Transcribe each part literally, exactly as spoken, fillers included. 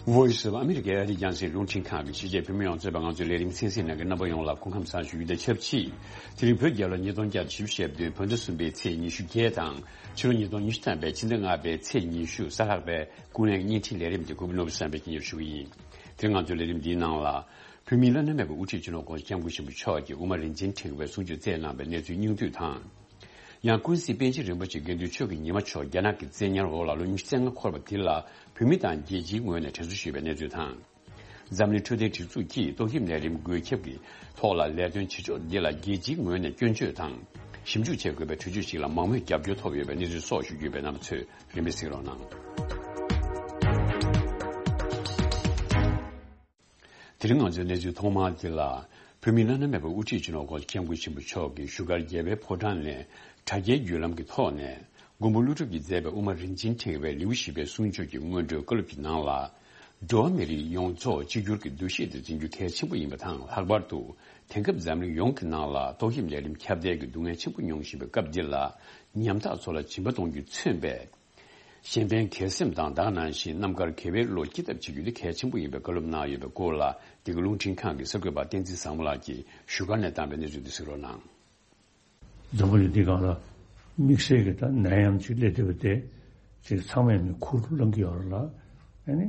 Voice of America ཨ་རིའི་རྒྱང་སྲིང་རླུང་འཕྲིན་ཁང་གི་ཕྱི་རྒྱལ་བོད་མི་ཡོངས་གཙོས་པའི་ང་ཚོའི་ལས་རིམ་གསན་གཟིགས་གནང་མཁན་རྣམ་པ་ཡོངས་ལ་སྐུ་ཁམས་བཟང་ཞུ་རྒྱུ་དང་ཆབས་ཅིག་དེ་རིང་བོད་རྒྱལ་ལོ་ཉིས་སྟོང་བརྒྱ་དང་བཞི་བཅུ་ཞེ་བདུན་བོད་ཟླ་གསུམ་པའི་ཚེས་ཉི་ཤུ་བརྒྱད་དང་ཕྱི་ལོ་ཉིས་སྟོང་ཉི་ཤུ་ཐམ་པའི་ཕྱི་ཟླ་ལྔ་པའི་ཚེས་ཉི་ཤུ་གཟའ་ལྷག་པའི་ཀུན་གླེང་བརྙན་འཕྲིན་ལས་རིམ་དེ་གུས་པ་ནོར་བུ་བསམ་འཕེལ་གྱིས་སྙན་སྒྲོན་ཞུ་གི་ཡིན། དེ་རིང་ང་ཚོའི་ལས་རིམ་འདིའི་ནང་ལ། བོད་མིའི་བླ་ན་མེད་པའི་དབུ་ཁྲིད་སྤྱི་ནོར་༸གོང་ས་༸སྐྱབས་མགོན་ཆེན་པོ་མཆོག་གིས་དབུ་མ་རིན་ཆེན་ཕྲེང་བའི་གསུང་ཆོས་སྩལ་གནང་བའི་གནས་ཚུལ་སྙིང་བསྡུས་དང་། ཡང་ཀུན་གཟིགས་པཎ་ཆེན་རིན་པོ་ཆེ་དགེ་འདུན་ཆོས་ཀྱི་ཉི་མ་མཆོག་རྒྱ་ནག་གི་བཙན་ཉར་འོག་ལ་ལོ་ཉི་ཤུ་རྩ་ལྔ་འཁོར་བ་དེ་ལ་བོད་མི་དང་རྒྱལ་སྤྱིའི་ངོས་ནས་དྲན་གསོ་ཞུས་པའི་གནས་ཚུལ་དང་། འཛམ་གླིང་འཕྲོད་བསྟེན་སྒྲིག་འཛུགས་ཀྱིས་ཏོག་དབྱིབས་ནད་རིམས་འགོས་ཁྱབ་ཀྱི་ཐོག་ལ་ལས་དོན་བྱེད་ཕྱོགས་འདི་ལ་རྒྱལ་སྤྱིའི་ངོས་ནས་སྐྱོན་བརྗོད་དང་། ཞིབ་འཇུག་བྱེད་དགོས་པའི་གྲོས་ཆོད་ཅིག་ལ་མང་མོས་རྒྱབ་སྐྱོར་ཐོབ་ཡོད་པའི་གནས་ཚུལ་སོགས་ཞུ་རྒྱུ་ཡོད་པས་རྣམ་པ་ཚོས་རིན་པས་གཟིགས་རོགས་གནང་། དེ་རིང་ང་ཚོའི་གནས་ཚུལ་ཐོག་མར་འདི་ལ། བོད་མིའི་བླ་ན་མེད་པའི་དབུ་ཁྲིད་སྤྱི་ནོར་༸གོང་ས་༸སྐྱབས་མགོན་ཆེན་པོ་མཆོག་གིས་བཞུགས་སྒར་རྒྱལ་བའི་ཕོ་བྲང་ནས་དྲ་རྒྱའི་བརྒྱུད་ལམ་གྱི་ཐོག་ནས་མགོན་པོ་ཀླུ་སྒྲུབ་ཀྱིས་མཛད་པའི་དབུ་མ་རིན་ཆེན་ཕྲེང་བའི་ལེའུ་བཞི་པའི་གསུང་ཆོས་ཀྱི་སྔོན་འགྲོའི་བཀའ་སློབ་ཀྱི་ནང་ལ། འགྲོ་བ་མི་རིགས་ཡོངས་རྫོགས་གཅིག་གྱུར་གྱི་འདུ་ཤེས་དེ་འཛིན་རྒྱུ་གལ་ཆེན་པོ་ཡིན་པ་དང་། ལྷག་པར་དུ་དེང་སྐབས་འཛམ་གླིང་ཡོངས་ཀྱི་ནང་ལ་ཏོག་དབྱིབས་ནད་རིམས་ཁྱབ་གདལ་གྱི་སྡུག་བསྔལ་ཆེན་པོ་མྱོང་བཞིན་པའི་སྐབས་འདི་ལ། ཉམ་ཐག་ཚོ་ལ་སྦྱིན་པ་གཏོང་རྒྱུས་མཚོན་པའི། གཞན་ཕན་གལ་སེམས་དང་ད་ག་ནང་བཞིན་རྣམ་དཀར་དགེ་བའི་བློ་སྐྱེད་ཐབས་བྱེད་རྒྱུ་དེ་གལ་ཆེན་པོ་ཡིན་པའི་བཀའ་སློབ་གནང་ཡོད་པའི་སྐོར་ལ། འདི་ག་རླུང་འཕྲིན་ཁང་གི་གསར་འགོད་པ་བསྟན་འཛིན་བཟང་མོ་ལགས་ཀྱིས་བཞུགས་སྒར་ནས་བཏང་བའི་གནས་ཚུལ་འདི་གཟིགས་རོགས་གནང་། འཛམ་བུ་གླིང་འདི་སྒང་ལ་དམིགས་བསལ་གྱི་ད་ནད་ཡམས་ཅིག་སླེབས་བསྡད་པ་དེ་ཅིག་ཚང་མས་ནི་ཁུར་བླངས་ཀྱི་ཡོད་རེད་ལ། ཨ་ནི་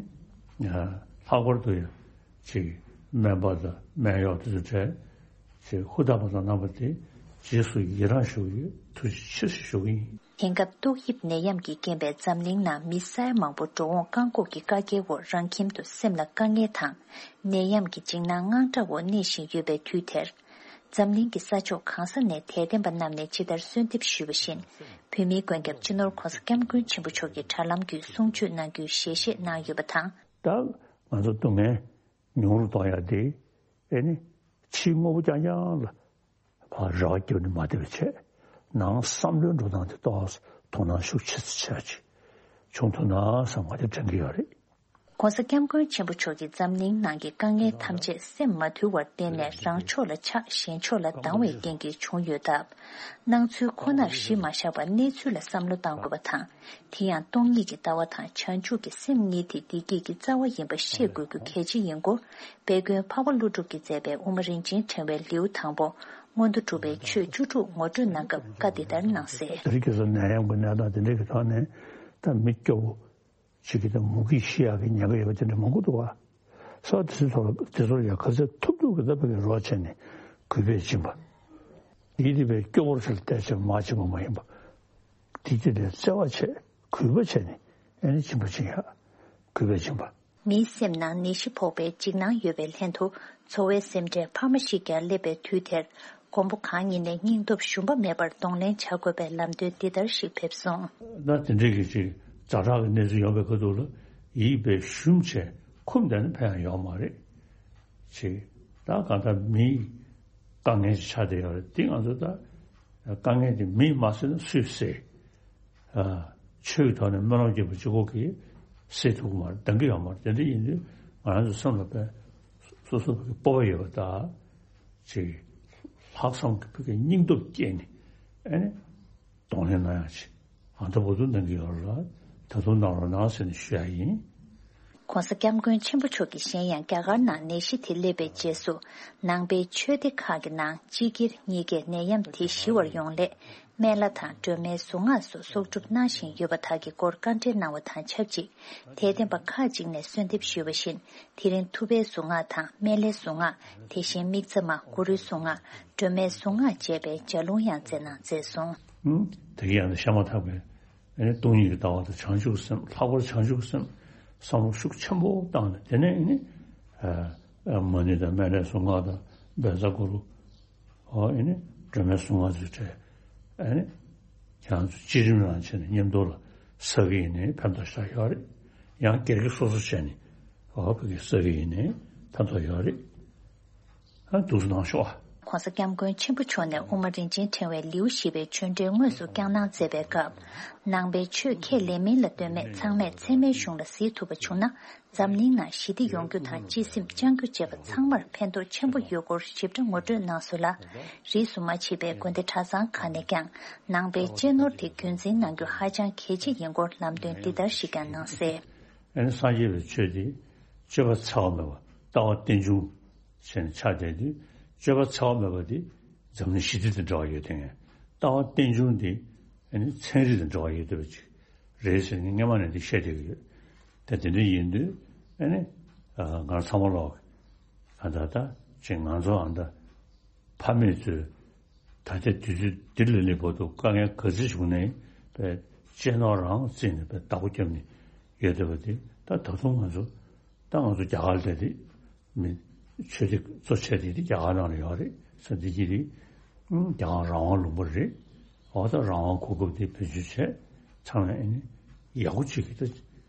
ལྷག་པར་དུ་ཡང་ཅིག་སྨན་པ་དང་སྨན་གཡོག་དེ་ཚོ་གྲས་ཅིག་ཧུར་ཐག་པ་དང་རྣམ་པ་དེ་རྗེས་སུ་ཡི་རང་ཞུ་གི་ཡོད། ཐུགས་རྗེ་ཆེ་ཞུ་གི་ཡིན། དེང་སྐབས་ཏོག་དབྱིབས་ནད་ཡམས་ཀྱི་རྐྱེན་པས་འཛམ་གླིང་ནང་མི་ས་ཡ་མང་པོ་འགྲོ་འོང་བཀག་འགོག་གི་བཀའ་རྒྱའི་འོག་རང་ཁྱིམ་དུ་སེམས་ལ་དཀའ་ངལ་དང་ནད་ཡམས་ཀྱི་འཇིགས་སྣང་དངངས་སྐྲག་འོག་གནས་བཞིན་ཡོད་པའི་དུས་དེར། འཛམ་གླིང་གི་ས་ཕྱོགས་གང་ས་ནས་དད་ལྡན་པ་རྣམས་ནས་ཇི་ལྟར་གསོལ་འདེབས་ཞུས་པ་བཞིན། བོད་མིའི་མགོན་སྐྱབས་སྤྱི་ནོར་༸གོང་ས་༸སྐྱབས་མགོན་ཆེན་པོ་མཆོག་གིས་དྲ་ལམ་བརྒྱུད་གསུང་ཆོས་གནང་རྒྱུའི་ཞལ་བཞེས་གནང་ཡོད་པ་དང་། ད་ང་ཚོ་སྡུག་བསྔལ་ཉུང་རུ་གཏོང་ཡ་དེ་ཨེ་ནི་ཕྱིའི་དངོས་པོ་རྐྱང་རྐྱང་ལ་ཕར་རེ་བ་བརྒྱབ་ནས་མ་བསྡད་པ་བྱས། ནང་བསམ་བློའི་འགྲོ་སྟངས་དེ་ཏོག་ཙམ་དོ་སྣང་ཤུགས་ཆེ་ཙམ་བྱས་ཅིག་བྱུང་ཐུབ་ན་བསམ་ང་དེ་དྲན་གྱི་ཡོད་རེད། ༸གོང་ས་༸སྐྱབས་མགོན་ཆེན་པོ་མཆོག་གིས་འཛམ་གླིང་ནང་གི་དཀའ་ངལ་ཐམས་ཅད་སེམས་མ་ཐུལ་བར་བརྟེན་ནས་རང་ཕྱོགས་ལ་ཆགས་གཞན་ཕྱོགས་ལ་སྡང་བའི་རྐྱེན་གྱིས་བྱུང་ཡོད་སྟབས། སྣང་ཚུལ་ཁོ་ནར་གཞི་མ་བཞག་པར་གནས་ཚུལ་ལ་བསམ་བློ་གཏང་དགོས་པ་དང་། དེ་ཡང་སྟོང་ཉིད་ཀྱི་ལྟ་བ་དང་བྱང་ཆུབ་ཀྱི་སེམས་གཉིས་དེ་བདེ་སྐྱིད་ཀྱི་རྩ་བ་ཡིན་པ་ཤེས་དགོས་རྒྱུ་གལ་ཆེ་ཡིན་སྐོར། དཔལ་མགོན་འཕགས་པ་ཀླུ་སྒྲུབ་ཀྱིས་མཛད་པའི་དབུ་མ་རིན་ཆེན་ཕྲེང་བའི་ལེའུ་དང་པོ། མངོན་མཐོ་གྲུབ་པའི་ཆོས་བཅུ་དྲུག་ངོ་སྤྲོད་གནང་སྐབས་བཀའ་འདི་ལྟར་གནང་གསལ། དེ་རིང་ཁ་སང་ནད་ཡམས་ཀྱི་གནས་སྟངས་དེ་འདྲའི་གི་ཐོག་ནས་ད་མི་སྐྱོ་བོ་ཅིག་གིས་ད་མུ་གེས་ཤི་ཡག་གི་ཉེན་ཁ་ཡོད་པ་དེ་འདྲ་མང་པོ་འདུག་བ། ས་དེ་ཚོ་ལ་དེ་ཚོར་ཡང་ག་ཚོད་ཐུབ་ཐུབ་ཀྱི་ད་བོད་ཀྱི་རོགས་བྱས་ནས་གུས་པས་སྦྱིན་པ། དེའི་དེ་བས་སྐྱོ་བོར་ཆེར་བལྟས་བྱས་མ་བྱིན་པ་མ་ཡིན་པ། དེ་དེ་ལས་བརྩེ་བ་བྱས་གུས་པ་བྱས་ནས་ཨེ་ནི་སྦྱིན་པ་བྱིན་ཡག་གུས་པས་སྦྱིན་པ། མིའི་སེམས་ནང་ནད་གཞི་ཕོག་པའི་འཇིགས་སྣང་ཡོད་པའི་ལྷན་དུ་འཚོ་བའི་སེམས་ཁྲལ་འཕར་མ་ཞིག་ཀྱང་སླེབས་པའི་དུས་དེར། མགོན་པོ་གང་ཉིད་ནས་སྙིང་སྟོབས་ཞུམ་པ་མེད་པར་གདོང་ལེན་བྱ་དགོས་པའི་ལམ་སྟོན་འདི་ལྟར་ཞིག་ཕེབས་སོང་། ད་དེ་འདྲའི་གི་ཅིག་ཛ་དྲག་གི་གནས་ཚུལ་ཡོང་བའི་ཁ་ཐུག་ལ་ཡིད་དཔེ་ཞུམ་བྱས་འཁུམས་བསྡད་ན་ཕན་ཡང་ཡོང་མ་རེད། ཅིག་ད་གང་ལྟར་མིའི་དཀའ་ངལ་ཅིག་ཆགས་བསྡད་ཡོད་རེད། དེ་ང་ཚོ་ད་དཀའ་ངལ་དེ་མིས་མ་སེལ་ན་སུས་སེལ། ཨ། ཆོས་ཀྱི་ཐོག་ནས་སྨོན་ལམ་རྒྱག་པ་གཅིག་པོ་གིས་སེལ་ཐུབ་ཀྱི་མ་རེད། འདང་གི་ཡོད་མ་རེད། དེ་འདྲ་ཡིན་དུས་ང་རང་ཚོ་སེམས་ལ་དཔེ་སོ་སོ་བོད་ཀྱི་སྤོབས་པ་ཡོད་པ་དང་། ཅིག་ལྷག་བསམ་གྱི་བོད་ཀྱི་སྙིང་སྟོབས་བསྐྱེད་ནས་ཨ་ནི་གདོང་ལེན་གནང་ཡག་ཅིག་ཨ་ད་བུ་ཚོ་གནང་གི་ཡོད་རེད་ལ། ད་དུང་གནང་རོགས་གནང་ཟེར་ནས་ཞུ་ཡག་ཡིན། ༸གོང་ས་༸སྐྱབས་མགོན་ཆེན་པོ་མཆོག་གིས་གཞན་ཡང་རྒྱ་གར་ནང་ནད་གཞི་དེ་སླེབས་པའི་རྗེས་སུ། ནང་པའི་ཆོས་སྡེ་ཁག་གི་ནང་སྤྱི་སྒེར་གཉིས་ཀས་ནད་ཡམས་དེ་ཞི་བར་ཡོང་སླད། སྨན་བླ་དང་སྒྲོལ་མའི་གཟུངས་སྔགས་སོགས་གསོག་སྒྲུབ་གནང་བཞིན་ཡོད་པ་དག་གི་སྐོར་བཀའ་འགྲེལ་གནང་བ་དང་ཆབས་ཅིག་དད་ལྡན་པ་ཁག་ཅིག་ནས་གསོལ་འདེབས་ཞུས་པ་བཞིན། དེ་རིང་ཐུབ་པའི་གཟུངས་སྔགས་དང་སྨན་བླའི་གཟུངས་སྔགས། དེ་བཞིན་དམིགས་བརྩེ་མ་གུ་རུའི་གཟུངས་སྔགས། སྒྲོལ་མའི་གཟུངས་སྔགས་བཅས་པའི་ལྗགས་ལུང་ཡང་སྩལ་གནང་མཛད་སོང་། ཧུམ། དེ་ག་ཡང་ན་ཤ་མ་ཐག་པའི་ཨ་ནི་སྟོང་ཉིད་ཀྱི་ལྟ་བ་དང་བྱང་ཆུབ་སེམས། ལྷག་པར་བྱང་ཆུབ་སེམས་བསམ་བློ་ཤུགས་ཆེན་པོ་བཏང་ནས། དེ་ནས་ཨ་ནི་ཨ་མ་ཎི་དང་སྨན་བླའི་གཟུངས་སྔགས་དང་བཛྲ་གུ་རུ། ཨོ་ཨེ་ནི་སྒྲོལ་མའི་གཟུངས་སྔགས་ཚུལ་ཁྲིམས་ཨེ་ནི་ཁྱེད་རང་ཚོ་བསྐྱེད་རིམ་རང་བྱས་ནས་མཉམ་དུ་ལ་བསགས་ཀྱི་ཡིན་ནའི་ཕན་ཐོགས་ཤར་ཡོད་རེད། ཡང་སྒེར་གྱི་སོ་སོ་བྱས་ནས་ཨོ་ཕ་གི་བསགས་ཀྱི་ཡིན་ནའི་ཕན་ཐོགས་ཡོད་རེད། ཨ་འདུག་སེ་གནང་ཤོག་ཨ། ༸གོང་ས་༸སྐྱབས་མགོན་ཆེན་པོ་མཆོག་ནས་དབུ་མ་རིན་ཆེན་ཕྲེང་བའི་ལེའུ་བཞི་པའི་ཆོས་འབྲེལ་དངོས་སུ་བསྐྱངས་གནང་མཛད་པའི་སྐབས། ནང་པའི་ཆོས་ཁས་ལེན་མིན་ལ་ལྟོས་མེད་ཚང་མས་ཚད་མའི་གཞུང་ལ་གཟིགས་ཐུབ་པ་བྱུང་ན། འཛམ་གླིང་ནང་ཞི་བདེ་ཡོང་རྒྱུ་དང་སྤྱི་སེམས་བཅང་རྒྱུ་བཅས་པ་ཚང་མར་ཕན་ཐོགས་ཆེན་པོ་ཡོད་སྐོར་ཞིབ་ཕྲ་ངོ་སྤྲོད་གནང་སོང་ལ། རིས་སུ་མ་ཆད་པའི་དགོན་སྡེ་གྲྭ་ཚང་ཁག་ནས་ཀྱང་ནང་པའི་གཅེས་ནོར་དེ་རྒྱུན་འཛིན་གནང་རྒྱུ་ཧ་ཅང་གལ་ཆེ་ཡིན་སྐོར་ལམ་སྟོན་འདི་ལྟར་ཞིག་ཀྱང་གནང་གསལ། ཨ་ནི་སངས་རྒྱས་པའི་ཆོས་དེ་ སྤྱོད་པ་འཚེ་བ་མེད་པ་ལྟ་བ་རྟེན་འབྱུང་ཟེར་ནས་ཆགས་བསྡད་དུས། སྤྱོད་པ་འཚེ་བ་མེད་པ་དེ་འཛམ་གླིང་ཞི་བདེ་དང་འབྲེལ་བ་ཡོད་དེ། ལྟ་བ་རྟེན་འབྱུང་དེ་ཨ་ནི་ཚན་རིག་དང་འབྲེལ་བ་ཡོད་བསྡད་པ་ཅིག་རེད་ཟེར་ནས་སྔན་མ་ནས་འདི་བཤད་བསྡད་ཀྱི་ཡོད། ད་དེ་འདྲ་ཡིན་དུས་ཨ་ནི་ང་ཚང་མ་ལོག་ཨ་ད་ད་ཅིག་ང་ཚོ་ཨ་ད། ཕ་མེས་ཚོས་ད་ལྟའི་དུས་ཚོད་འདི་ལ་སླེབས་བར་དུ་དཀའ་ངལ་ག་ཚོད་བྱུང་ནའི་དཔེ་གཅེས་ནོར་རང་བརྩིས་ནས་དཔེ་བདག་པོ་བརྒྱབ་ནས་ཡོད་བསྡད་པ་དེ། ད་ད་དུང་ང་ཚོ་ད་ང་ཚོ་རྒྱ་གར་ལ་བསྡད་དེ་མི་ཆོས་སྡེ་གཙོ་ཆེ་དེ་དེ་རྒྱ་གར་ནང་ལ་ཡོད་རེད་ཟེར། འདི་གི་རེད། རྒྱ་གར་རང་དབང་ལུང་པ་རེད། འོ་ད་རང་དབང་གོ་སྐབས་དེ་བེད་སྤྱོད་བྱས་ཚང་མས་ཨ་ནི་ཡག་པོ་བྱེད་ཀྱི་ད།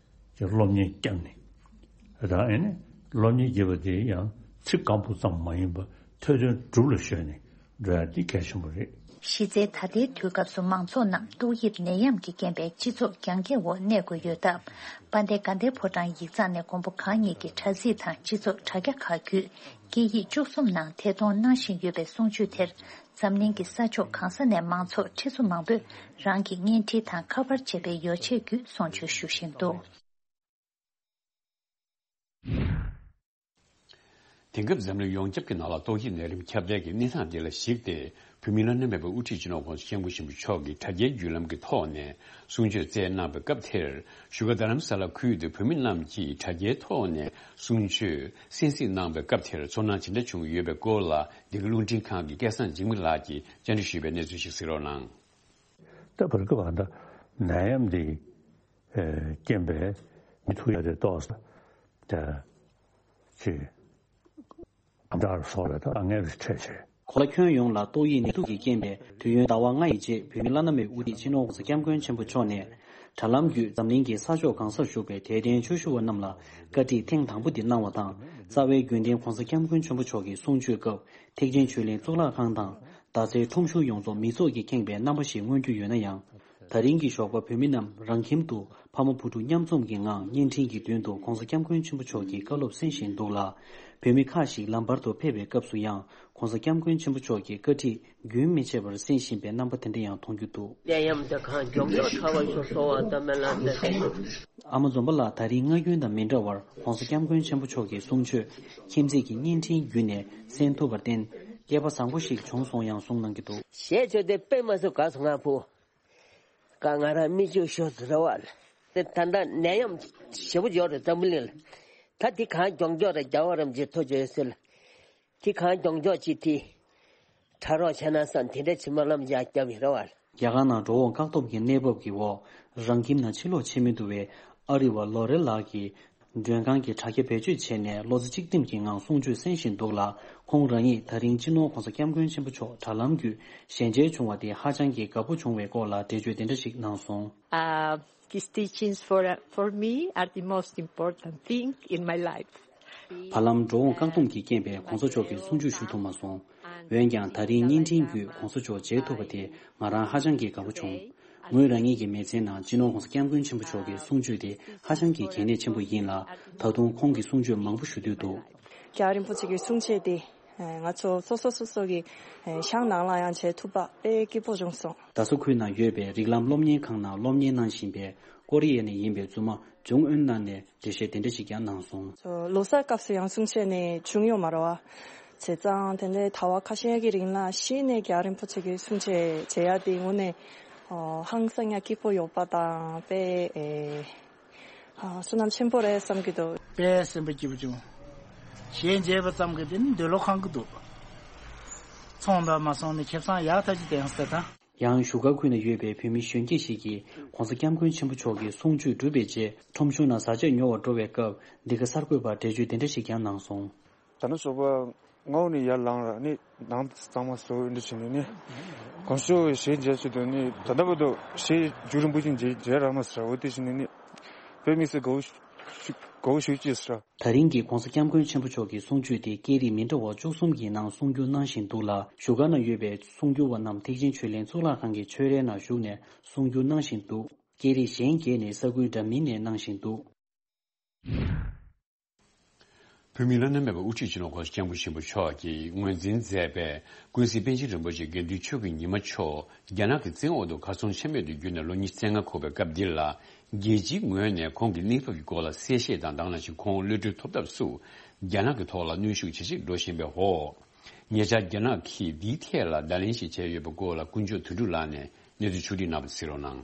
ཀྱི་སློབ་གཉེར་བསྐྱངས་ནས། ད་ཨེ་ནས་སློབ་གཉེར་བགྱིས་པ་དེ་ཡང་ཚིག་སྐམ་པོ་ཙམ་མ་ཡིན་པར་ཐོས་དོན་སྒྲུབ་ལ་གཞོལ་ནས་འགྲོ་ཡ་འདི་གལ་ཆེན་པོ་རེད། གཞི་རྩའི་ད་ལྟའི་དུས་སྐབས་སུ་མང་ཚོགས་རྣམས་ཏོག་དབྱིབས་ནད་ཡམས་ཀྱི་རྐྱེན་པས་སྤྱི་ཚོགས་རྒྱང་རྐྱང་འོག་གནས་དགོས་ཡོད་སྟབས། དཔལ་ལྡན་དགའ་ལྡན་ཕོ་བྲང་ཡིག་ཚང་ནས་མགོན་པོ་གང་ཉིད་ཀྱི་དྲ་ཚིགས་དང་སྤྱི་ཚོགས་དྲ་རྒྱ་ཁག་བརྒྱུད་སྐད་ཡིག་བཅུ་གསུམ་ནང་ཐད་གཏོང་གནང་བཞིན་ཡོད་པའི་གསུང་ཆོས་དེར། འཛམ་གླིང་གི་ས་ཕྱོགས་གང་ས་ནས་མང་ཚོགས་ཁྲི་ཚོ་མང་པོས་རང་གི་བརྙན་འཕྲིན་དང་ཁ་པར་བཅས་པའི་ཡོ་ཆས་བརྒྱུད་གསུང་ཆོས་ཞུ་བཞིན་འདུག། དེང་སྐབས་འཛམ་གླིང་ཡོངས་ཁྱབ་ཀྱི་ནང་ལ་ཏོག་དབྱིབས་ནད་རིམས་ཁྱབ་གདལ་གྱི་གནས་སྟངས་དེ་ལ་གཞིགས་ཏེ། བོད་མིའི་བླ་ན་མེད་པའི་དབུ་ཁྲིད་སྤྱི་ནོར་༸གོང་ས་༸སྐྱབས་མགོན་ཆེན་པོ་མཆོག་གིས་དྲ་རྒྱའི་བརྒྱུད་ལམ་གྱི་ཐོག་ནས་གསུང་ཆོས་སྩལ་གནང་བའི་སྐབས་དེར། བཞུགས་སྒར་རྡ་རམ་ས་ལ་ཁུལ་དུ་བོད་མི་རྣམས་ཀྱིས་དྲ་རྒྱའི་ཐོག་ནས་གསུང་ཆོས་གསན་གཟིགས་གནང་བའི་སྐབས་དེར་ཚོར་སྣང་ཇི་འདྲ་བྱུང་ཡོད་པའི་སྐོར་ལ། འདི་ག་རླུང་འཕྲིན་ཁང་གི་སྐལ་བཟང་འཇིགས་མེད་ལགས་ཀྱིས་བཅར་འདྲི་ཞུས་པའི་གནས་ཚུལ་ཞིག་གཟིགས་རོགས་གནང་། ད་བར་སྐབས་ཨ་ད་ནད་ཡམས་འདི་ཨེ་རྐྱེན་པས་མི་ཐུག་ཡ་དེ་ཏོག་ཙམ་ད་ཅིག་དམ་དྲག་སོགས་ལ་ད་དཀའ་ངལ་རེ་འཕྲད་བྱས། གོ་ལ་ཁྱོན་ཡོངས་ལ་ཏོག་དབྱིབས་ནད་དུག་གི་རྐྱེན་པས་དུས་ཡུན་ཟླ་བ་ལྔ་ཡི་རྗེས་བོད་མི་བླ་ན་མེད་དབུ་ཁྲིད་སྤྱི་ནོར་༸གོང་ས་༸སྐྱབས་མགོན་ཆེན་པོ་མཆོག་ནས་དྲ་ལམ་བརྒྱུད་འཛམ་གླིང་གི་ས་ཕྱོགས་གང་སར་བཞུགས་པའི་དད་ལྡན་ཆོས་ཞུ་བ་རྣམས་ལ་བཀའ་ཁྲིད་ཐེངས་དང་པོ་འདི་གནང་བ་དང་། རྩ་བའི་རྒྱུན་ལྡན་༸གོང་ས་༸སྐྱབས་མགོན་ཆེན་པོ་མཆོག་གི་གསུང་ཆོས་སྐབས་ཐེག་ཆེན་ཆོས་གླིང་གཙུག་ལག་ཁང་དང་། མདའ་རྩེའི་ཁྲོམ་གཞུང་ཡོངས་རྫོགས་མི་ཚོགས་ཀྱིས་ཁེངས་པའི་རྣམ་པ་ཞིག་མངོན་རྒྱུ་ཡོད་ན་ཡང་། ད་རིང་གི་ཞོགས་པ་བོད་མི་རྣམས་རང་ཁྱིམ་དུ་ཕ་མ་བུ་ཕྲུག་མཉམ་འཛོམས་ཀྱི་ངང་བརྙན་འཕྲིན་གྱི་མདུན་དུ་༸གོང་ས་༸སྐྱབས་མགོན་ཆེན་པོ་མཆོག་གི་བཀའ་སློབ་གསན་བཞིན་འདུག་ལ། བོད་མི་ཁག་ཞིག་ལམ་བར་དུ་ཕེབས་པའི་སྐབས་སུ་ཡང་༸གོང་ས་༸སྐྱབས་མགོན་ཆེན་པོ་མཆོག་གི་བཀའ་ཁྲིད་རྒྱུན་མི་ཆད་པར་གསན་བཞིན་པའི་རྣམ་པ་དེ་འདྲ་ཡང་མཐོང་རྒྱུ་འདུག། ནད་ཡམས་དེ་གང་མགྱོགས་མགྱོགས་དྲག་པར་ཤོག་གསོལ་བ་དང་སྨོན་ལམ་འདེབས། ཨ་མ་འཛོམས་པ་ལགས། ད་རིང་སྔ་རྒྱུན་དང་མི་འདྲ་བར་༸གོང་ས་༸སྐྱབས་མགོན་ཆེན་པོ་མཆོག་གི་གསུང་ཆོས་ཁྱིམ་མཚེས་ཀྱི་བརྙན་འཕྲིན་བརྒྱུད་ནས་གསན་ཐུབ་པར་བརྟེན་སྐལ་པ་བཟང་པོ་ཞིག་བྱུང་སོང་ཡང་གསུང་གནང་གི་འདུག། ཞེས་བརྗོད་དེ་དཔེ་མ་སྲིད་དགའ་སོང་ང་བུ། ཀ་ང་རང་མི་ཅུང་ཤོར་ཟེར་བ་ལ། དེ་ད་ལྟ་ནད་ཡམས་ཞེ་པོ་ཡོད་རེད་འཛམ་བུ་གླིང་ལ། ད་དེ་གང་མགྱོགས་མགྱོགས་རེད་རྒྱལ་བ་རིན་པོ་ཆེ་ཐུགས་རྗེ་ཡོད་ཟེར་ལ། དེ་གང་མགྱོགས་མགྱོགས་ཅིག་དེ་དྲག་རོགས་བྱས་ན་བསམ་དེ་འདྲ་ཕྱི་མ་ལམ་ཡག་བརྒྱབ་ཡོད་རེད་བ་ལ། རྒྱ་གར་ནང་འགྲོ་འོང་བཀག་སྡོམ་གྱི་གནས་བབ་ཀྱི་འོག་རང་ཁྱིམ་ནང་ཕྱིར་ལོག་བྱེད་མི་ཐུབ་པའི་ཨ་རི་བ་ལོ་རེ་ལགས་ཀྱིས། མགྲོན་ཁང་གི་དྲ་རྒྱ་བེད་སྤྱོད་བྱས་ནས་བློ་རྩེ་གཅིག་སྒྲིམ་གྱི་ངང་གསུང་ཆོས་གསན་བཞིན་འདུག་ལ། ཁོང་རང་ཉིད་ད་རིང་སྤྱི་ནོར་༸གོང་ས་༸སྐྱབས་མགོན་ཆེན་པོ་མཆོག་དྲ་ལམ་བརྒྱུད་ཞལ་མཇལ་བྱུང་བ་དེ་ཧ་ཅང་གི་དགའ་པོ་བྱུང་བའི་སྐོར་ལ་འགྲེལ་བརྗོད་དེ་འདྲ་ཞིག་གནང་སོང་། Uh, his teachings for, for me are the most important thing in my life. བར་ལམ་འགྲོ་འོང་བཀག་སྡོམ་གྱི་རྐྱེན་པས་༸གོང་ས་མཆོག་གི་གསུང་ཆོས་ཞུ་ཐུབ་མ་སོང་། འོན་ཀྱང་ད་རིང་བརྙན་འཕྲིན་བརྒྱུད་༸གོང་ས་མཆོག་མཇལ་ཐུབ་པ་དེ་ང་རང་ཧ་ཅང་གི་དགའ་པོ་བྱུང་། ངོས་རང་ཉིད་ཀྱི་མི་ཚེའི་ནང་སྤྱི་ནོར་༸གོང་ས་༸སྐྱབས་མགོན་ཆེན་པོ་མཆོག་གི་གསུང་ཆོས་དེ་ཧ་ཅང་གི་གལ་གནད་ཆེན་པོ་ཡིན་ལ། ད་དུང་ཁོང་གི་གསུང་ཆོས་མང་པོ་ཞུ་འདོད་འདུག། རྒྱལ་བ་རིན་པོ་ཆེ་གི་གསུང་ཆོས་དེ་ང་ཚོ་སོ་སོ་སོ་སོ་གི་ཤང་ནང་ལ་ཡང་མཇལ་ཐུབ་པ་དཔེ་སྐྱིད་པོ་བྱུང་སོང་། རྡ་ས་ཁུལ་ནང་ཡོད་པའི་རིགས་ལམ་སློབ་གཉེར་ཁང་ནང་སློབ་གཉེར་གནང་བཞིན་པའི་ཀོ་རི་ཡ་ནས་ཡིན་པའི་བཙུན་མ་ཇུང་ཨུན་ནན་ནས་འགྲེལ་བཤད་དེ་འདྲ་ཞིག་ཀྱང་གནང་སོང་། ལོ་གསར་སྐབས་སུ་ཡང་གསུང་ཆོས་ནི་བྱུང་ཡོད་མ་རེད་བ། བྱས་ཙང་དེ་འདྲའི་ཟླ་བ་ཁ་ཤས་ཀྱི་རིང་ལ་གཞི་ནས་རྒྱལ་བ་རིན་པོ་ཆེ་གི་གསུང་ཆོས་མཇལ་ཡ་དེ་དངོས་གནས་ཧང་སང་ཡ་སྐྱིད་པོ་ཡོད་པ་དང་དཔེ་ཨེ་ཨ་བསོད་ནམས་ཆེན་པོ་རེད་བསམ་གྱི་འདུག། དཔེ་སེམས་པ་སྐྱིད་པོ་བྱུང་། གཞས་མཇལ་བ་ཙམ་གྱིས་དེ་ནི་འདོད་བློ་ཁེངས་ཀྱི་འདུག། ཚོང་དང་མ་སོང་ནས་ཁེ་བཟང་ཡག་ཐག་ཆོད་ལྡན་ཟེར་དང་། ཡང་བཞུགས་སྒར་ཁུལ་ན་ཡོད་པའི་བོད་མི་གཞོན་སྐྱེས་ཤིག་གིས་༸གོང་ས་༸སྐྱབས་མགོན་ཆེན་པོ་མཆོག་གི་གསུང་ཆོས་གྲུབ་པའི་རྗེས་ཁྲོམ་གཞུང་ནང་བཟའ་ཆས་ཉོ་བར་འགྲོ་བའི་སྐབས་འདི་ག་གསར་འགོད་པར་འགྲེལ་བརྗོད་དེ་འདྲ་ཞིག་ཀྱང་གནང་སོང་། ད་ནི་ཞོགས་པ་སྔ་པོ་ནས་ཡར་ལངས་ར་ནི་ནང་གཙང་མ་བཟོ་འདི་བྱས་ནས་ནི་གང་ཤོ་གཞས་མཇལ་ཆེད་དུ་ནི་ད་ལྟ་བར་དུ་གཞས་རྒྱུན་རིང་པོ་ཞིག་མཇལ་མཇལ་རག་མ་སོང་ར། འོ་དེ་བྱས་ནས་ནི་དཔེ་དམིགས་བསལ་དགའ་བོ་ཞུ་དགའ་བོ་ཞུ་ཅེས་སོ། ད་རིང་གི་༸གོང་ས་༸སྐྱབས་མགོན་ཆེན་པོ་མཆོག་གི་གསུང་ཆོས་དེ་སྐད་རིགས་མི་འདྲ་བ་བཅུ་གསུམ་གྱི་ནང་གསུང་བསྒྱུར་གནང་བཞིན་འདུག་ལ། བཞུགས་སྒར་ན་ཡོད་པའི་གསུང་བསྒྱུར་བ་རྣམས་ཐེག་ཆེན་ཆོས་གླིང་གཙུག་ལག་ཁང་གི་ཆོས་རའི་ནང་བཞུགས་ནས་གསུང་བསྒྱུར་གནང་བཞིན་འདུག། སྐད་རིགས་གཞན་བརྒྱད་ནི་ས་ཁུལ་འདྲ་མིན་ནས་གནང་བཞིན་འདུག། བོད་མིའི་བླ་ན་མེད་པའི་དབུ་ཁྲིད་སྤྱི་ནོར་༸གོང་ས་༸སྐྱབས་མགོན་ཆེན་པོ་མཆོག་གིས་ངོས་འཛིན་མཛད་པའི་ཀུན་གཟིགས་པཎ་ཆེན་རིན་པོ་ཆེ་དགེ་འདུན་ཆོས་ཀྱི་ཉི་མ་མཆོག་རྒྱ་ནག་གི་བཙན་འོག་ཏུ་གར་སོང་ཆེན་མོད་དུ་བརྒྱུད་ནས་ལོ་ཉི་ཤུ་རྩ་ལྔ་འཁོར་བའི་སྐབས་འདི་ལ། རྒྱལ་སྤྱིའི་ངོས་ནས་ཁོང་གི་གནས་བབ་ཀྱི་སྐོར་ལ་གསལ་བཤད་དང་། དེ་ནང་བཞིན་ཁོང་གློད་གྲོལ་ཐོབ་ཐབས་སུ་རྒྱ་ནག་གི་ཐོག་ལ་གནོན་ཤུགས་ཇེ་ཆེར་འགྲོ་བཞིན་པའི་འོག་ཉེ་ཆར་རྒྱ་ནག་གིས་འདིའི་ཐད་ལ་བརྡ་ལན་ཞིག་བྱས་ཡོད་པའི་སྐོར་ལ། ཀུན་མཆོག་དོན་གྲུབ་ལགས་ནས་གནས་ཚུལ་ཕྱོགས་བསྒྲིགས་གནང་བ་གཟིགས་རོགས་གནང་།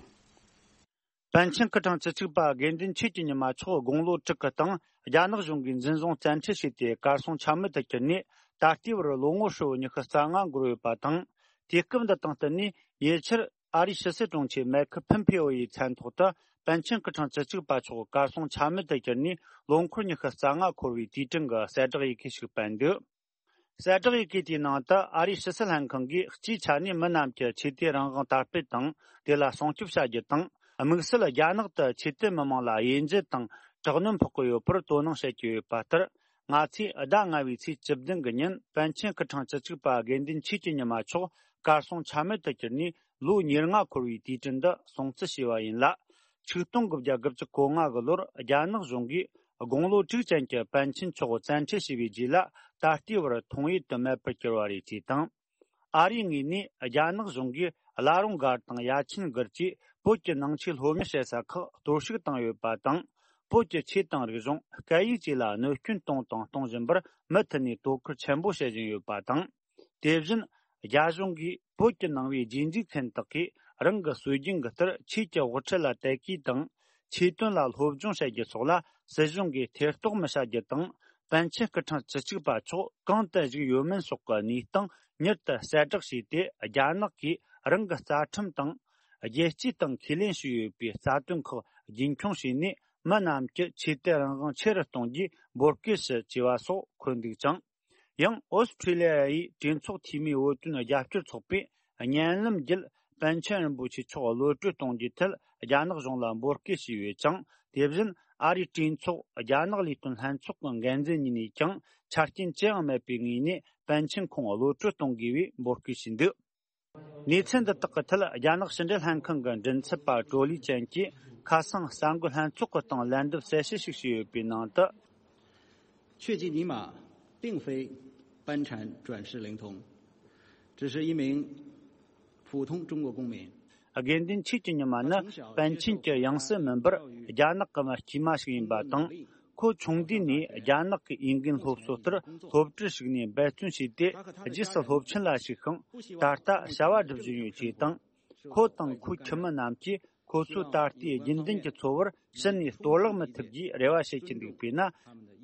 པཎ་ཆེན་སྐུ་ཕྲེང་བཅུ་གཅིག་པ་དགེ་འདུན་ཆོས་ཀྱི་ཉི་མ་མཆོག་དགུང་ལོ་དྲུག་གི་སྟེང་རྒྱ་ནག་གཞུང་གིས་འཛིན་བཟུང་བཙན་ཁྲིད་བྱས་ཏེ། གར་སོང་ཆ་མེད་དུ་གྱུར་ནས། ད་ལྟའི་བར་ལོ་ངོ་ཧྲིལ་བོ་ཉི་ཤུ་རྩ་ལྔ་འགོར་ཡོད་པ་དང་། དུས་སྐབས་འདི་དང་བསྟུན་ནས་ཉེ་ཆར་ཨ་རིའི་ཕྱི་སྲིད་དྲུང་ཆེ་མེ་ཁི་ཕིན་ཕེ་ཨོ་ཡི་མཚན་ཐོག་ཏུ་པཎ་ཆེན་སྐུ་ཕྲེང་བཅུ་གཅིག་པ་མཆོག་གར་སོང་ཆ་མེད་དུ་གྱུར་ནས་ལོ་འཁོར་ཉི་ཤུ་རྩ་ལྔ་འཁོར་བའི་དུས་དྲན་གྱི་གསལ་བསྒྲགས་ཡི་གེ་ཞིག་སྤེལ་འདུག་གསལ་བསྒྲགས་ཡི་གེ་དེའི་ནང་དུ། ཨ་རིའི་ཕྱི་སྲིད་ལྷན་ཁང་གིས་སྤྱིའི་ཆ་ནས་མི་རྣམས་ཀྱི་ཆོས་དད་རང་དབང་དར་སྤེལ་དང་། དེ་ལ་སྲུང་སྐྱོབ་བྱ་རྒྱུ་དང་། དམིགས་བསལ་རྒྱ་ནག་ཏུ་ཆོས་དད་མི་མང་ལ་དབྱེ་འབྱེད་དང་དྲག་གནོན་ཕོག་གི་ཡོད་པར་དོ་སྣང་བྱེད་ཀྱི་ཡོད་པ་ལྟར། ང་ཚོས་ཟླ་ལྔ་བའི་ཚེས་བཅུ་བདུན་གྱི་ཉིན་པཎ་ཆེན་སྐུ་ཕྲེང་བཅུ་གཅིག་པ་དགེ་འདུན་ཆོས་ཀྱི་ཉི་མ་མཆོག་གར་སོང་ཆ་མེད་དུ་གྱུར་ནས་ལོ་ཉེར་ལྔ་འཁོར་བའི་དུས་དྲན་འདི་སྲུང་བརྩི་བྱས་པ་ཡིན་ལ། ཆིག་སྟོང་དགུ་བརྒྱ་དགུ་བཅུ་གོ་ལྔ་གི་ལོར་རྒྱ་ནག་གཞུང་གིས་དགུང་ལོ་དྲུག་ཅན་གྱི་པཎ་ཆེན་མཆོག་བཙན་ཁྲིད་བྱས་པའི་རྗེས་ལ། ད་ལྟའི་བར་མཐོང་ཡུལ་དུ་མེད་པར་གྱུར་བ་རེད་ཅེས་དང་། ཨ་རིའི་ངོས་ནས་རྒྱ་ནག་གཞུང་གིས་བླ་རུང་སྒར་དང་ཡ་ཆེན་སྒར་བཅས་བོད་ཀྱི་ནང་ཆོས་སློབ་གཉེར་བྱེད་ས་ཁག་གཏོར་བཤིག་བཏང་ཡོད་པ་དང་། བོད་ཀྱི་ཆོས་དང་རིག་གཞུང་སྐད་ཡིག་བཅས་ལ་གནོད་སྐྱོན་བཏང་དང་གཏོང་བཞིན་པར་མུ་མཐུད་ནས་དོ་ཁུར་ཆེན་པོ་བྱེད་བཞིན་ཡོད་པ་དང་། དེ་བཞིན། རྒྱ་གཞུང་གིས་བོད་ཀྱི་ནང་པའི་རྗེས་འཇུག་མཁན་དག་གིས་རང་གི་སྲོལ་རྒྱུན་གྱི་ལྟར་ཆོས་ཀྱི་དབུ་ཁྲིད་ལ་དད་གུས་དང་། ཆོས་དོན་ལ་སློབ་སྦྱོང་བྱ་རྒྱུ་སོགས་ལ་སྲིད་གཞུང་གིས་ཐེ་གཏོགས་མི་བྱ་རྒྱུ་དང་། པཎ་ཆེན་སྐུ་ཕྲེང་བཅུ་གཅིག་པ་མཆོག་གང་དུ་བཞུགས་ཡོད་མིན་སོགས་ཀྱི་གནས་སྟངས་མྱུར་དུ་གསལ་བསྒྲགས་བྱས་ཏེ། རྒྱ་ནག་གིས་རང་གི་རྩ་ཁྲིམས་དང་། རྒྱལ་སྤྱིའི་སྟེང་ཁས་ལེན་ཞུས་ཡོད་པའི་རྩ་དོན་ཁག་རྒྱུན་འཁྱོངས་བྱས་ནས། མི་རྣམས་ཀྱི་ཆོས་དད་རང་དབང་ཆེ་རུ་གཏོང་རྒྱུའི་འབོད་སྐུལ་ཞུ་ཅེས་པ་སོགས་འཁོད་འདུག་ཅིང་། ཡང་ཨོ་སི་ཁྲུ་ལི་ཡ་ཡི་གྲོས་ཚོགས་འཐུས་མིའི་བོད་དོན་རྒྱབ་སྐྱོར་ཚོགས་པས་བརྙན་ལམ་བརྒྱུད་པཎ་ཆེན་རིན་པོ་ཆེ་མཆོག་གློད་གྲོལ་གཏོང་རྒྱུའི་ཐད་རྒྱ་ནག་གཞུང་ལ་འབོད་སྐུལ་བྱས་ཡོད་ཅིང་། དེ་བཞིན་ཨ་རིའི་གྲོས་ཚོགས་རྒྱ་ནག་ལས་དོན་ལྷན་ཚོགས་ཀྱི་འགན་འཛིན་གཉིས་ནས་ཀྱང་ཆ་རྐྱེན་ཅི་ཡང་མེད་པའི་ངོས་ནས་པཎ་ཆེན་ཁོང་གློད་གྲོལ་གཏོང་དགོས་པའི་འབོད་སྐུལ་བྱས་འདུག་གནས་ཚུལ་འདི་དག་གི་ཐད་རྒྱ་ནག་ཕྱི་འབྲེལ་ལྷན་ཁང་གི་མགྲིན་ཚབ་པ་ཀྲོ་ལི་ཅན་གྱིས་ཁ་སང་གསར་འགོད་ལྷན་ཚོགས་ཀྱི་སྟེང་ལན་འདེབས་གསལ་བཤད་ཞིག་བྱས་ཡོད་པའི་ནང་དུ། 却吉尼玛并非班禅转世灵童，只是一名普通中国公民。 དགེ་འདུན་ཆོས་ཀྱི་ཉི་མ་ནི་པཎ་ཆེན་གྱི་ཡང་སྲིད་མིན་པར་རྒྱ་ནག་གི་མི་དཀྱུས་མ་ཞིག་ཡིན་པ་དང་། ཁོ་ཆུང་དུས་ནས་རྒྱ་ནག་གི་འོས་འགན་སློབ་གསོ་ལྟར་སློབ་གྲྭར་ཞུགས་ནས་འབད་བརྩོན་བྱས་ཏེ། རྗེས་སུ་སློབ་ཆེན་ལ་ཞུགས་ཤིང་། ད་ལྟ་བྱ་བ་སྒྲུབ་བཞིན་ཡོད་ཅེས་དང་། ཁོ་དང་ཁོའི་ཁྱིམ་མི་རྣམས་ཀྱིས་ཁོ་ཚོའི་ད་ལྟའི་རྒྱུན་ལྡན་གྱི་འཚོ་བར་ཕྱི་ནས་གཏོར་བརླག་མི་ཐུབ་རྒྱུའི་རེ་བ་བྱེད་ཀྱི་འདུག། དཔེར་ན།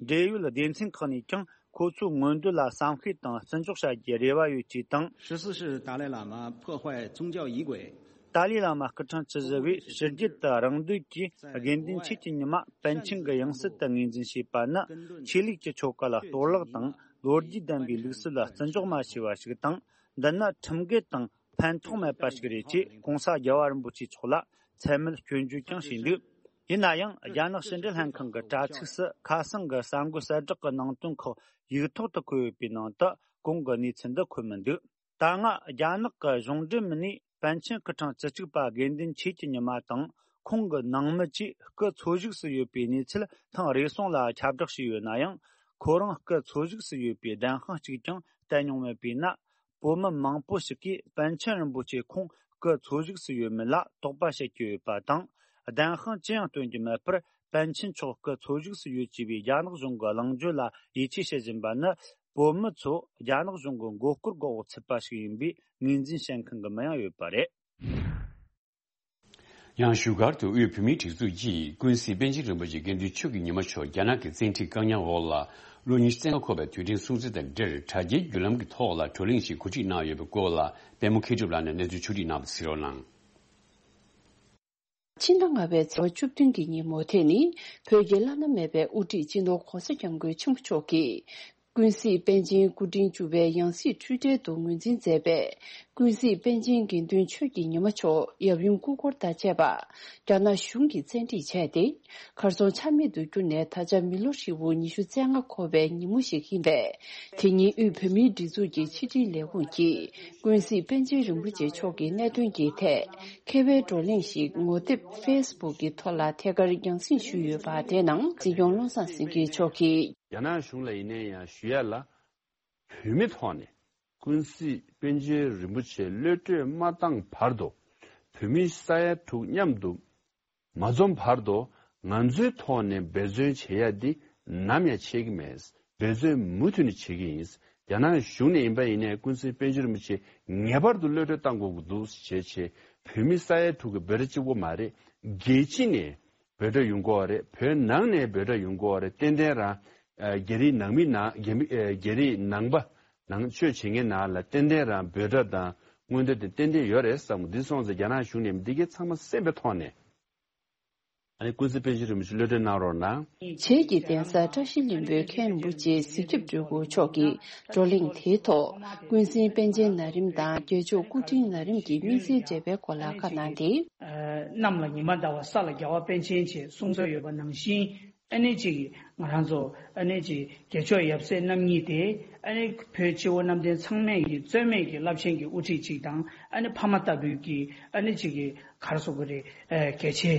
འབྲེལ་ཡོད་སྡེ་ཚན་ཁག་ནས་ཀྱང་ཁོ་ཚོའི་མངོན་འདོད་ལ་བསམ་ཤེས་དང་བརྩི་འཇོག་བྱ་རྒྱུའི་རེ་བ་ཡོད་ཅེས་དང་། 十四世达赖喇嘛破坏宗教仪轨。 ཏཱ་ལའི་བླ་མ་སྐུ་ཕྲེང་བཅུ་བཞི་པས་ཕྱི་རྒྱལ་དུ་རང་འདོད་ཀྱིས་དགེ་འདུན་ཆོས་ཀྱི་ཉི་མ་པཎ་ཆེན་གྱི་ཡང་སྲིད་དུ་ངོས་འཛིན་བྱས་པ་ནི། ཆོས་ལུགས་ཀྱི་ཆོ་ག་ལ་གཏོར་བརླག་དང་། ལོ་རྒྱུས་ལྡན་པའི་ལུགས་སྲོལ་ལ་བརྩི་འཇོག་མ་བྱས་པ་ཞིག་དང་། འདི་ནི་ཁྲིམས་འགལ་དང་ཕན་ཐོགས་མེད་པ་ཞིག་རེད་ཅེས་༸གོང་ས་རྒྱལ་བ་རིན་པོ་ཆེ་མཆོག་ལ་མཚན་སྨད་སྐྱོན་བརྗོད་ཀྱང་བྱས་འདུག། ཡིན་ན་ཡང་རྒྱ་ནག་ཕྱི་འབྲེལ་ལྷན་ཁང་གི་དྲ་ཚིགས་སུ་ཁ་སང་གི་གསར་འགོད་གསལ་བསྒྲགས་ཀྱི་ནང་དོན་ཁག་ཡིག་ཐོག་ཏུ་བཀོད་ཡོད་པའི་ནང་དུ་གོང་གི་གནས་ཚུལ་འདི་འཁོད་མི་འདུག། ད་སྔ་རྒྱ་ནག་གི་གཞུང་འབྲེལ་མི་སྣས་པཎ་ཆེན་སྐུ་ཕྲེང་བཅུ་གཅིག་པ་དགེ་འདུན་ཆོས་ཀྱི་ཉི་མ་དང་ཁོང་གི་ནང་མི་བཅས་སྐུ་འཚོ་བཞུགས་སུ་ཡོད་པའི་གནས་ཚུལ་ཐེངས་རེ་ཟུང་ལ་ཁྱབ་བསྒྲགས་བྱས་ཡོད་ན་ཡང་། ཁོ་རང་སྐུ་འཚོ་བཞུགས་སུ་ཡོད་པའི་བདེན་དཔང་གཅིག་ཀྱང་བསྟན་མྱོང་མེད་པས་ན། བོད་མི་མང་པོ་ཞིག་གིས་པཎ་ཆེན་རིན་པོ་ཆེ་ཁོང་སྐུ་འཚོ་བཞུགས་སུ་ཡོད་མེད་ལ་དོགས་པ་བྱེད་ཀྱི་ཡོད་པ་དང་། བདེན་དཔང་ཅི་ཡང་སྟོན་གྱི་མེད་པར། པཎ་ཆེན་མཆོག་སྐུ་འཚོ་བཞུགས་སུ་ཡོད་ཅེས་པའི་རྒྱ་ནག་གཞུང་གི་གླེང་བརྗོད་ལ་ཡིད་ཆེས་བྱེད་བཞིན་པ་ནི། བོད་མི་ཚོ་རྒྱ་ནག་གཞུང་གི་མགོ་སྐོར་འགོག་འོག་ཚུད་པ་ཞིག་ཡིན་པའི་ངོས་འཛིན་བྱེད་མཁན་གྱི་མི་ཡང་ཡོད་པ་རེད། ཡང་བཞུགས་སྒར་དུ་དབུས་བོད་མིའི་སྒྲིག་འཛུགས་ཀྱིས་ཀུན་གཟིགས་པཎ་ཆེན་རིན་པོ་ཆེ་དགེ་འདུན་ཆོས་ཀྱི་ཉི་མ་མཆོག་རྒྱ་ནག་གི་བཙན་ཁྲིད་བཀག་ཉར་འོག་ལ་ལོ་ཉི་ཤུ་རྩ་ལྔ་འཁོར་བའི་དུས་དྲན་སྲུང་བརྩི་དང་འབྲེལ། དྲ་རྒྱའི་བརྒྱུད་ལམ་གྱི་ཐོག་ལ་བགྲོ་གླེང་ཞིག་གོ་སྒྲིག་གནང་ཡོད་པའི་སྐོར་ལ་པད་མ་མཁས་གྲུབ་ལགས་ནས་གནས་ཚུལ་ཕྱོགས་སྒྲིག་གནང་བ་གཟིགས་རོགས་གནང་། ཕྱི་ཟླ་ལྔ་པའི་ཚེས་པ་བཅུ་བདུན་གྱི་ཉིན་མོ་དེ་ནི་བོད་ཀྱི་བླ་ན་མེད་པའི་དབུ་ཁྲིད་སྤྱི་ནོར་༸གོང་ས་༸སྐྱབས་མགོན་ཆེན་པོ་མཆོག་གིས་ཀུན་གཟིགས་པཎ་ཆེན་སྐུ་ཕྲེང་བཅུ་པའི་ཡང་སྲིད་འཁྲུལ་བྲལ་དུ་ངོས་འཛིན་མཛད་པའི་ཀུན་གཟིགས་པཎ་ཆེན་དགེ་འདུན་ཆོས་ཀྱི་ཉི་མ་མཆོག་ཡབ་ཡུམ་སྐུ་འཁོར་དང་བཅས་པ་རྒྱ་ནག་གཞུང་གིས་བཙན་ཁྲིད་བྱས་ཏེ། གར་སོང་ཆ་མེད་དུ་གྱུར་ནས། ད་ཆ་མི་ལོ་ཧྲིལ་པོ་ཉི་ཤུ་རྩ་ལྔ་འཁོར་བའི་ཉིན་མོ་ཞིག་ཡིན་པས། དེ་ཉིན་དབུས་བོད་མིའི་སྒྲིག་འཛུགས་ཀྱི་ཕྱི་དྲིལ་ལས་ཁུངས་ཀྱིས་ཀུན་གཟིགས་པཎ་ཆེན་རིན་པོ་ཆེ་མཆོག་གི་གནད་དོན་གྱི་ཐད་མཁས་པའི་བགྲོ་གླེང་ཞིག་ངོ་དེབ་ཕེ་སི་བུག་གི་ཐོག་ལ་ཐད་ཀར་རྒྱང་སྲིང་ཞུས་ཡོད་པ་དེ་ནང་སྲིད་སྐྱོང་བློ་བཟང་སེང་གེ་མཆོག་གིས། རྒྱ་ནག་གཞུང་ལ་ཡིན་ན་ཡང་ཞུ་ཡ་ལ། བོད་མི་ཐོག་ནས་ཀུན་གཟིགས་པཎ་ཆེན་རིན་པོ་ཆེ་གློད་གྲོལ་མ་བཏང་བར་དུ་བོད་མི་ས་ཡ་དྲུག་མཉམ་དུ་ མ་འཛོམས་བར་དུ་ང་ཚོའི་ཐོག་ནས་འབད་བརྩོན་བྱེད་ཡ་འདི་ནམ་ཡང་ཆད་ཀྱི་མེད། འབད་བརྩོན་མུ་མཐུད་ནས་བྱེད་ཀྱི་ཡིན། རྒྱ་ནག་གཞུང་ནས་ཡིན་པ་ཡིན་ནའི་ཀུན་གཟིགས་པཎ་ཆེན་རིན་པོ་ཆེ་ངེས་པར་དུ་གློད་གྲོལ་བཏང་དགོས་ཀྱི་འདུག་ཞེས་བྱས། བོད་མི་ས་ཡ་དྲུག་གི་འབོད་སྒྲ་གཅིག་པོ་མ་རེད། རྒྱལ་སྤྱི་ནས་འབོད་སྒྲ་ཡོང་གི་ཡོད་རེད། བོད་ནང་ནས་འབོད་སྒྲ་ཡོང་གི་ཡོད་རེད། ཏན་ཏན་རང་ཨ་རྒྱ་རིགས་ནང་མི་ནང་རྒྱ་མི་ཨ་རྒྱ་རིགས་ནང་པ་ནང་ཆོས་བྱེད་མཁན་ནང་ལ་ཏན་ཏན་རང་འབོད་སྒྲ་དང་མངོན་འདོད་དེ་ཏན་ཏན་ཡོད་རེད་བསམ་གི། འདི་སོང་ཙང་རྒྱ་ནག་གཞུང་ནས་འདི་གའི་ཚང་མ་གསན་པའི་ཐོག་ནས། ཨ་ནི་ཀུན་གཟིགས་པཎ་ཆེན་རིན་པོ་ཆེ་གློད་གྲོལ་གནང་རོགས་གནང་། བྱེས་ཀྱི་གདན་ས་བཀྲ་ཤིས་ལྷུན་པོའི་མཁན་རིན་པོ་ཆེ་གཟིགས་ཞིབ་སྤྲུལ་སྐུ་མཆོག་གིས་བགྲོ་གླེང་དེའི་ཐོག་ཀུན་གཟིགས་པཎ་ཆེན་ན་རིམ་དང་རྒྱལ་མཆོག་སྐུ་ཕྲེང་ན་རིམ་གྱི་སྨིན་སྲིད་འབྲེལ་བའི་སྐོར་ལ་བཀའ་གནང་སྟེ། གནམ་ལ་ཉི་མ་ཟླ་བ་ས་ལ་རྒྱལ་བ་པཎ་ཆེན་ཅེས་གསུངས་ས་ཡོད་པ་ནང་བཞིན། ཨ་ནི་ཅིག་ང་རང་ཚོ་ཨ་ནི་ཅིག་རྒྱལ་མཆོག་ཡབ་སྲས་རྣམ་གཉིས་ཏེ། ཨ་ནི་བོད་སྤྱི་བོ་གནམ་བསྟན་ཚང་མས་ཀྱི་རྩོད་མེད་ཀྱི་རླབས་ཆེན་གྱི་དབུ་ཁྲིད་ཅིག་དང་། ཨ་ནི་ཕ་མ་ལྟ་བུའི་ཀྱི་ཨ་ནི་ཅིག་གི་ག་རེ་ཟེར་དགོས་རེད། ཨ་གལ་ཆེ་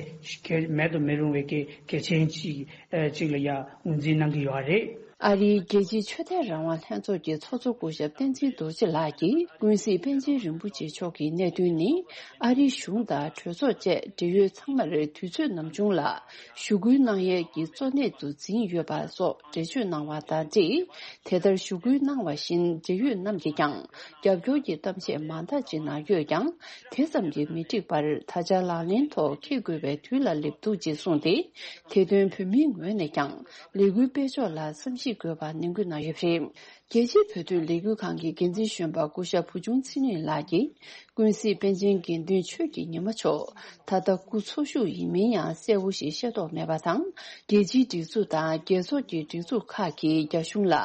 གལ་མེད་དུ་མི་རུང་བའི་གི་གལ་ཆེན་ཅིག་ཨ་ཅིག་ལ་ཡ་ངོས་འཛིན་གནང་གི་ཡོད་རེད། ཨ་རིའི་རྒྱལ་སྤྱིའི་ཆོས་དད་རང་དབང་ལྷན་ཚོགས་ཀྱི་ཚོགས་གཙོ་སྐུ་ཞབས་བསྟན་འཛིན་རྡོ་རྗེ་ལགས་ཀྱིས་ཀུན་གཟིགས་པཎ་ཆེན་རིན་པོ་ཆེ་མཆོག་གི་གནད་དོན་ནི། ཨ་རིའི་གཞུང་དང་གྲོས་ཚོགས་བཅས་འབྲེལ་ཡོད་ཚང་མར་དུས་ཚོད་ནམ་བྱུང་ལ་ཞུ་སྐུལ་གནང་ཡས་ཀྱི་གཙོ་གནད་དུ་འཛིན་ཡོད་པ་སོགས་འགྲེལ་བརྗོད་གནང་བ་དང་འབྲེལ། དེ་ལྟར་ཞུ་སྐུལ་གནང་བ་བཞིན་འབྲེལ་ཡོད་རྣམས་ཀྱིས་ཀྱང་རྒྱབ་སྐྱོར་གྱི་གཏམ་བཤད་མང་དག་ཅིག་གནང་ཡོད་ཀྱང་། དེ་ཙམ་གྱིས་མི་འགྲིག་པར། ད་ཆ་ལག་ལེན་ཐོག་འཁེལ་དགོས་པའི་དུས་ལ་སླེབས་འདུག་ཅེས་གསུངས་ཏེ། དེ་དོན་བོད་མིའི་ངོས་ནས་ཀྱང་ལས་འགུལ་སྤེལ་ཕྱོགས་ལ་བསམ་གཞིག་དགོས་པ་ནན་སྐུལ་གནང་ཡོད་པ་རེད། རྒྱལ་སྤྱིའི་བོད་དོན་ལས་འགུལ་ཁང་གི་འགན་འཛིན་གཞོན་པ་སྐུ་ཞབས་བུ་ཆུང་ཚེ་རིང་ལགས་ཀྱིས། ཀུན་གཟིགས་པཎ་ཆེན་དགེ་འདུན་ཆོས་ཀྱི་ཉི་མ་མཆོག་ད་ལྟ་སྐུ་འཚོ་བཞུགས་ཡིན་མིན་ཡང་གསལ་བོ་ཞིག་ཤེས་རྟོགས་མེད་པ་དང་། རྒྱལ་སྤྱིའི་སྒྲིག་འཛུགས་དང་རྒྱལ་ཚོགས་ཀྱི་སྒྲིག་འཛུགས་ཁག་གིས་རྒྱ་གཞུང་ལ་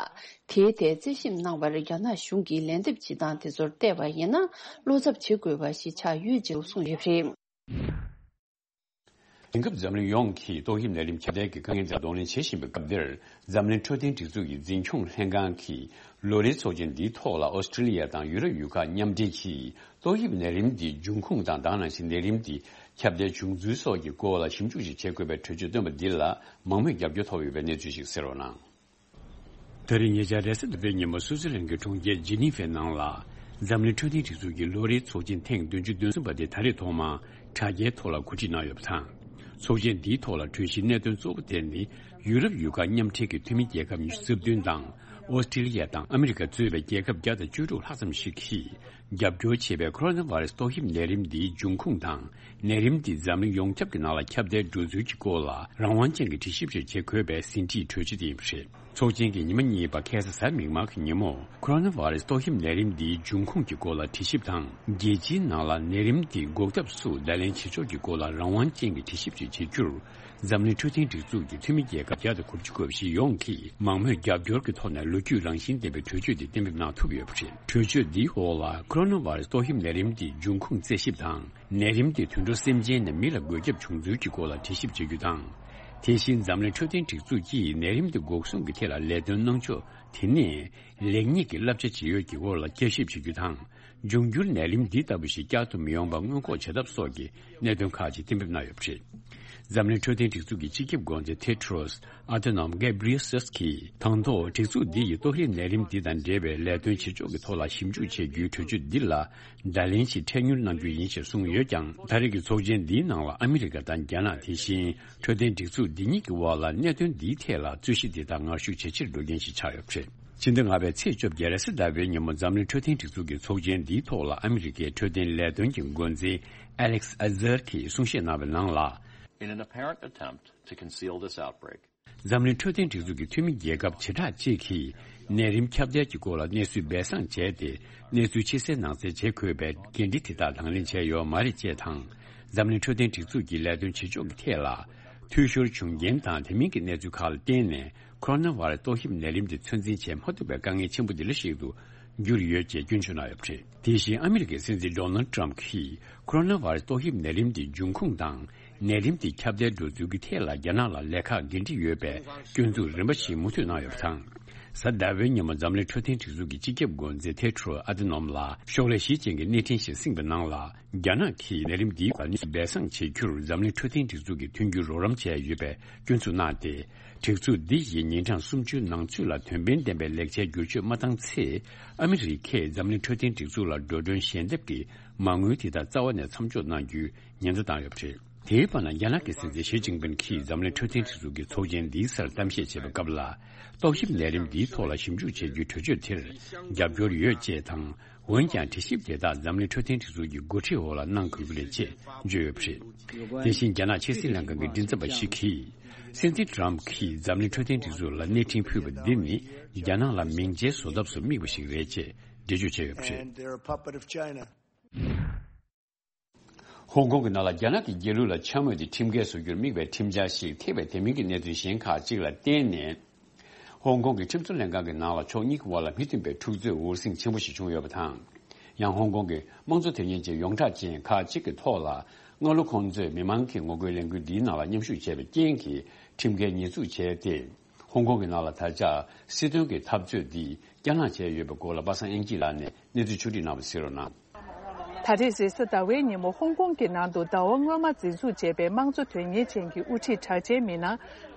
དེའི་ཐད་རྩད་ཞིབ་གནང་བར་རྒྱ་ནག་གཞུང་གིས་ལན་འདེབས་བྱེད་སྟངས་དེ་ཚོར་བལྟས་པ་ཡིན་ན། བློ་འཚབ་བྱེད་དགོས་པ་ཞིག་ཆགས་ཡོད་ཅེས་གསུངས་ཡོད་པ་རེད། དེང་སྐབས་འཛམ་གླིང་ཡོངས་ཀྱིས་ཏོག་དབྱིབས་ནད་རིམས་ཁྱབ་གདལ་གྱི་དཀའ་ངལ་དང་གདོང་ལེན་བྱེད་བཞིན་པའི་སྐབས་འདིར། འཛམ་གླིང་འཕྲོད་བསྟེན་སྒྲིག་འཛུགས་ཀྱི་འཛིན་སྐྱོང་ལྷན་ཁང་གིས་ལོ་རེའི་ཚོགས་ཆེན་འདིའི་ཐོག་ལ་ཨོ་སི་ཀྲི་ལི་ཡ་དང་ཡུ་རོབ་ཡུལ་ཁག་མཉམ་འབྲེལ་གྱིས་ཏོག་དབྱིབས་ནད་རིམས་འདི་འབྱུང་ཁུངས་དང་། དེ་ནང་བཞིན་ནད་རིམས་འདི་ཁྱབ་གདལ་བྱུང་ཚུལ་སོགས་ཀྱི་སྐོར་ལ་ཞིབ་འཇུག་ཞིག་བྱེད་དགོས་པའི་གྲོས་ཆོད་བཏོན་པ་འདི་ལ་མང་མོས་རྒྱབ་སྐྱོར་ཐོབ་ཡོད་པའི་གནས་ཚུལ་ཞིག་གསན་རོགས་གནང་། ད་རེས་ཉེ་ཆར་རེས་གཟའ་ཟླ་བའི་ཉིན་མོ་སུད་སི་ལན་གྱི་གྲོང་ཁྱེར་ཇི་ནི་ཝའི་ནང་ལ། འཛམ་གླིང་འཕྲོད་བསྟེན་སྒྲིག་འཛུགས་ཀྱི་ལོ་རེའི་ཚོགས་ཆེན་ཐེངས་བདུན་ཅུ་དོན་གསུམ་པ་དེ་ད་རེས་ཐོག་མར་དྲ་རྒྱའི་ཐོག་ལ་གོ་སྒྲིག་གནང་ཡོད་པ་དང་། ཚོགས་ཆེན་འདིའི་ཐོག་ལ་གྲོས་གཞིའི་གནད་དོན་གཙོ་བོ་དེ་ནི། ཡུ་རོབ་ཡུལ་ཁག་མཉམ་འབྲེལ་གྱི་འཐུས་མི་རྒྱལ་ཁབ་ཉི་ཤུ་རྩ་བདུན་དང་། ཨོ་སི་ཀྲི་ལི་ཡ་དང་ཨ་མི་རི་ཀ་གཙོས་པའི་རྒྱལ་ཁབ་བརྒྱ་དང་བཅུ་དྲུག་ལྷག་ཙམ་ཞིག་གིས། རྒྱབ་སྐྱོར་བྱེད་པའི་ཁོ་རོ་ན་ཝ་རེ་སི་ཏོག་དབྱིབས་ནད་རིམས་འདིའི་འབྱུང་ཁུངས་དང་། ནད་རིམས་འདི་འཛམ་གླིང་ཡོངས་ཁྱབ་ཀྱི་ནང་ལ་ཁྱབ་གདལ་འགྲོ་ཚུལ་གྱི་སྐོར་ལ་རང་དབང་ཅན་གྱི་དྲི་ཞིབ་ཞིག་བྱེད་དགོས་པའི་ཟིན་བྲིས་གྲོས་ཆོད་དེ་ཡིན་པ་རེད། ཚོགས་ཆེན་གྱི་ཉི་མ་གཉིས་པ་ཁ་སང་གཟའ་མིག་དམར་གྱི་ཉིན་མོ། ཁོ་རོ་ན་ཝ་རེ་སི་ཏོག་དབྱིབས་ནད་རིམས་འདིའི་འབྱུང་ཁུངས་ཀྱི་སྐོར་ལ་དྲི་ཞིབ་དང་། རྒྱལ་སྤྱིའི་ནང་ལ་ནད་རིམས་འདི་འགོག་ཐབས་སུ་བརྡ་ལན་བྱེད་ཕྱོགས་ཀྱི་སྐོར་ལ་རང་དབང་ཅན་གྱི་དྲི་ཞིབ་ཅིག་བྱེད་རྒྱུར། འཛམ་གླིང་འཕྲོད་བསྟེན་སྒྲིག་འཛུགས་ཀྱི་འཐུས་མི་རྒྱལ་ཁབ་བརྒྱ་དང་དགུ་བཅུ་གོ་བཞི་ཡོངས་ཀྱིས་མང་མོས་རྒྱབ་སྐྱོར་གྱི་ཐོག་ནས་ལོ་རྒྱུས་རང་བཞིན་ལྡན་པའི་གྲོས་ཆོད་འདི་གཏན་འབེབས་གནང་ཐུབ་ཡོད་པ་རེད། གྲོས་ཆོད་འདིའི་འོག་ལ་ཁོ་རོ་ན་ཝ་རེ་སི་ཏོག་དབྱིབས་ནད་རིམས་འདིའི་འབྱུང་ཁུངས་རྩད་ཞིབ་དང་། ནད་རིམས་འདི་དུད་འགྲོ་སེམས་ཅན་ནས་མི་ལ་འགོས་ཁྱབ་བྱུང་ཚུལ་གྱི་སྐོར་ལ་དྲི་ཞིབ་བྱེད་རྒྱུ་དང་། དེ་བཞིན་འཛམ་གླིང་འཕྲོད་བསྟེན་སྒྲིག་འཛུགས་ཀྱིས་ནད་རིམས་འདི་འགོག་སྲུང་གི་ཐད་ལ་ལས་དོན་གནང་ཕྱོགས་དེ་ནས་ལེགས་ཉེས་ཀྱི་བསླབ་བྱ་ཇི་ཡོད་ཀྱི་སྐོར་ལ་བསྐྱར་ཞིབ་བྱེད་རྒྱུ་དང་། འབྱུང་འགྱུར་ནད་རིམས་འདི་ལྟ་བུ་ཞིག་བསྐྱར་དུ་མི་ཡོང་བ་སྔོན་འགོག་བྱེད་ཐབས་སོགས་ཀྱི་གནད་དོན་ཁག་ཅིག་གཏན་འབེབས་གནང་ཡོད་པ་རེད། འཛམ་གླིང་འཕྲོད་བསྟེན་སྒྲིག་འཛུགས་ཀྱི་སྤྱི་ཁྱབ་འགོ་འཛིན་ཐེ་ཏྲོས་ཨ་ཐ་ནོམ་གེབ་རི་ཡེ་སེས་ཀྱིས་དང་ཐོག་སྒྲིག་འཛུགས་འདི་ཡིས་ཏོག་དབྱིབས་ནད་རིམས་འདི་དང་འབྲེལ་བའི་ལས་དོན་བྱེད་ཕྱོགས་ཀྱི་ཐོག་ལ་ཞིབ་འཇུག་བྱེད་རྒྱུའི་གྲོས་ཆོད་འདི་ལ་བརྡ་ལན་ཞིག་འཕྲལ་མྱུར་གནང་རྒྱུ་ཡིན་ཞེས་གསུངས་ཡོད་ཀྱང་། ད་རེས་ཀྱི་ཚོགས་ཆེན་འདིའི་ནང་ལ་ཨ་མི་རི་ཀ་དང་རྒྱ་ནག་དེ་བཞིན་འཕྲོད་བསྟེན་སྒྲིག་འཛུགས་འདི་གཉིས་ཀྱི་དབར་ལ་གནད་དོན་འདིའི་ཐད་ལ་རྩོད་གཞི་འདི་དག་ངར་ཤུགས་ཇེ་ཆེར་འགྲོ་རྐྱེན་ཞིག་ཆགས་ཡོད་པ་རེད། ཕྱི་ཟླ་ལྔ་པའི་ཚེས་བཅོ་བརྒྱད་རེས་གཟའ་ཟླ་བའི་ཉིན་མོ་འཛམ་གླིང་འཕྲོད་བསྟེན་སྒྲིག་འཛུགས་ཀྱི་ཚོགས་ཆེན་འདིའི་ཐོག་ལ་ཨ་མི་རི་ཀའི་འཕྲོད་བསྟེན་ལས་དོན་གྱི་འགོ་འཛིན་ཨ་ལེག་སི་ཨ་ཛར་གྱིས་གསུང་བཤད་གནང་བའི་ནང་ལ། In an apparent attempt to conceal this outbreak, འཛམ་གླིང་འཕྲོད་བསྟེན་སྒྲིག་འཛུགས་ཀྱི་འཐུས་མི་རྒྱལ་ཁབ་བྱེ་བྲག་ཅིག་གིས་ནད་རིམས་ཁྱབ་གདལ་གྱི་སྐོར་ལ་གནས་ཚུལ་སྦས་གསང་བྱས་ཏེ། གནས་ཚུལ་ཕྱི་གསལ་ནང་གསལ་བྱེད་དགོས་པའི་འགན་འཁྲི་དེ་དག་དང་ལེན་བྱས་ཡོད་མ་རེད་ཅེས་དང་། འཛམ་གླིང་འཕྲོད་བསྟེན་སྒྲིག་འཛུགས་ཀྱི་ལས་དོན་བྱེད་ཕྱོགས་ཀྱི་ཐད་ལ། འཐུས་ཤོར་བྱུང་རྐྱེན་དང་དེ་མིན་གྱི་གནས་ཚུལ་ཁག་ལ་བརྟེན་ནས། ཁོ་རོ་ན་ཝ་རེ་སི་ཏོག་དབྱིབས་ནད་རིམས་དེ་ཚོད་འཛིན་བྱེད་མ་ཐུབ་པའི་དཀའ་ངལ་ཆེན་པོ་འདི་ལ་གཞིགས་ཏུ་གྱུར་ཡོད་ཅེས་སྐྱོན་བརྗོད་གནང་ཡོད་པ་རེད། དེ་བཞིན་ཨ་མི་རི་ཀའི་སྲིད་འཛིན་ཌོ་ནལ་ཌི་ཊརམ་ཕ་གྱིས་ཁོ་རོ་ན་ཝ་རེ་སི་ཏོག་དབྱིབས་ནད་རིམས་དེ་འབྱུང་ཁུངས་དང་། ནད་རིམས་དེ་ཁྱབ་གདལ་འགྲོ་ཚུལ་གྱི་ཐད་ལ་རྒྱ་ནག་ལ་ལས་ཁག་འགན་འཁྲི་ཡོད་པའི་སྐྱོན་འཛུགས་རིམ་པ་ཞིག་མུ་མཐུད་གནང་ཡོད་པ་དང་། གཟའ་ཟླ་བའི་ཉིན་མོ་འཛམ་གླིང་འཕྲོད་བསྟེན་སྒྲིག་འཛུགས་ཀྱི་སྤྱི་ཁྱབ་འགོ་འཛིན་ཐེ་ཏྲོས་ཨ་ཐ་ནོམ་ལ་ཤོག་ལྷེ་བཞི་ཅན་གྱི་གནས་འཕྲིན་ཞིག་གསན་པའི་ནང་ལ། རྒྱ་ནག་གིས་ནད་རིམས་འདིའི་སྐོར་གནས་ཚུལ་སྦས་གསང་བྱེད་རྒྱུར་འཛམ་གླིང་འཕྲོད་བསྟེན་སྒྲིག་འཛུགས་ཀྱིས་མཐུན་འགྱུར་རོགས་རམ་བྱས་ཡོད་པའི་སྐྱོན་ཚུལ་གནང་སྟེ། སྒྲིག་འཛུགས་འདི་ཡིས་ཉིན་གྲངས་སུམ་ཅུའི་ནང་ཚུད་ལ་དོན་ཕན་ལྡན་པའི་ལེགས་ཆའི་བསྒྱུར་བཅོས་མ་བཏང་ཚེ། ཨ་མི་རི་ཀས་འཛམ་གླིང་འཕྲོད་བསྟེན་སྒྲིག་འཛུགས་ལ་འགྲོ་གྲོན་ཞལ་འདེབས་ཀྱི་མ་དངུལ་དེ་དག་རྩ་བ་ནས་མཚམས་འཇོག་གནང་རྒྱུའི་ཉེན་བརྡ་བཏང་ཡོད་པ་རེད། དེའི་བར་ན་རྒྱ་ནག་གི་སྲིད་འཛིན་ཞི་ཅིན་ཕིན་གྱིས་འཛམ་གླིང་འཕྲོད་བསྟེན་སྒྲིག་འཛུགས་ཀྱི་ཚོགས་ཆེན་འདིའི་སར་གཏམ་བཤད་བྱེད་པའི་སྐབས་ལ། རྟོག་ཞིབ་ལས་རིམ་འདིའི་ཐོག་ལ་ཞིབ་འཇུག་བྱེད་རྒྱུའི་གྲོས་ཆོད་དེར་རྒྱབ་སྐྱོར་ཡོད་ཅེས་དང་། འོན་ཀྱང་། དྲི་ཞིབ་དེ་དག་འཛམ་གླིང་འཕྲོད་བསྟེན་སྒྲིག་འཛུགས་ཀྱི་འགོ་ཁྲིད་འོག་ལ་གནང་དགོས་ཀྱི་རེད་ཅེས་བརྗོད་ཡོད་པ་རེད། དེ་བཞིན། རྒྱ་ནག་ཕྱི་སྲིད་ལྷན་ཁང་གི་མགྲིན་ཚབ་པ་ཞིག་གིས། སྲིད་འཛིན་ཊམ་གྱིས་འཛམ་གླིང་འཕྲོད་བསྟེན་སྒྲིག་འཛུགས་ལ་སྣེ་ཁྲིད་ཕུལ་བ་འདི་ནི། རྒྱ་ནག་ལ་མིང་རྗེས་བཟོ་ཐབས་སུ་དམིགས་པ་ཞིག་རེད་ཅེས་འགྲེལ་བརྗོད་བྱས་ཡོད་པ་རེད། And they're a puppet of China. ཧོང་ཀོང་གི་ནང་ལ་རྒྱ་ནག་གི་རྒྱལ་གླུ་ལ་འཕྱ་སྨོད་དེ་ཁྲིམས་འགལ་བཟོ་རྒྱུར་དམིགས་པའི་ཁྲིམས་འཆར་ཞིག་ཐེ་བའི་དེ་མིན་གྱི་གནད་དོན་གཞན་ཁག་ཅིག་ལ་བརྟེན་ནས། ཧོང་ཀོང་གི་ཁྲིམས་བཟོ་ལྷན་ཁང་གི་ནང་ལ་ཕྱོགས་གཉིས་ཀྱི་དབར་ལ་མི་མཐུན་པའི་འཁྲུག་རྩོད་འུར་ཟིང་ཆེན་པོ་ཞིག་བྱུང་ཡོད་པ་དང་། ཡང་ཧོང་ཀོང་གི་དམངས་གཙོ་དོན་གཉེར་ཅན་ཡོངས་གྲགས་ཅན་ཁག་ཅིག་གི་ཐོག་ལ། སྔ་ལོ་ཁོང་ཚོས་མི་མང་གི་ངོ་རྒོལ་ལས་འགུལ་འདིའི་ནང་ལ་མཉམ་ཞུགས་བྱས་པའི་རྐྱེན་གྱིས་ཁྲིམས་འགལ་ཉེས་འཛུགས་བྱས་ཏེ། ཧོང་ཀོང་གི་ནང་ལ་ད་ཆ་སྲིད་དོན་གྱི་འཐབ་རྩོད་འདི་བསྐྱར་ལངས་བྱས་ཡོད་པའི་སྐོར་ལ་པ་སངས་དབྱངས་སྐྱིད་ལགས་ནས་གནས་ཚུལ་ཕྱོགས་སྒྲིག་གནང་བ་གཟིགས་རོགས་གནང་། ད་རེས་རེས་གཟའ་ཟླ་བའི་ཉིན་མོ་ཧོང་ཀོང་གི་ནང་དུ་ཟླ་བ་སྔོན་མ་འཛིན་བཟུང་བྱས་པའི་དམངས་གཙོ་དོན་གཉེར་ཅན་གྱི་དབུ་ཁྲིད་གྲགས་ཅན་མི་སྣ་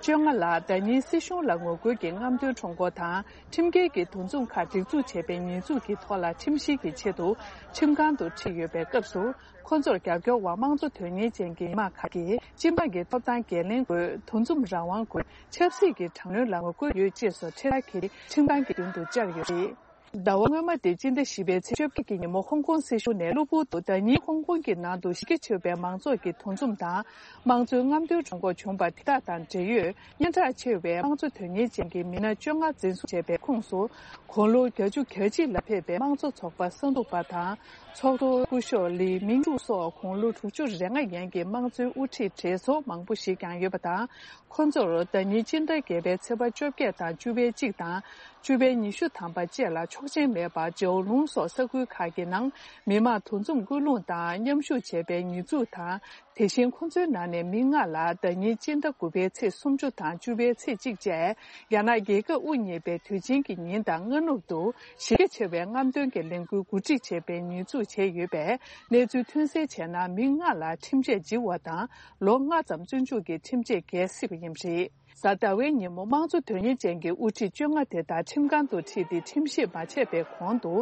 བཅོ་ལྔ་ལ་ཟླ་ཉིན་སྲིད་གཞུང་ལ་ངོ་རྒོལ་གྱི་རྔམ་སྟོན་ཁྲོམ་སྐོར་དང་ཁྲིམས་འགལ་གྱི་འདུ་འཛོམས་ཁག་སྒྲིག་འཛུགས་བྱས་པའི་ཉེས་འཛུགས་ཀྱི་ཐོག་ལ་ཁྲིམས་བཤེར་གྱི་ཆེད་དུ་ཁྲིམས་ཁང་དུ་ཁྲིད་ཡོད་པའི་སྐབས་སུ། ཁོ་ཚོར་རྒྱབ་སྐྱོར་འོག་དམངས་གཙོ་དོན་གཉེར་ཅན་གྱི་མི་མང་ཁག་གིས་སྤྱི་འབངས་ཀྱི་ཐོབ་ཐང་འགན་ལེན་དགོས། འདུ་འཛོམས་རང་དབང་དགོས། ཆབ་སྲིད་ཀྱི་དྲག་གནོན་ལ་ངོ་རྒོལ་ཡོད་ཅེས་སོགས་འཕྲེད་དར་འཁྱེར་ཏེ་ཁྲིམས་ཁང་གི་མདུན་དུ་བཅར་ཡོད་རེད། ཟླ་བ་སྔོན་མ་སྟེ་སྤྱི་ཟླ་བཞི་པའི་ཚེས་བཅོ་བརྒྱད་ཀྱི་ཉིན་མོ་ཧོང་ཀོང་སྲིད་གཞུང་ནས་གློ་བུར་དུ་ཟླ་ཉིན་ཧོང་ཀོང་གི་ནང་དུ་གཞི་རྒྱ་ཆེ་བའི་མང་ཚོགས་ཀྱི་འདུ་འཛོམས་དང་དམངས་གཙོའི་རྔམ་སྟོན་ཁྲོམ་སྐོར་བྱུང་བ་དེ་དག་དང་འབྲེལ་ཡོད་སྙན་གྲགས་ཆེ་བའི་དམངས་གཙོ་དོན་གཉེར་ཅན་གྱི་མི་སྣ་བཅོ་ལྔ་འཛིན་བཟུང་བྱས་པའི་ཁོངས་སུ། དགུང་ལོ་བརྒྱད་ཅུ་གྱ་གཅིག་ལ་ཕེབས་པའི་དམངས་གཙོ་ཚོགས་པ་གསར་འཛུགས་པ་དང་། ཚོགས་གཙོ་སྐུ་ཞབས་ལི་མིང་ཀྲུའུ་སོགས་དགུང་ལོ་དྲུག་ཅུ་རེ་ལྔ་ཡན་གྱི་དམངས་གཙོའི་དབུ་ཁྲིད་གྲས་ཚོ་མང་པོ་ཞིག་ཀྱང་ཡོད་པ་དང་། ཁོ་ཚོར་ཟླ་ཉིན་སྤྱི་ཟླ་བརྒྱད་པའི་ཚེས་པ་བཅོ་བརྒྱད་དང་བཅུ་པའི་གཅིག་དང་བཅུ་པའི་ཉི་ཤུ་ཐམ་པ་བཅས་ལ་ཆོག་མཆན་མེད་པར་ཇའོ་ལུང་སོགས་ས་ཁུལ་ཁག་གི་ནང་མི་མང་འདུ་འཛོམས་སྐུལ་སློང་དང་མཉམ་ཞུགས་བྱས་པའི་ཉེས་འཛུགས་དང་། དེ་བཞིན་ཁོ་ཚོའི་ནང་ནས་མི་ལྔ་ལ་ཟླ་ཉིན་སྤྱི་ཟླ་དགུ་པའི་ཚེས་སུམ་ཅུ་དང་བཅུ་པའི་ཚེས་གཅིག་བཅས་རྒྱ་ནག་རྒྱལ་ཁབ་དབུ་བརྙེས་པའི་དུས་ཆེན་གྱི་ཉིན་དང་སྔ་ནུབ་ཏུ་གཞི་རྒྱ་ཆེ་བའི་རྔམ་སྟོན་གྱི་ལས་འགུལ་གོ་སྒྲིག་བྱས་པའི་ཉེས་འཛུགས་བྱས་ཡོད་པས། གནས་ཚུལ་ཐོན་གསལ་བྱས་ན། མི་ལྔ་ལ་ཁྲིམས་ཆད་འཇིག་པ་དང་ལོ་ལྔ་ཙམ་བཙོན་འཇུག་གི་ཁྲིམས་ཆད་འགེལ་སྲིད་པ་ཡིན་པ་རེད། གཟའ་ཟླ་བའི་ཉིན་མོ་དམངས་གཙོ་དོན་གཉེར་ཅན་གྱི་དབུ་ཁྲིད་བཅོ་ལྔ་དེ་དག་ཁྲིམས་ཁང་དུ་ཁྲིད་དེ་ཁྲིམས་བཤེར་མ་བྱས་པའི་གོང་དུ།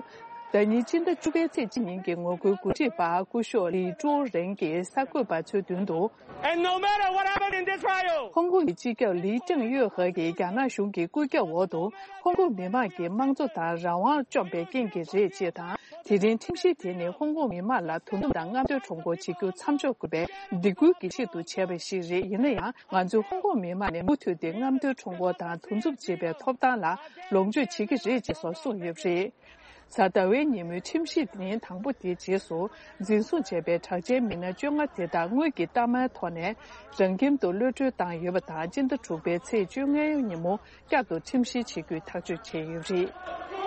ཟླ་ཉིན་སྤྱི་ཟླ་བཅུ་པའི་ཚེས་གཅིག་ཉིན་གྱི་ངོ་རྒོལ་འགོ་ཁྲིད་པ་སྐུ་ཞབས་ལི་ཀྲོའུ་རེན་གྱིས་གསར་འགོད་པ་ཚོའི་མདུན་དུ། And no matter what happened in this trial, ཧོང་ཀོང་གི་སྤྱི་ཁྱབ་ལི་ཀྲེང་ཡོད་ཧེ་གིས་རྒྱ་ནག་གཞུང་གི་སྐུ་ཁྱབ་འོག་ཏུ་ཧོང་ཀོང་མི་མང་གི་དམངས་གཙོ་དང་རང་དབང་བཅོམ་པའི་རྐྱེན་གྱིས་རེད་ཅེས་དང་། དེ་རིང་ཁྲིམས་གཞི་དེ་ནི་ཧོང་ཀོང་མི་མང་ལ་འདུ་འཛོམས་དང་རྔམ་སྟོན་ཁྲོམ་སྐོར་བྱེད་རྒྱུ་མཚམས་འཇོག་དགོས་པའི་སྡིགས་སྐུལ་གྱི་ཆེད་དུ་བྱས་པ་ཞིག་རེད། ཡིན་ན་ཡང་། ང་ཚོས་ཧོང་ཀོང་མི་མང་ནས་མུ་མཐུད་དེ་རྔམ་སྟོན་ཁྲོམ་སྐོར་དང་འདུ་འཛོམས་བྱེད་པའི་ཐོབ་ཐང་ལ་ལོངས་སྤྱོད་བྱེད་ཀྱི་རེད་ཅེས་སོགས་གསུངས་ཡོད་པ་རེད། གཟའ་ཟླ་བའི་ཉིན་མོའི་ཁྲིམས་གཞི་ཉིན་དང་པོ་དེའི་རྗེས་སུ་འཛིན་བཟུང་བྱས་པའི་གྲགས་ཅན་མི་སྣ་བཅོ་ལྔ་དེ་དག་དངུལ་གྱི་གཏའ་མའི་ཐོག་ནས་རང་ཁྱིམ་དུ་གློད་གྲོལ་བཏང་ཡོད་པ་དང་། སྤྱི་ཟླ་དྲུག་པའི་ཚེས་བཅོ་ལྔའི་ཉིན་མོ་བསྐྱར་དུ་ཁྲིམས་བཤེར་བྱེད་རྒྱུའི་ཐག་གཅོད་བྱས་ཡོད་པ་རེད།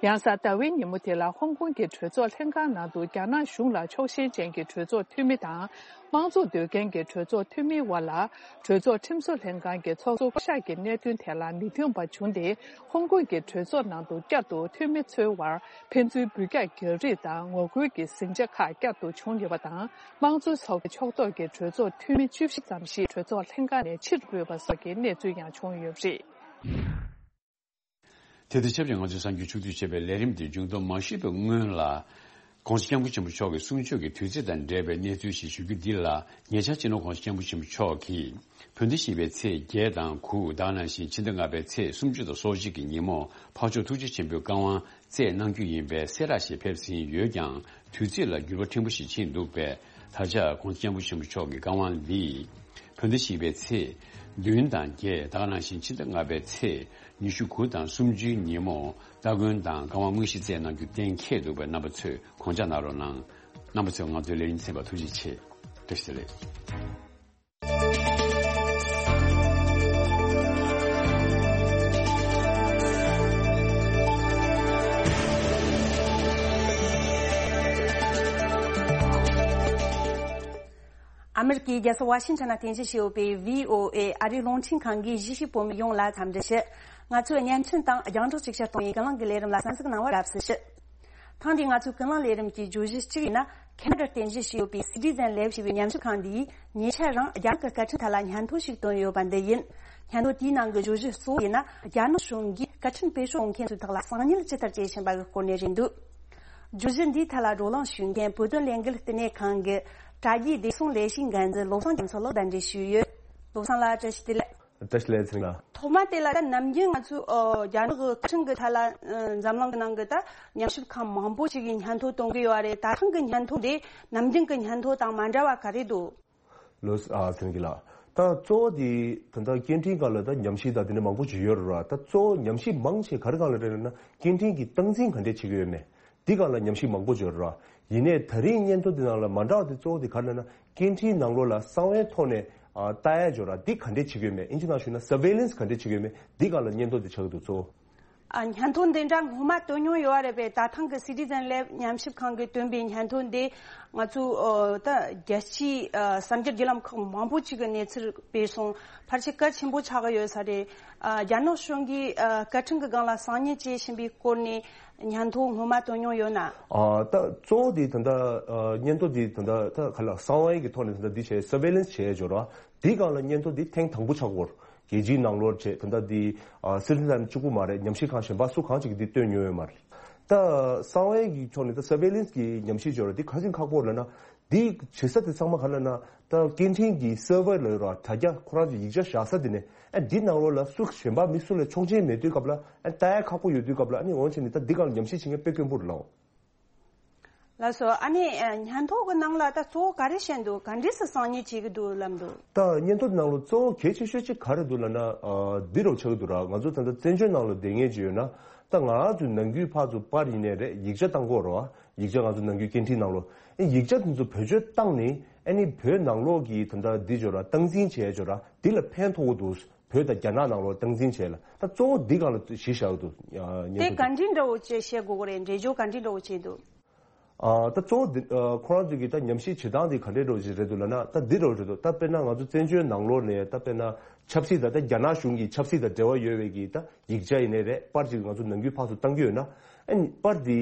ཡང་གཟའ་ཟླ་བའི་ཉིན་མོ་དེ་ལ་ཧོང་ཀོང་གི་གྲོས་ཚོགས་ལྷན་ཁང་ནང་དུ་རྒྱ་ནག་གཞུང་ལ་ཕྱོགས་ཞེན་ཅན་གྱི་གྲོས་ཚོགས་འཐུས་མི་དང་། དམངས་གཙོ་འདོད་མཁན་གྱི་གྲོས་ཚོགས་འཐུས་མིའི་དབར་ལ། གྲོས་ཚོགས་ཁྲིམས་བཟོ་ལྷན་ཁང་གི་ཚོགས་གཙོ་བསྐོ་གཞག་གི་གནད་དོན་ཐད་ལ་མི་མཐུན་པ་བྱུང་སྟེ། ཧོང་ཀོང་གི་གྲོས་ཚོགས་ནང་དུ་བསྐྱར་དུ་འཐུས་མི་ཚོའི་དབར་ཕན་ཚུན་འབུད་རྒྱག་རྒྱག་རེས་དང་ངོ་རྒོལ་གྱི་ཟིང་ཆ་ཁག་བསྐྱར་དུ་བྱུང་ཡོད་པ་དང་། དམངས་གཙོ་ཚོགས་པའི་ཕྱོགས་གཏོགས་ཀྱི་གྲོས་ཚོགས་འཐུས་མི་བཅུ་བཞི་ཙམ་ཞིག་གྲོས་ཚོགས་ལྷན་ཁང་ནས་ཕྱིར་འབུད་པ་སོགས་ཀྱི་གནས་ཚུལ་ཡང་བྱུང་ཡོད་པ་རེད། དེ་དང་ཆབས་ཅིག་ང་ཚོས་གསར་འགྱུར་ཕྱོགས་བསྡུས་བྱས་པའི་ལས་རིམ་དེ་མཇུག་སྡོམ་མ་ཞུས་པའི་སྔོན་ལ། ྋགོང་ས་ྋསྐྱབས་མགོན་ཆེན་པོ་མཆོག་གི་གསུང་ཆོས་ཀྱི་དུས་ཚིགས་དང་འབྲེལ་བའི་གནས་ཚུལ་ཞིག་ཞུ་རྒྱུ་འདི་ལ། ཉེ་ཆར་སྤྱི་ནོར་ྋགོང་ས་ྋསྐྱབས་མགོན་ཆེན་པོ་མཆོག་གིས་བོད་ཟླ་བཞི་པའི་ཚེས་བརྒྱད་དང་དགུ། དེ་ག་ནང་བཞིན་ཕྱི་ཟླ་ལྔ་པའི་ཚེས་སུམ་ཅུ་དང་སོ་གཅིག་གི་ཉིན་མོ་འཕགས་མཆོག་ཐུགས་རྗེ་ཆེན་པོའི་བཀའ་དབང་སྩལ་གནང་རྒྱུ་ཡིན་པའི་གསལ་བསྒྲགས་ཤིག་ཕེབས་ཟིན་ཡོད་ཀྱང་། དུས་ཚིགས་ལ་འགྱུར་བ་ཕྲན་བུ་ཞིག་ཕྱིན་འདུག་པས། ད་ཆ་ྋགོང་ས་ྋསྐྱབས་མགོན་ཆེན་པོ་མཆོག་གི་བཀའ་དབང་འདི་བོད་ཟླ་བཞི་པའི་ཚེས་བདུན་དང་བརྒྱད། དེ་ག་ནང་བཞིན་ཕྱི་ཟླ་ལྔ་པའི་ཚེས་ཉི་ཤུ་དགུ་དང་སུམ་ཅུའི་ཉིན་མོ་སྟ་གོན་དང་བཀའ་དབང་དངོས་གཞི་སྩལ་གནང་རྒྱུ་གཏན་འཁེལ་འདུག་པས། རྣམ་པ་ཚོས་དགོངས་འཇགས་གནང་རོགས་གནང་། རྣམ་པ་ཚོས་ང་ཚོའི་ལས་རིམ་གསན་པར་ཐུགས་རྗེ་ཆེ། བཀྲ་ཤིས་བདེ་ལེགས། ཨ་མེ་རི་ཀའི་རྒྱལ་ས་ཝ་ཤིང་ཊོན་ན་རྟེན་གཞི་བྱས་ཡོད་པའི་བྷི་ཨོ་ཨེ་ཨ་རིའི་རླུང་འཕྲིན་ཁང་གི་གཞིས་བྱེས་བོད་མི་ཡོངས་ལ་འཚམས་འདྲི་ཞུ། ང་ཚོའི་བརྙན་འཕྲིན་དང་རྒྱང་བསྒྲགས་ཅིག་ཤར་གཏོང་བའི་ཀུན་གླེང་གི་ལས་རིམ་ལ་གསན་གཟིགས་གནང་བར་རབ་གསལ་ཞུ། ཐེངས་འདིའི་ང་ཚོའི་ཀུན་གླེང་ལས་རིམ་གྱི་བརྗོད་གཞི་གཅིག་ཡིན་ན། ཁེ་ན་ཌར་རྟེན་གཞི་བྱས་ཡོད་པའི་སི་ཊི་ཟན་ལེབ་ཞེས་པའི་ཉམས་ཞིབ་ཁང་འདིས་ཉེ་ཆར་རང་རྒྱ་ནག་གི་སྐད་འཕྲིན་ཐད་ལ་སྙན་ཐོ་ཞིག་བཏོན་ཡོད་པ་འདི་ཡིན། སྙན་ཐོ་དེའི་ནང་གི་བརྗོད་གཞི་གཙོ་བོ་ཡིན་ན། རྒྱ་ནག་གཞུང་གིས་སྐད་འཕྲིན་སྤེལ་ཕྱོགས་འཛིན་མཁན་ཚོའི་ཐོག་ལ་གསང་ཉུལ་ཇི་ལྟར་བྱེད་བཞིན་པ་གི་སྐོར་ནས་རེད་འདུག་བརྗོད་གཞི་འདིའི་ཐད་ལ་བགྲོ་གླེང་ཞུ་མཁན་བོད་དོན་ལས་འགུལ་ལྟེ་གནས་ཁང་གི་ དྲ་རྒྱའི་བདེ་སྲུང་ལས་གཞིའི་འགན་འཛིན་བློ་བཟང་རྒྱ་མཚོ་ལགས་གདན་འདྲེན་ཞུས་ཡོད། བློ་བཟང་ལགས་བཀྲ་ཤིས་བདེ་ལེགས། བཀྲ་ཤིས་བདེ་ལེགས་ཚེ་རིང་ལགས། ཐོག་མ་དེ་ལ་ད་ནམ་རྒྱུན་ང་ཚོས་ཨོ་རྒྱ་ནག་གི་བཀའ་ཁྲིམས་ཀྱི་ཐད་ལ་ཨ་འཛམ་གླིང་གི་ནང་གི་ད་ཉམས་ཞིབ་ཁང་མང་པོ་ཞིག་གིས་སྙན་ཐོ་གཏོང་གི་ཡོད་རེད། ད་ཐེངས་ཀྱི་སྙན་ཐོ་དེ་ནམ་རྒྱུན་གྱི་སྙན་ཐོ་དང་མ་འདྲ་བ་ག་རེ་འདུག་ལོས་ཨ་ཚེ་རིང་ལགས། ད་གཙོ་བོ་དེ་ད་ལྟ་སྐད་འཕྲིན་སྒང་ལ་ད་ཉམས་ཞིབ་དང་དེ་འདྲ་མང་པོ་ཞིག་ཡོད་རེད་ར། ད་གཙོ་བོ་ཉམས་ཞིབ་མང་ཆེ་ག་རེ་སྒང་ལ་རེད་ལབ་ན་སྐད་འཕྲིན་གྱི་སྟངས་འཛིན་ག་འདྲས་བྱེད་ཀྱི་ཡོད་མེད། འདི་སྒང་ལ་ཉམས་ཞིབ་མང་པོ་ཡོད་རེད། ཡིན་ནའི་ད་རིང་སྙན་ཐོ་འདི་ནང་ལ་མ་འདྲ་བ་དེ་གཙོ་བོ་དེ་ག་རེ་ལབ་ན་སྐད་འཕྲིན་ནང་ལོགས་ལ་གསང་བའི་ཐོག་ནས་ཨ་ལྟ་ཡ་ཡོད་རེད། འདི་ག་འདྲས་བྱེད་ཀྱི་ཡོད་མེད། ཨིན་ཇི་ནང་ཞུས་ན་surveillance ག་འདྲས་བྱེད་ཀྱི་ཡོད་མེད། འདི་སྒང་ལ་སྙན་ཐོ་དེ་ཆགས་ཀྱི་འདུག་གཙོ་བོ། ཨ་སྙན་ཐོ་འདི་འདྲ་སྔོན་མ་བཏོན་མྱོང་ཡོད་རེད་པས། ད་ཐེངས་ཀྱི་Citizen Lab ཉམས་ཞིབ་ཁང་གིས་བཏོན་པའི་སྙན་ཐོ་འདི་ང་ཚོས་ཨོ་ད་རྒྱལ་སྤྱིའི་ཨ་གསར་འགྱུར་བརྒྱུད་ལམ་ཁག་མང་པོ་ཅིག་གི་གནས་ཚུལ་སྤེལ་སོང་། ཕལ་ཆེར་གལ་ཆེན་པོ་ཆགས་ཀྱི་ཡོད་ས་རེད། ཨ་རྒྱ་ནག་གཞུང་གིས་ཨ་བཀའ་ཁྲིམས་ཀྱི་སྒང་ལ་གསང་ཉུལ་བྱེད་བཞིན་པའི་སྐོར་ནས་སྙན་ཐོ་སྔོན་མ་བཏོན་མྱོང་ཡོད་ན། ཨ་ད་གཙོ་བོ་དེ་ད་ལྟ་ཨ་སྙན་ཐོ་དེ་ད་ལྟ་ད་ག་ལ་གསང་བའི་གི་ཐོག་ནས་ད་ལྟ་འདི་བྱས་surveillance བྱས་ཡོད་ར། དེའི་སྒང་ལ་སྙན་ཐོ་འདི་ཐེངས་དང་པོ་ཆགས་ཀྱི་ཡོད་རེད། རྒྱལ་སྤྱིའི་ནང་ལོགས་བྱས་ད་ལྟ་འདི་ཨ་Citizen གཅིག་པུ་མ་རེད། ཉམས་ཞིབ་ཁང་གཞན་པ་སུ་གང་ཅིག་གིས་འདི་བཏོན་མྱོང་ཡོད་མ་རེད། ད་གསང་བའི་གི་ཕྱོགས་ནས་ད་surveillance གི་ཉམས་ཞིབ་བྱས་ར། འདི་ག་ཚོད་ཁག་པོ་ལབ་ན། འདི་བྱེད་ས་དེ་ཚང་མ་ག་ལབ་ན་ད་སྐད་འཕྲིན་གྱི་server ལ་ཡོད་ར། དྲ་རྒྱ་ཁོ་རང་ཚོ་ཡིག་ཆ་བཞག་ས་དེ་ནས་ཨ་འདི་ནང་ལོགས་ལ་སུ་གཞན་པ་མི་སུ་ལ་ཆོག་མཆན་མེད་དུས་སྐབས་ལ་ཨ་ལྟ་ཡ་ཁག་པོ་ཡོད་དུས་སྐབས་ལ་ཨ་ནི་འོན་ཆེ་ནི་ད་འདི་སྒང་ལ་ཉམས་ཞིབ་བྱེད་མཁན་དཔེ་དཀོན་པོ་རེད་ལགས། ལགས་སོ། ཨ་ནི་ཨ་སྙན་ཐོ་གི་ནང་ལ་ད་གཙོ་བོ་ག་རེ་བཤད་འདུག་ག་འདྲས་སེ་གསང་ཉུལ་བྱེད་ཀྱི་འདུག་ལབ་འདུག་ད་སྙན་ཐོ་ནང་ལ་གཙོ་བོ་གལ་ཆེ་ཤོས་གཅིག་ག་རེ་འདུག་ལབ་ན་ཨ་འདི་རུ་ཆགས་ཀྱི་འདུག་ར། ང་ཚོ་ད་ལྟ་བཙན་བྱོལ་ནང་ལ་བསྡད་མཁན་ཅིག་ཡོད་ན་ད་ང་ཚོ་ནང་ཁུལ་ཕར་ཚུར་པར་ཡིན་ནའི་རེད། ཡིག་ཆ་བཏང་གི་ཡོད་རེད་བ། ཡིག་ཆ་ང་ཚོ་ནང་ཁུལ་སྐད་འཕྲིན་ནང་ལོགས་ཨེ་ཡིག་ཆ་དེ་ཚོ་བེད་སྤྱོད་བཏང་ནས་ཨ་ནི་བོད་ནང་ལོགས་ཀྱི་ད་ལྟ་འདི་ཅིག་ཡོད་ར། སྟངས་འཛིན་བྱས་ཅིག་ཡོད་ར། འདི་ལ་ཕན་ཐོགས་ཀྱི་འདུག་བོད་དང་རྒྱ་ནག་ནང་ལོགས་སྟངས་འཛིན་བྱས་ལ་ད་གཙོ་བོ་འདི་སྒང་ལ་གཞི་བཞག་གི་འདུག་ཨ་སྙན་དེ་ཐོ་ག་འདི་འདྲ་བོ་ཅིག་བཤད་དགོས་ཀྱི་རེད། འགྲེལ་བརྗོད་ག་འདི་འདྲ་བོ་བྱས་འདུག་ཨ་ད་གཙོ་བོ་འདི་ཨ་ཁོ་རང་ཚོ་གི་ད་ཉམས་ཞིབ་བྱེད་སྟངས་འདི་ག་འདྲ་འདྲ་བོ་ཅིག་རེད་འདུག་ལབ་ན་ད་འདི་འདྲ་བོ་རེད་འདུག་ད་དཔེར་ན་ང་ཚོ་བཙན་བྱོལ་ནང་ལོགས་ནས་ད་དཔེར་ན་ཆབ་སྲིད་དང་ད་རྒྱ་ནག་གཞུང་གི་ཆབ་སྲིད་དང་འབྲེལ་བ་ཡོད་པའི་གི་ད་ཡིག་ཆ་ཡིན་ནའི་རེད། པར་ཅིག་ང་ཚོ་ནང་ཁུལ་ཕར་ཚུར་བཏང་གི་ཡོད་ན་ཨ་ནི་པར་འདི་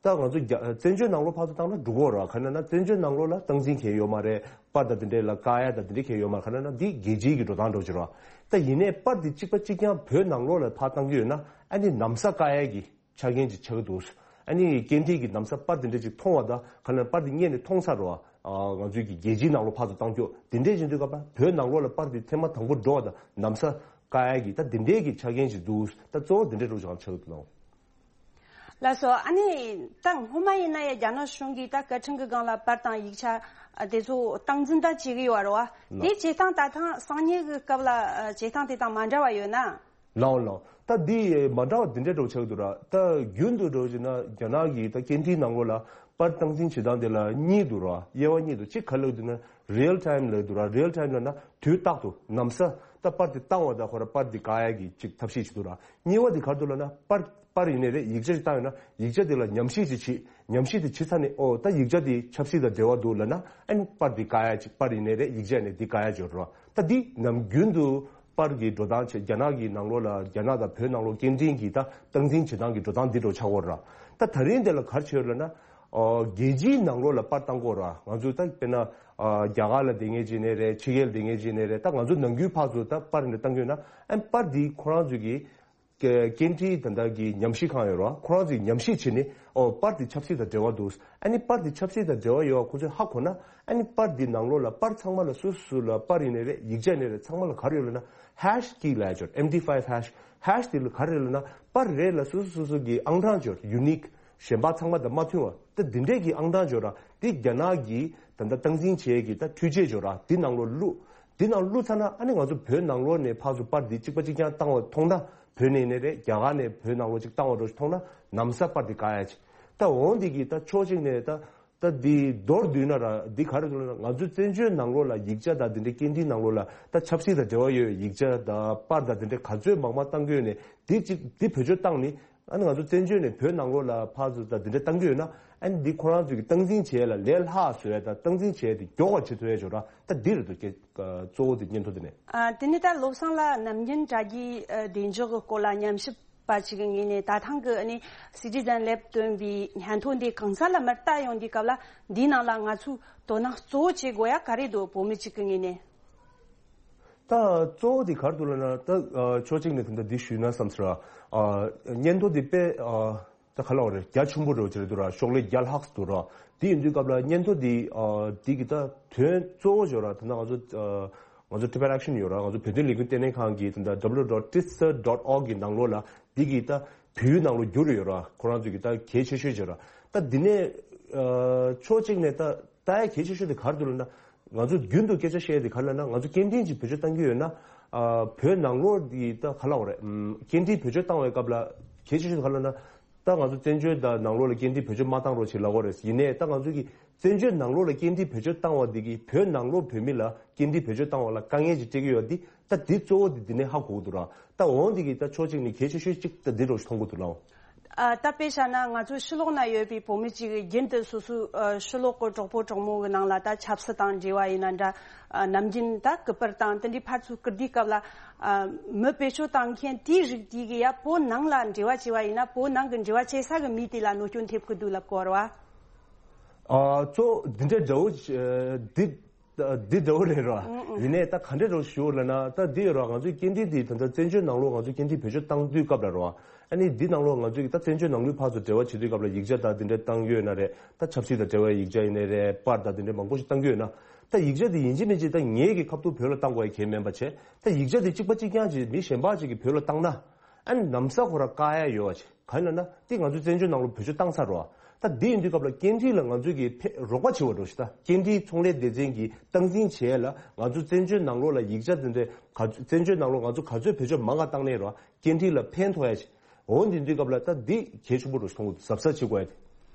ད་ང་ཚོ་རྒྱ་བཙན་བྱོལ་ནང་ལོགས་ཕར་ཚུར་བཏང་ན་འགྲིག་གི་རེད། ག་རེ་ལབ་ན་བཙན་བྱོལ་ནང་ལོགས་ལ་སྟངས་འཛིན་གང་ཡང་ཡོད་མ་རེད། པར་དང་དེ་འདྲས་ལ་བཀག་ཡ་དང་དེ་འདྲས་གང་ཡང་ཡོད་མ་རེད། ག་རེ་ལབ་ན་འདི་རྒྱལ་སྤྱིའི་གི་འགྲོ་སྟངས་འདྲ་བོ་ཅིག་རེད། ད་ཡིན་ནའི་པར་འདི་གཅིག་པ་གཅིག་རྐྱང་བོད་ནང་ལོགས་ལ་ཕར་བཏང་གི་ཡོད་ན་ཨ་ནི་ན་བཟའ་བཀག་ཡ་གི་ཆ་རྐྱེན་ཅིག་ཆགས་ཀྱི་འདུག་ཨ་ནི་སྐད་འཕྲིན་གྱི་ན་བཟའ་པར་དེ་འདྲས་ཅིག་མཐོང་བ་དང་ག་རེ་ལབ་ན་པར་འདི་རྙེད་ནས་མཐོང་ཚར་རེད་བ། ཨ་ང་ཚོའི་གི་རྒྱལ་སྤྱིའི་ནང་ལོགས་ཕར་ཚུར་བཏང་རྒྱུ་དེ་འདྲས་ཡིན་དུས་སྐབས་ལ་བོད་ནང་ལོགས་ལ་པར་འདི་ཐེངས་མ་དང་པོ་འགྲོ་བ་དང་ན་བཟའ་བཀག་ཡ་གི་ད་དེ་འདྲས་ཀྱི་ཆ་རྐྱེན་ཅིག་འདུག་ད་གཙོ་བོ་དེ་འདྲས་འདྲ་བོ་ཅིག་ཆགས་ཀྱི་འདུག་ལགས་སོ། ཨ་ནི་ད་སྔོན་མ་ཡིན་ན་ཡང་རྒྱ་ནག་གཞུང་གིས་ད་བཀའ་ཁྲིམས་ཀྱི་སྒང་ལ་པར་དང་ཡིག་ཆ་ཨ་དེ་ཚོ་སྟངས་འཛིན་ད་བྱེད་ཀྱི་ཡོད་རེད་བ། ལགས། དེ་བྱེད་སྟངས་ད་ཐེངས་གསང་ཉུལ་གྱི་སྐབས་ལ་ཨ་བྱེད་སྟངས་དེ་དང་མ་འདྲ་བ་ཡོད་ན། ལགས་ལགས། ད་འདི་མ་འདྲ་བ་འདི་འདྲ་འདྲ་བོ་ཆགས་ཀྱི་འདུག་ར། ད་རྒྱུན་དུ་འདྲ་བོ་བྱས་ན་རྒྱ་ནག་གི་ད་སྐད་འཕྲིན་ནང་ལོགས་ལ་པར་སྟངས་འཛིན་བྱེད་སྟངས་དེ་ལ་གཉིས་འདུག་ར། དབྱེ་བ་གཉིས་འདུག་གཅིག་ག་རེ་ལབ་ཀྱི་འདུག་ན་real time ལབ་ཀྱི་འདུག་ར། real time ལབ་ན་དུས་རྟག་ཏུ་ན་བཟའ་ད་པར་དེ་བཏང་བ་དང་ཁོ་རང་པར་དེ་བཀག་ཡ་གི་ཅིག་ཐབས་ཤེས་ཅིག་འདུག་ར། གཉིས་པ་དེ་ག་རེ་འདུག་ལབ་ན་པར་པར་ཡིན་ནའི་རེད། ཡིག་ཆ་ཞིག་བཏང་ཡོད་ན་ཡིག་ཆ་དེ་ལ་ཉམས་ཞིབ་ཅིག་བྱེད། ཉམས་ཞིབ་དེ་བྱེད་ཚར་ནས་ཨོ་ད་ཡིག་ཆ་དེ་ཆབ་སྲིད་དང་འབྲེལ་བ་འདུག་ལབ་ན་ཨ་ནི་པར་དེ་བཀག་ཡ་ཅིག་པར་ཡིན་ནའི་རེད། ཡིག་ཆ་ཡིན་ནའི་དེ་བཀག་ཡ་ཅིག་ཡོད་རེད་བ། ད་འདི་ནམ་རྒྱུན་དུ་པར་གྱི་འགྲོ་སྟངས་བྱས་རྒྱ་ནག་གི་ནང་ལོགས་ལ་རྒྱ་ནག་དང་བོད་ནང་ལོགས་སྐད་འཕྲིན་གྱི་ད་སྟངས་འཛིན་བྱེད་སྟངས་ཀྱི་འགྲོ་སྟངས་འདི་འདྲ་བོ་ཆགས་ཡོད་རེད་བ། ད་ད་རིང་འདི་ལ་ག་རེ་བྱས་ཡོད་ལབ་ན་ཨོ་རྒྱལ་སྤྱིའི་ནང་ལོགས་ལ་པར་བཏང་གི་ཡོད་རེད་བ། ང་ཚོས་ད་དཔེར་ན་ཨ་རྒྱ་གར་ལ་བསྡད་མཁན་ཅིག་ཡིན་ནའི་རེད། ཕྱི་རྒྱལ་ལ་བསྡད་མཁན་ཅིག་ཡིན་ནའི་རེད། ད་ང་ཚོ་ནང་ཁུལ་ཕར་ཚུར་ད་པར་འདི་བཏང་གི་ཡོད་ན་ཨ་ནི་པར་འདི་ཁོ་རང་ཚོས་ཀྱི་སྐད་འཕྲིན་ད་ལྟ་གི་ཉམས་ཞིབ་ཁང་ཡོད་རེད་བ། ཁོ་རང་ཚོས་ཉམས་ཞིབ་བྱས་ནས་ཨོ་པར་དེ་ཆབ་སྲིད་དང་འབྲེལ་བ་འདུག་ཨ་ནི་པར་དེ་ཆབ་སྲིད་དང་འབྲེལ་བ་ཡོད་པ་ཁོ་ཚོས་ཧ་གོ་ན་ཨ་ནི་པར་དེ་ནང་ལོགས་ལ་པར་ཚང་མ་ལ་སུ་སུ་ལ་པར་ཡིན་ནའི་རེད། ཡིག་ཆ་ཡིན་ནའི་རེད། ཚང་མ་ལ་ག་རེ་ཡོད་ལབ་ན་ཧེཤ་ཀི་ལབ་ཡ་ཅིག་ཡོད་རེད། ཨེམ་ཌི་ཕའི་ཝི་ཧེཤ། ཧེཤ་དེ་ལ་ག་རེ་ཡོད་ལབ་ན་པར་རེ་ལ་སུ་སུ་སུ་སུ་གི་ཨང་གྲངས་ཅིག་ཡོད་རེད། ཡུ་ནིག་གཞན་པ་ཚང་མ་དང་མ་མཐུན་པ་དེ་འདི་འདྲས་ཀྱི་ཨང་གྲངས་ཅིག་ཡོད་རེད་བ། དེ་རྒྱ་ནག་གིས་ད་ལྟ་སྟངས་འཛིན་བྱེད་ཡས་ཀྱི་ད་འཕྲུལ་ཆས་ཅིག་ཡོད་རེད་བ། དེ་ནང་ལོགས་བླུགས། དེ་ནང་བླུགས་ཚར་ན་ཨ་ནི་ང་ཚོ་བོད་ནང་ལོགས་ནས་ཕར་ཚུར་པར་འདི་གཅིག་པ་གཅིག་རྐྱང་བཏང་བ་མཐོང་ན། བོད་ནས་ཡིན་ནའི་རེད། རྒྱ་གར་ནས་བོད་ནང་ལོགས་གཅིག་བཏང་བ་འདྲ་ཞིག་མཐོང་ན་ན་བཟའ་པར་འདི་བཀག་ཡ་ཅིག་ད་འོ་འདི་གི་ད་ཕྱོགས་གཅིག་ནས་ད་ད་འདི་མདོར་བསྡུས་ན་ར་འདི་ག་རེ་འདུག་ལབ་ན་ང་ཚོའི་བཙན་བྱོལ་ནང་ལོགས་ལ་ཡིག་ཆ་དང་འདི་འདྲའི་སྐད་འཕྲིན་ནང་ལོགས་ལ་ད་ཆབ་སྲིད་དང་འབྲེལ་བ་ཡོད་པའི་ཡིག་ཆ་དང་པར་དང་འདི་འདྲའི་ག་ཚོད་མང་མང་བཏང་གི་ཡོད་ནས་འདི་གཅིག་འདི་བེད་སྤྱོད་བཏང་ནི། ཨ་ནི་ང་ཚོ་བཙན་བྱོལ་ནས་བོད་ནང་ལོགས་ལ་ཕར་ཚུར་དང་འདི་འདྲ་བཏང་གི་ཡོད་ན་ཨ་ནི་འདི་ཁོ་རང་ཚོའི་གི་སྟངས་འཛིན་བྱེད་ཡ་ལ་ལས་སླ་བཟོ་ཡ་དང་སྟངས་འཛིན་བྱེད་ཡ་དེ་མགྱོགས་པ་བྱེད་ཐུབ་ཡ་ཅིག་ཡོད་ར། ད་འདི་རེད་འདུག་སྐད་གཙོ་བོ་དེ་སྙན་ཐོ་དེ་ནས། ཨ་དེ་ནས་ད་བློ་བཟང་ལགས་ནམ་རྒྱུན་དྲ་རྒྱའི་ཨ་བདེ་འཇགས་ཀྱི་སྐོར་ལ་ཉམས་ཞིབ་པ་ཞིག་གི་ངོས་ནས་ད་ཐེངས་ཀྱི་ཨ་ནི་Citizen Lab བཏོན་པའི་སྙན་ཐོ་འདི་གང་ས་ལ་མར་ལྟ་ཡོང་དུས་སྐབས་ལ་འདིའི་ནང་ལ་ང་ཚོས་དོ་སྣང་གཙོ་བོ་བྱེད་དགོས་ཡ་ག་རེ་འདུག་བོད་མི་གཅིག་གི་ངོས་ནས། ད་གཙོ་བོ་དེ་ག་རེ་འདུག་ལབ་ན་ད་ཨ་ཕྱོགས་གཅིག་ནས་ད་ལྟ་འདི་ཞུས་ན་བསམ་ཟེར་བ། ཨ་སྙན་ཐོ་འདི་དཔེ་ཨ་ ད་ག་ལ་བ་རེད། རྒྱ་ཆེན་པོ་རེད་བ་ཅི་རེད་འདུག་ར། ཤོག་ལྷེ་བརྒྱ་ལྷག་འདུག་ར། དེ་ཡིན་དུས་སྐབས་ལ་སྙན་ཐོ་འདི་ཨ་འདི་གི་ད་དོན་གཙོ་བོ་ཞོ་ར། ད་ནང་ང་ཚོ་ཨ་ང་ཚོ་Tibet Action ཡོད་ར། ང་ཚོ་བོད་དོན་ལས་འགུལ་ལྟེ་གནས་ཁང་གི་ད་ལྟ་W W W dot titsa dot org གི་ནང་ལོགས་ལ་འདི་གི་ད་བོད་ཡིག་ནང་ལོགས་བསྒྱུར་ཡོད་ར། ཁོ་རང་ཚོ་གི་ད་གལ་ཆེ་ཤོས་ཅིག་ར། ད་འདི་ནས་ཨ་ཕྱོགས་གཅིག་ནས་ད་ད་ཡ་གལ་ཆེ་ཤོས་དེ་ག་རེ་འདུག་ལབ་ན། ང་ཚོ་རྒྱུན་དུ་སྐད་ཆ་བཤད་དེ་ག་རེ་ལབ་ན། ང་ཚོ་སྐད་འཕྲིན་ཅིག་བེད་སྤྱོད་གཏང་གི་ཡོད་ན། ཨ་བོད་ནང་ལོགས་ཀྱི་ད་ག་ལབ་དགོས་རེད། ཨམ་སྐད་འཕྲིན་བེད་སྤྱོད་བཏང་བའི་སྐབས་ལ་གལ་ཆེ་ཤོས་ག་རེ་ལབ་ན། ད་ང་ཚོ་བཙན་བྱོལ་དང་ནང་ལོགས་ལ་སྐད་འཕྲིན་བེད་སྤྱོད་མ་བཏང་རོགས་ཞེས་ལབ་དགོས་རེད། ཡིན་ནའི་ད་ང་ཚོ་གི་བཙན་བྱོལ་ནང་ལོགས་ལ་སྐད་འཕྲིན་བེད་སྤྱོད་བཏང་བ་འདི་གིས་བོད་ནང་ལོགས་བོད་མི་ལ་སྐད་འཕྲིན་བེད་སྤྱོད་བཏང་བ་ལ་དཀའ་ངལ་ཅིག་སྤྲད་ཀྱི་ཡོད་འདི། ད་འདི་གཙོ་བོ་འདི་འདི་ནས་ཧ་གོ་གི་འདུག་ར། ད་འོང་འདི་གི་ད་ཕྱོགས་གཅིག་ནས་གལ་ཆེ་ཤོས་གཅིག་ད་འདི་རོགས་ཞེས་མཐོང་གི་འདུག་ལགས། ཨ། ད་དཔེ་བཞག་ན་ང་ཚོའི་ཕྱི་ལོགས་ན་ཡོད་པའི་བོད་མི་གཅིག་རྒྱུན་དུ་སོ་སོའི་ཨ་ཕྱི་ལོགས་ཀྱི་གྲོགས་པོ་གྲོགས་མོ་གི་ནང་ལ་ད་ཆབ་སྲིད་དང་འབྲེལ་བ་ཡིན་ན་འདྲ། ཨ་ནམ་རྒྱུན་ད་སྐུ་པར་དང་དེ་འདྲའི་ཕར་ཚུར་བསྐུར་དུས་སྐབས་ལ། ཨ་མི་བེད་སྤྱོད་བཏང་མཁན་དེའི་རིགས་དེ་གི་ཡ་བོད་ནང་ལ་འབྲེལ་བ་བྱས་པ་ཡིན་ན་བོད་ནང་གི་འབྲེལ་བ་བྱེད་ས་གི་མི་དེ་ལ་གནོད་སྐྱོན་ཐེབས་ཀྱི་འདུག་ལབ་དགོས་རེད་བ། ཨ་གཙོ་འདི་འདྲའི་འདྲ་བོ་འདི། འདི་འདྲ་བོ་རེད་རོ། ཨང་ཨང་། ཡིན་ནའི་ད་ག་འདྲ་རོ་ཞུ་ལབ་ན། ད་འདི་ཡོད་རོ། ང་ཚོའི་སྐད་འཕྲིན་འདི་ད་ལྟ་བཙན་བྱོལ་ནང་ལོགས་ང་ཚོའི་སྐད་འཕྲིན་བེད་སྤྱོད་བཏང་དུས་སྐབས་ལ་རོ། ཨ་ནི་འདི་ནང་ལོགས་ང་ཚོའི་ད་བཙན་བྱོལ་ནང་ལོགས་ཕར་ཚུར་འབྲེལ་བ་བྱེད་དུས་སྐབས་ལ་ཡིག་ཆ་དང་འདི་འདྲ་བཏང་ཡོད་ན་རེད། ད་ཆབ་སྲིད་དང་འབྲེལ་བའི་ཡིག་ཆ་ཡིན་ནའི་རེད། པར་དང་འདི་འདྲ་མང་པོ་ཞིག་བཏང་གི་ཡོད་ན། ད་ཡིག་ཆ་འདི་ཡིན་གཅིག་མིན་གཅིག་ད་ངེད་ཀྱི་ཁ་ཐུག་བོད་ལ་བཏང་དགོས་ཡ་གལ་མིན་པ་བྱས། ད་ཡིག་ཆ་འདི་གཅིག་པ་གཅིག་རྐྱང་ཅིག་མི་གཞན་པ་ཅིག་གིས་བོད་ལ་བཏང་ན། ཨ་ནི་ལམ་སང་ཁོ་རང་བཀག་ཡ་ཡོད་པ་ཅིག་གང་ཡིན་ལབ་ན། དེ་ང་ཚོས་བཙན་བྱོལ་ནང་ལོགས་བེད་སྤྱོད་བཏང་ཚར་རོ། ད་དེ་ཡིན་དུས་སྐབས་ལ་སྐད་འཕྲིན་ལ་ང་ཚོས་ཀྱི་ཕེ་རོགས་པ་བྱེད་པ་འགྲོ་ཞིག་ད་སྐད་འཕྲིན་ཚོང་ལས་སྡེ་ཚན་གྱིས་སྟངས་འཛིན་བྱས་ལ་ང་ཚོ་བཙན་བྱོལ་ནང་ལོགས་ལ་ཡིག་ཆ་དེ་འདྲའི་ག་ཚོད། བཙན་བྱོལ་ནང་ལོགས་ང་ཚོ་ག་ཚོད་བེད་སྤྱོད་མང་ག་བཏང་ནའི་རོ། སྐད་འཕྲིན་ལ་ཕན་ཐོགས་ཡ་ཞིག་འོ་འདི་དུས་སྐབས་ལ་ད་འདི་གལ་ཆེན་པོ་རུ་མཐོང་གི་འདུག་གཟབ་གཟབ་བྱེད་དགོས་ཡ་དེ།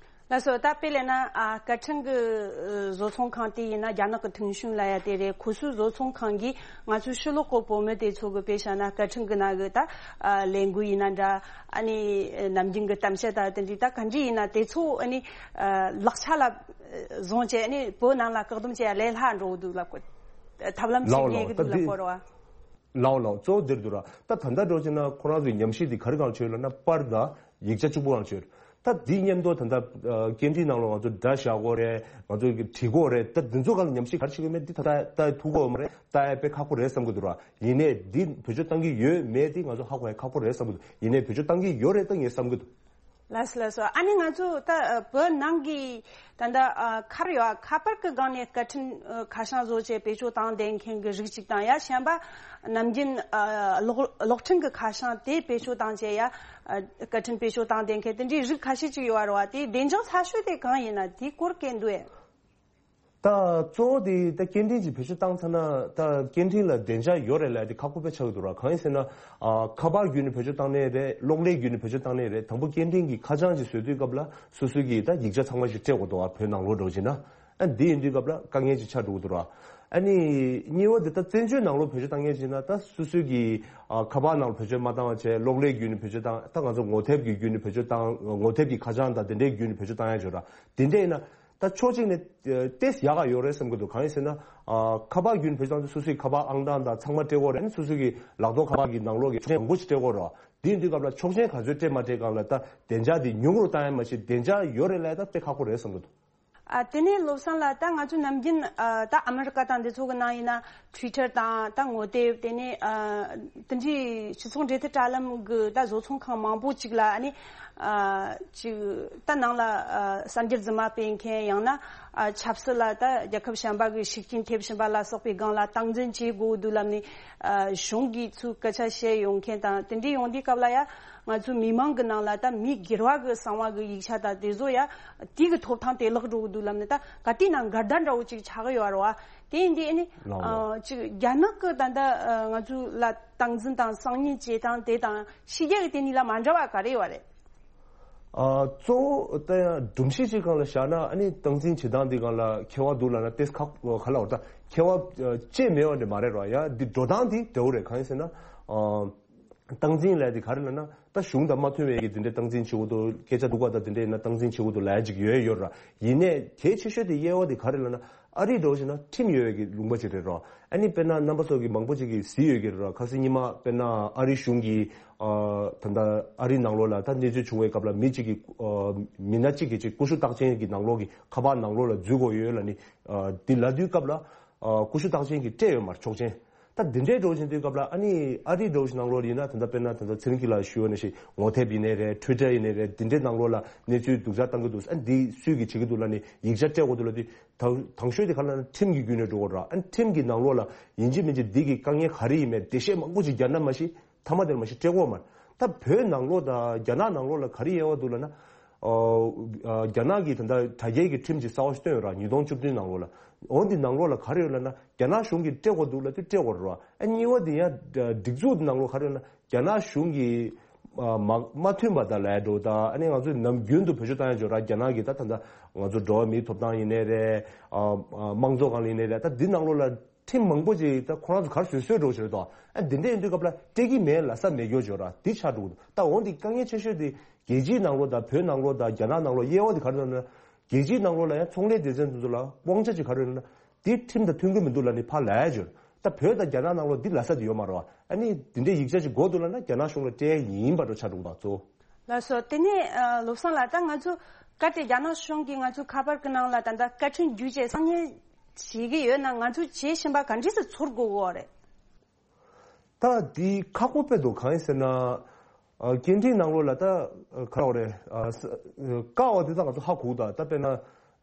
ལགས་སོ། ད་དཔེ་ལེན་ན་ཨ་སྐད་འཕྲིན་གྱི་ཨ་བཟོ་ཚོང་ཁང་དེ་ཡིན་ན་རྒྱ་ནག་གི་ཐུང་ཤུན་ལབ་ཡ་དེ་རེད། ཁོ་ཚོའི་བཟོ་ཚོང་ཁང་གིས་ང་ཚོའི་ཕྱི་ལོགས་གི་བོད་མི་དེ་ཚོ་གི་དཔེ་བཞག་ན་སྐད་འཕྲིན་གྱི་ནང་གི་ད་ཨ་ལས་འགུལ་ཡིན་ན་འདྲ། ཨ་ནི་ནམ་རྒྱུན་གྱི་གཏམ་བཤད་དང་དེ་འདྲའི་ད་ག་འདྲ་ཡིན་ན་དེ་ཚོ་ཨ་ནི་ཨ་ལག་ཆ་ལ་བཟུང་བྱས་ཨ་ནི་བོད་ནང་ལ་བཀག་སྡོམ་བྱེད་ཡ་ལས་སླ་འགྲོ་གི་འདུག་ལབ་གོ། ཐབས་ལམ་ཞིག་ལའོ་རྙེད་ལའོ། གི་ད་འདུག་ལབ་དེ་གོ་རེད་བ། ལའོ་ལའོ། གཙོ་བོ་འདིར་འདུག་ར། ད་ད་ལྟ་འགྲོ་ཕྱིན་ན་ཁོ་རང་ཚོའི་ཉམས་ཞིབ་འདི་ག་རེ་གང་བྱོས་ལབ་ན་པར་དང་ཡིག་ཆ་གཅིག་པུ་གང་བྱོས། ད་འདི་མཉམ་དུ་ད་ལྟ་ཨ་སྐད་འཕྲིན་ནང་ལ་ང་ཚོ་སྒྲ་བཞག་དགོས་རེད། ང་ཚོ་གི་བྲི་དགོས་རེད། ད་འདི་ཚོ་གང་ལ་ཉམས་ཞིབ་ག་རེ་བྱེད་དགོས་མེད་འདི་ད་ལྟ་ལྟ་ཐུབ་ཀྱི་ཡོད་མ་རེད། ལྟ་ཡ་དཔེ་ཁག་པོ་རེད་བསམ་གྱི་འདུག་ར། ཡིན་ནའི་འདི་བེད་སྤྱོད་བཏང་གི་ཡོད་མེད་འདི་ང་ཚོ་ཧ་གོ་ཡ་ཁག་པོ་རེད་བསམ་གྱི་འདུག་ཡིན་ནའི་བེད་སྤྱོད་བཏང་གི་ཡོད་རེད་ད་ངས་བསམ་གྱི་འདུག་ལགས་སོ་ལགས་སོ། ཨ་ནི་ང་ཚོ་ད་ཨ་བོད་ནང་གི་ད་ལྟ་ཨ་ཁ་ར་ཡོད་ཨ་ཁ་པར་གི་སྒང་ནས་སྐད་འཕྲིན་ཨ་ཁ་བྱང་བཟོ་བྱས་བེད་སྤྱོད་བཏང་བསྡད་མཁན་གྱི་རིགས་གཅིག་དང་ཡ་གཞན་པ་ནམ་རྒྱུན་ཨ་གློག་གློག་འཕྲིན་གྱི་ཁ་བྱང་དེ་བེད་སྤྱོད་བཏང་བྱས་ཡ་ཨ་སྐད་འཕྲིན་བེད་སྤྱོད་བཏང་བསྡད་མཁན་དེ་འདྲའི་རིགས་ཁ་ཤས་ཅིག་ཡོད་རེད་བ། དེའི་བདེ་འཇགས་ཚ་ཤོས་དེ་གང་ཡིན་ན་དེའི་སྐོར་སྐད་འདུག་ཨེ། ད་གཙོ་བོ་དེ་ད་སྐད་འཕྲིན་གྱི་བེད་སྤྱོད་བཏང་ཚར་ན་ད་སྐད་འཕྲིན་ལ་བདེ་འཇགས་ཡོད་རེད་ལབ་དེ་ཁག་པོ་དཔེ་ཆགས་ཀྱི་འདུག་ར། གང་ཡིན་ཟེར་ན་ཨ་ཁ་པར་བརྒྱུད་ནས་བེད་སྤྱོད་བཏང་ནའི་རེད། གློག་ཀླད་བརྒྱུད་ནས་བེད་སྤྱོད་བཏང་ནའི་རེད། དང་པོ་སྐད་འཕྲིན་གྱི་ཁ་བྱང་ཅིག་བཟོ་དུས་སྐབས་ལ་སོ་སོ་གི་ད་ཡིག་ཆ་ཚང་མ་ཞིག་སྤྲད་དགོས་འདུག་ཨ་བོད་ནང་ལོགས་འགྲོ་བྱས་ན། ཨ་འདི་ཡིན་དུས་སྐབས་ལ་དཀའ་ངལ་ཅིག་ཆགས་འགྲོ་གི་འདུག་ར། ཨ་ནི་གཉིས་པ་འདི་ད་བཙན་བྱོལ་ནང་ལོགས་བེད་སྤྱོད་བཏང་མཁན་ཅིག་ན་ད་སོ་སོ་གི་ཨ་ཁ་པར་ནང་ལ་བེད་སྤྱོད་མ་བཏང་བ་བྱས་གློག་ཀླད་བརྒྱུད་ནས་བེད་སྤྱོད་བཏང་། ད་ང་ཚོ་ངོ་དེབ་ཀྱི་བརྒྱུད་ནས་བེད་སྤྱོད་བཏང་། ངོ་དེབ་ཀྱི་ཁ་བྱང་དང་དེ་འདྲའི་བརྒྱུད་ནས་བེད་སྤྱོད་བཏང་ཡ་ཅིག་ཡོད་ར། དེ་འདྲ་ཡིན་ན། ད་ཕྱོགས་གཅིག་ནས་ཨ་ཏོག་ཙམ་ཡག་ག་ཡོད་རེད་བསམ་གྱི་འདུག་གང་ཡིན་ཟེར་ན། ཨ་ཁ་པར་བརྒྱུད་ནས་བེད་སྤྱོད་བཏང་དུས་སོ་སོའི་ཁ་པར་ཨང་གྲངས་དང་ཚང་མ་སྤྲད་དགོས་རེད། ཨ་ནི་སོ་སོ་གི་ལག་ཐོགས་ཁ་པར་གྱི་ནང་ལོགས་ཀྱི་ཆོག་མཆན་མང་པོ་ཞིག་སྤྲད་དགོས་རེད། དེ་ཡིན་དུས་སྐབས་ལ་ཆོག་མཆན་ག་ཚོད་སྤྲད་མ་སྤྲད་སྒང་ལ་ད་བདེ་འཇགས་དེ་ཉུང་རུ་བཏང་ཡ་མ་གཞི་བདེ་འཇགས་ཡོད་རེད་ལབ་ཡ་ད་དཔེ་ཁག་པོ་རེད་བསམ་གྱི་འདུག་ཨ་དེ་ནས་བློ་བཟང་ལགས། ད་ང་ཚོ་ནམ་རྒྱུན་ཨ་ད་ཨ་མི་རི་ཀ་དང་འདི་ཚོ་གི་ནང་ཡིན་ན་Twitter་དང་ད་ངོ་དེབ། དེ་ནས་ཨ་དེ་འདྲའི་སྤྱི་ཚོགས་འབྲེལ་མཐུད་དྲ་ལམ་གི་ད་བཟོ་ཚོང་ཁང་མང་པོ་ཅིག་ལ་ཨ་ནི་ཨ་ཅིག་ད་ནང་ལ་ཨ་གསར་འགྱུར་རྫུན་མ་སྤེལ་མཁན། ཡང་ན་ཨ་ཆབ་སྲིད་ལ་ད་རྒྱལ་ཁབ་གཞན་པ་གི་ཤུགས་རྐྱེན་ཐེབས་བཞིན་པ་ལ་སོགས་པའི་སྒང་ལ་སྟངས་འཛིན་བྱེད་དགོས་འདུག་ལབ་ནས་ཨ་གཞུང་གིས་ཚུར་སྐད་ཆ་བཤད་ཡོང་མཁན་དང་། དེ་འདྲའི་ཡོང་དུས་སྐབས་ལ་ཡ་ང་ཚོའི་མི་མང་གི་ནང་ལ་ད་མི་སྒེར་བ་གི་གསང་བ་གི་ཡིག་ཆ་དང་དེ་ཚོ་ཡ་དེ་གི་ཐོབ་ཐང་དེ་བརླག་འགྲོ་གི་འདུག་ལབ་ནས་ད་ག་དུས་ན་འགལ་ཟླ་འདྲ་བོ་ཅིག་ཆགས་ཀྱི་ཡོད་རེད་བ། དེ་ཡིན་དུས་ཨ་ནི་ལགས་ལགས། ཨ་ཅིག་རྒྱ་ནག་གི་ད་ལྟ་ཨ་ང་ཚོ་ལ་སྟངས་འཛིན་དང་སང་ཉིན་བྱེད་སྟངས་དེ་དང་ཕྱི་རྒྱལ་གི་དེ་གཉིས་ལ་མ་འདྲ་བ་ག་རེ་ཡོད་རེད། ཨ་གཙོ་བོ་ད་ཡང་སྒྲོམ་གཞི་ཅིག་སྒང་ལ་བཞག་ན་ཨ་ནི་སྟངས་འཛིན་བྱེད་སྟངས་འདི་སྒང་ལ་ཁྱད་པར་འདུག་ལབ་ན་ཏོག་ཙམ་ཁག་ག་ལ་བར་ད་ཁྱད་པར་ཅི་མེད་པ་འདྲ་མ་རེད་ར། ཡ་འདི་འགྲོ་སྟངས་འདི་འདྲ་བོ་རེད། གང་ཡིན་ཟེར་ན་ཨ། སྟངས་འཛིན་ལབ་དེ་ག་རེ་ལབ་ན། ད་གཞུང་དང་མ་མཐུན་པའི་གི་དེ་འདྲའི་སྟངས་འཛིན་བྱེད་དགོས་འདུག་སྐད་ཆ་སྡུག་པ་དང་དེ་འདྲའི་ཡིན་ན་སྟངས་འཛིན་བྱེད་དགོས་འདུག་ལབ་ཡ་ཅིག་ཡོད་ཡོད་ར། ཡིན་ནའི་གལ་ཆེ་ཤོས་དེ་དབྱེ་བ་དེ་ག་རེ་ལབ་ན། ཨ་རི་འདྲ་བོ་བྱས་ན་ཁྲིམས་ཡོད་པའི་གི་ལུང་པ་ཅིག་རེད་ར། ཨ་ནི་དཔེར་ན་རྣམ་པ་ཚོ་གི་མང་པོ་ཅིག་གིས་གཟིགས་ཡོད་ཀྱི་རེད་ར། ཁ་སང་ཉི་མ་དཔེར་ན་ཨ་རི་གཞུང་གིས་ཨ་ད་ལྟ་ཨ་རི་ནང་ལོགས་ལ་ད་གནས་ཚུལ་བྱུང་བའི་སྐབས་ལ་མི་གཅིག་གིས་ཨ་མི་སྣ་གཅིག་གིས་ཅིག་ཀུ་ཤུ་རྟགས་ཅན་གྱི་ནང་ལོགས་ཀྱི་ཁ་པར་ནང་ལོགས་ལ་འཛུལ་དགོས་ཡོད་ལབ་ནི་ཨ་དེ་ལབ་དུས་སྐབས་ལ་ཨ་ཀུ་ཤུ་རྟགས་ཅན་གྱིས་སྤྲད་ཡོད་མ་རེད་ཆོག་མཆན། ད་འདི་འདྲའི་འགྲོ་བཞིན་དུས་སྐབས་ལ་ཨ་ནི་ཨ་རིའི་འགྲོ་བཞིན་ནང་ལོགས་ཡིན་ན་ད་ལྟ་དཔེར་ན་ད་ལྟ་ཚེ་རིང་སྐྱིད་ལགས་ཞུ་བ་ནང་བཞིན་ངོ་དེབ་ཡིན་ནའི་རེད། ཊུའི་ཊར་ཡིན་ནའི་རེད། འདི་འདྲའི་ནང་ལོགས་ལ་གནས་ཚུལ་སྡུག་ཅག་བཏང་གི་འདུག་ཨ་འདི་སུས་ཀྱིས་བྱེད་ཀྱི་འདུག་ལབ་ནས་ཡིག་ཆ་སྤྲད་དགོས་འདུག་ལབ་དུས། དང་དང་ཤོས་དེ་ག་ལབ་ན་ཁྲིམས་ཀྱི་བརྒྱུད་ནས་འགྲོ་དགོས་ར། ཨ་ཁྲིམས་ཀྱི་ནང་ལོགས་ལ་ཡིན་གཅིག་མིན་གཅིག་འདི་གི་དཀའ་ངལ་ག་རེ་ཡིན་མེད་འགྲེལ་བཤད་མང་པོ་ཅིག་རྒྱག་ན་མ་གཞི་མཐའ་མ་དེར་མ་གཞི་སྤྲད་དགོས་མ་རེད། ད་བོད་ནང་ལོགས་དང་རྒྱ་ནག་ནང་ལོགས་ལ་ག་རེ་དབྱེ་བ་འདུག་ལབ་ན། ཨོ། ཨ། རྒྱ་ནག་གི་ད་ལྟ་དྲ་རྒྱའི་གི་ཁྲིམས་ཅིག་གསར་བ་ཞིག་བཏོན་ཡོད་ར། ཉིས་སྟོང་བཅུ་བདུན་ནང་ལོགས་ལ། འོ་འདི་ནང་ལོགས་ལ་ག་རེ་ཡོད་ལབ་ན་རྒྱ་ནག་གཞུང་གིས་སྤྲད་དགོས་འདུག་ལབ་དུས་སྤྲད་དགོས་རེད་ར། ཨ་གཉིས་པ་དེ་ཡང་སྒྲིག་འཛུགས་ནང་ལོགས་ག་རེ་ཡོད་ན། རྒྱ་ནག་གཞུང་གིས་ཨ་མ་མ་མཐུན་པ་དང་ལས་འགྲོ་དང་ཨ་ནི་ང་ཚོས་ནམ་རྒྱུན་དུ་བེད་སྤྱོད་བཏང་ཡ་འཇོག་ར། རྒྱ་ནག་གིས་ད་ད་ལྟ་ང་ཚོ་འགྲོ་བ་མིའི་ཐོབ་ཐང་ཡིན་ནའི་རེད། ཨ་ཨ་དམངས་གཙོ་སྒང་ལ་ཡིན་ནའི་རེད། ད་འདི་ནང་ལོགས་ལ་ཁྲིམས་མང་པོ་ཅིག་ད་ཁོ་རང་ཚོ་ག་རེ་བཟོས་བཟོས་འགྲོ་བྱས་དོ། ཨ་འདི་འདྲ་ཡིན་དུས་སྐབས་ལ་སྤྲད་ཀྱི་མེད་ལབ་ས་མེད་རྒྱུ་འཇོག་ར། འདི་ཆགས་འགྲོ་གི་འདུག་ད་འོ་འདི་དཀའ་ངལ་ཆེ་ཤོས་དེ་རྒྱལ་སྤྱིའི་ནང་ལོགས་དང་བོད་ནང་ལོགས་དང་རྒྱ་ནག་ནང་ལོགས་དབྱེ་བ་དེ་ག་རེ་ཡོད་ན། རྒྱལ་སྤྱིའི་ནང་ལོགས་ལ་ཡང་ཚོང་ལས་སྡེ་ཚན་དེ་ཚོ་ལ་དབང་ཆ་ཅིག་ག་རེ་ཡོད་ན། དེ་ཁྲིམས་དང་མཐུན་གྱི་མི་འདུག་ལབ་ནས་ཕར་ལབ་ཡ་ཅིག་ཡོད། ད་བོད་དང་རྒྱ་ནག་ནང་ལོགས་འདི་ལབ་ས་དེ་ཡོད་མ་རེད་བ། ཨ་ནི་འདི་འདྲའི་ཡིག་ཆ་ཅིག་དགོས་འདུག་ལབ་ན་རྒྱ་ནག་གཞུང་ལ་སྤྲད་ཡ་ཡིན་པ་འདྲ་ཆགས་འགྲོ་གི་འདུག་གཙོ་བོ། ལགས་སོ། དེ་ནས་ཨ་བློ་བཟང་ལགས། ད་ང་ཚོ་གལ་ཏེ་རྒྱ་ནག་གཞུང་གིས་ང་ཚོའི་ཁ་པར་གྱི་ནང་ལ་ད་ལྟ་བཀའ་དྲིན་བརྒྱུད་བྱས་གསང་ཉུལ་བྱེད་ཀྱི་ཡོད་ན་ང་ཚོས་བྱེད་བཞིན་པ་ག་འདྲས་སེ་ཚོར་དགོས་ཀྱི་ཡོད་རེད། ད་འདི་ཁག་པོ་དཔེ་འདུག་གང་ཡིན་ཟེར་ན། ཨ་སྐད་འཕྲིན་ནང་ལོགས་ལ་ད་ག་རེ་རེད། ཨ་ས་ཀ་བ་དེ་ད་ང་ཚོ་ཧ་གོ་ད། ད་དཔེར་ན་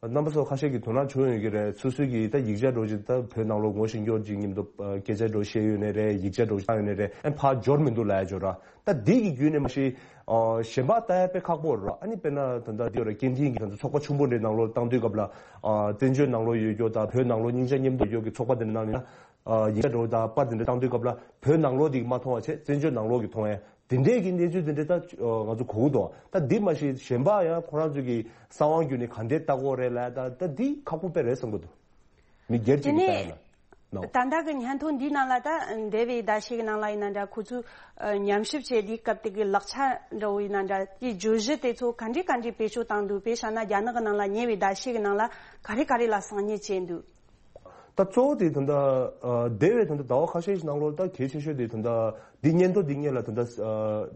རྣམ་པ་ཚོ་ཁ་ཤས་ཀྱིས་དོ་སྣང་བྱུང་ཡོད་ཀྱི་རེད། སོ་སོའི་གི་ད་ཡིག་ཆ་འདྲ་ཅིག་ད་བོད་ནང་ལོགས་ངོ་ཤེས་མཁན་ཅིག་མཉམ་དུ་ཨ་སྐད་ཆ་འདྲ་བཤད་ཡོད་ནའི་རེད། ཡིག་ཆ་འདྲ་བཏང་ཡོད་ནའི་རེད། ཨ་ཕར་འབྱོར་མི་འདུག་ལབ་ཡ་འབྱོར་ར། ད་འདི་གི་བརྒྱུད་ནས་མ་གཞི་ཨ་གཞན་པ་ལྟ་ཡ་དཔེ་ཁག་པོ་རེད་ར། ཨ་ནི་དཔེར་ན་ད་ལྟ་འདི་ཡོད་ར། སྐད་འཕྲིན་གྱི་ང་ཚོ་ཚོགས་པ་ཆུང་པོ་འདྲའི་ནང་ལོགས་བཏང་དུས་སྐབས་ལ་ཨ་བཙན་བྱོལ་ནང་ལོགས་ཡོད་རྒྱུ་དང་བོད་ནང་ལོགས་སྙིང་རྗེ་མཉམ་དུ་ཡོད་ཀྱི་ཚོགས་པ་འདི་འདྲ་ནང་ནས་ན། ཨ་ཡིག་ཆ་འདྲ་བོ་དང་པར་དེ་འདྲ་བཏང་དུས་སྐབས་ལ་བོད་ནང་ལོགས་དེ་མ་མཐོང་བ་བྱས་བཙན་བྱོལ་ནང་ལོགས་ཀྱི་མཐོང་ཡ་དེ་འདྲས་ཀྱི་གནས་ཚུལ་དེ་འདྲས་ད་ང་ཚོ་གོ་གི་འདུག་ད་འདི་མ་གཞི་གཞན་པ་ཡང་ཁོ་རང་ཚོ་གི་གསང་བ་བརྒྱུད་ནས་ག་འདྲས་ལྟ་གི་ཡོད་རེད་ལབ་ད་ད་འདི་ཁག་པོ་དཔེ་རེད་བསམ་གི་འདུག་མི་སྒེར་གཅིག་གི་ལྟ་ཡ་ན་ནོ། ད་ལྟ་གི་སྙན་ཐོ་འདིའི་ནང་ལ་ད་འདས་པའི་ཟླ་ཤས་ཀྱི་ནང་ལ་ཡིན་ན་འདྲ། ཁོ་ཚོས་ཉམས་ཞིབ་བྱས་དུས་སྐབས་དེ་གི་ལག་ཆ་འདྲ་བོ་ཡིན་ན་འདྲ། དེའི་བརྗོད་གཞི་དེ་ཚོ་ག་འདྲས་ག་འདྲས་བེད་སྤྱོད་བཏང་འདུག་དཔེ་བཞག་ན་རྒྱ་ནག་གི་ནང་ལ་ཉེ་བའི་ཟླ་ཤས་ཀྱི་ནང་ལ་ག་རེ་ག་རེ་ལ་གསང་ཉུལ་བྱས་འདུག་ད་གཙོ་བོ་དེ་ད་ལྟ་ཨ་འདས་པའི་ད་ལྟ་ཟླ་བ་ཁ་ཤས་ཤིག་ནང་ལོགས་ད་གལ་ཆེ་ཤོས་དེ་ད་ལྟ་འདི་སྙན་ཐོ་འདི་སྔོན་ལ་ད་ལྟ་ཨ་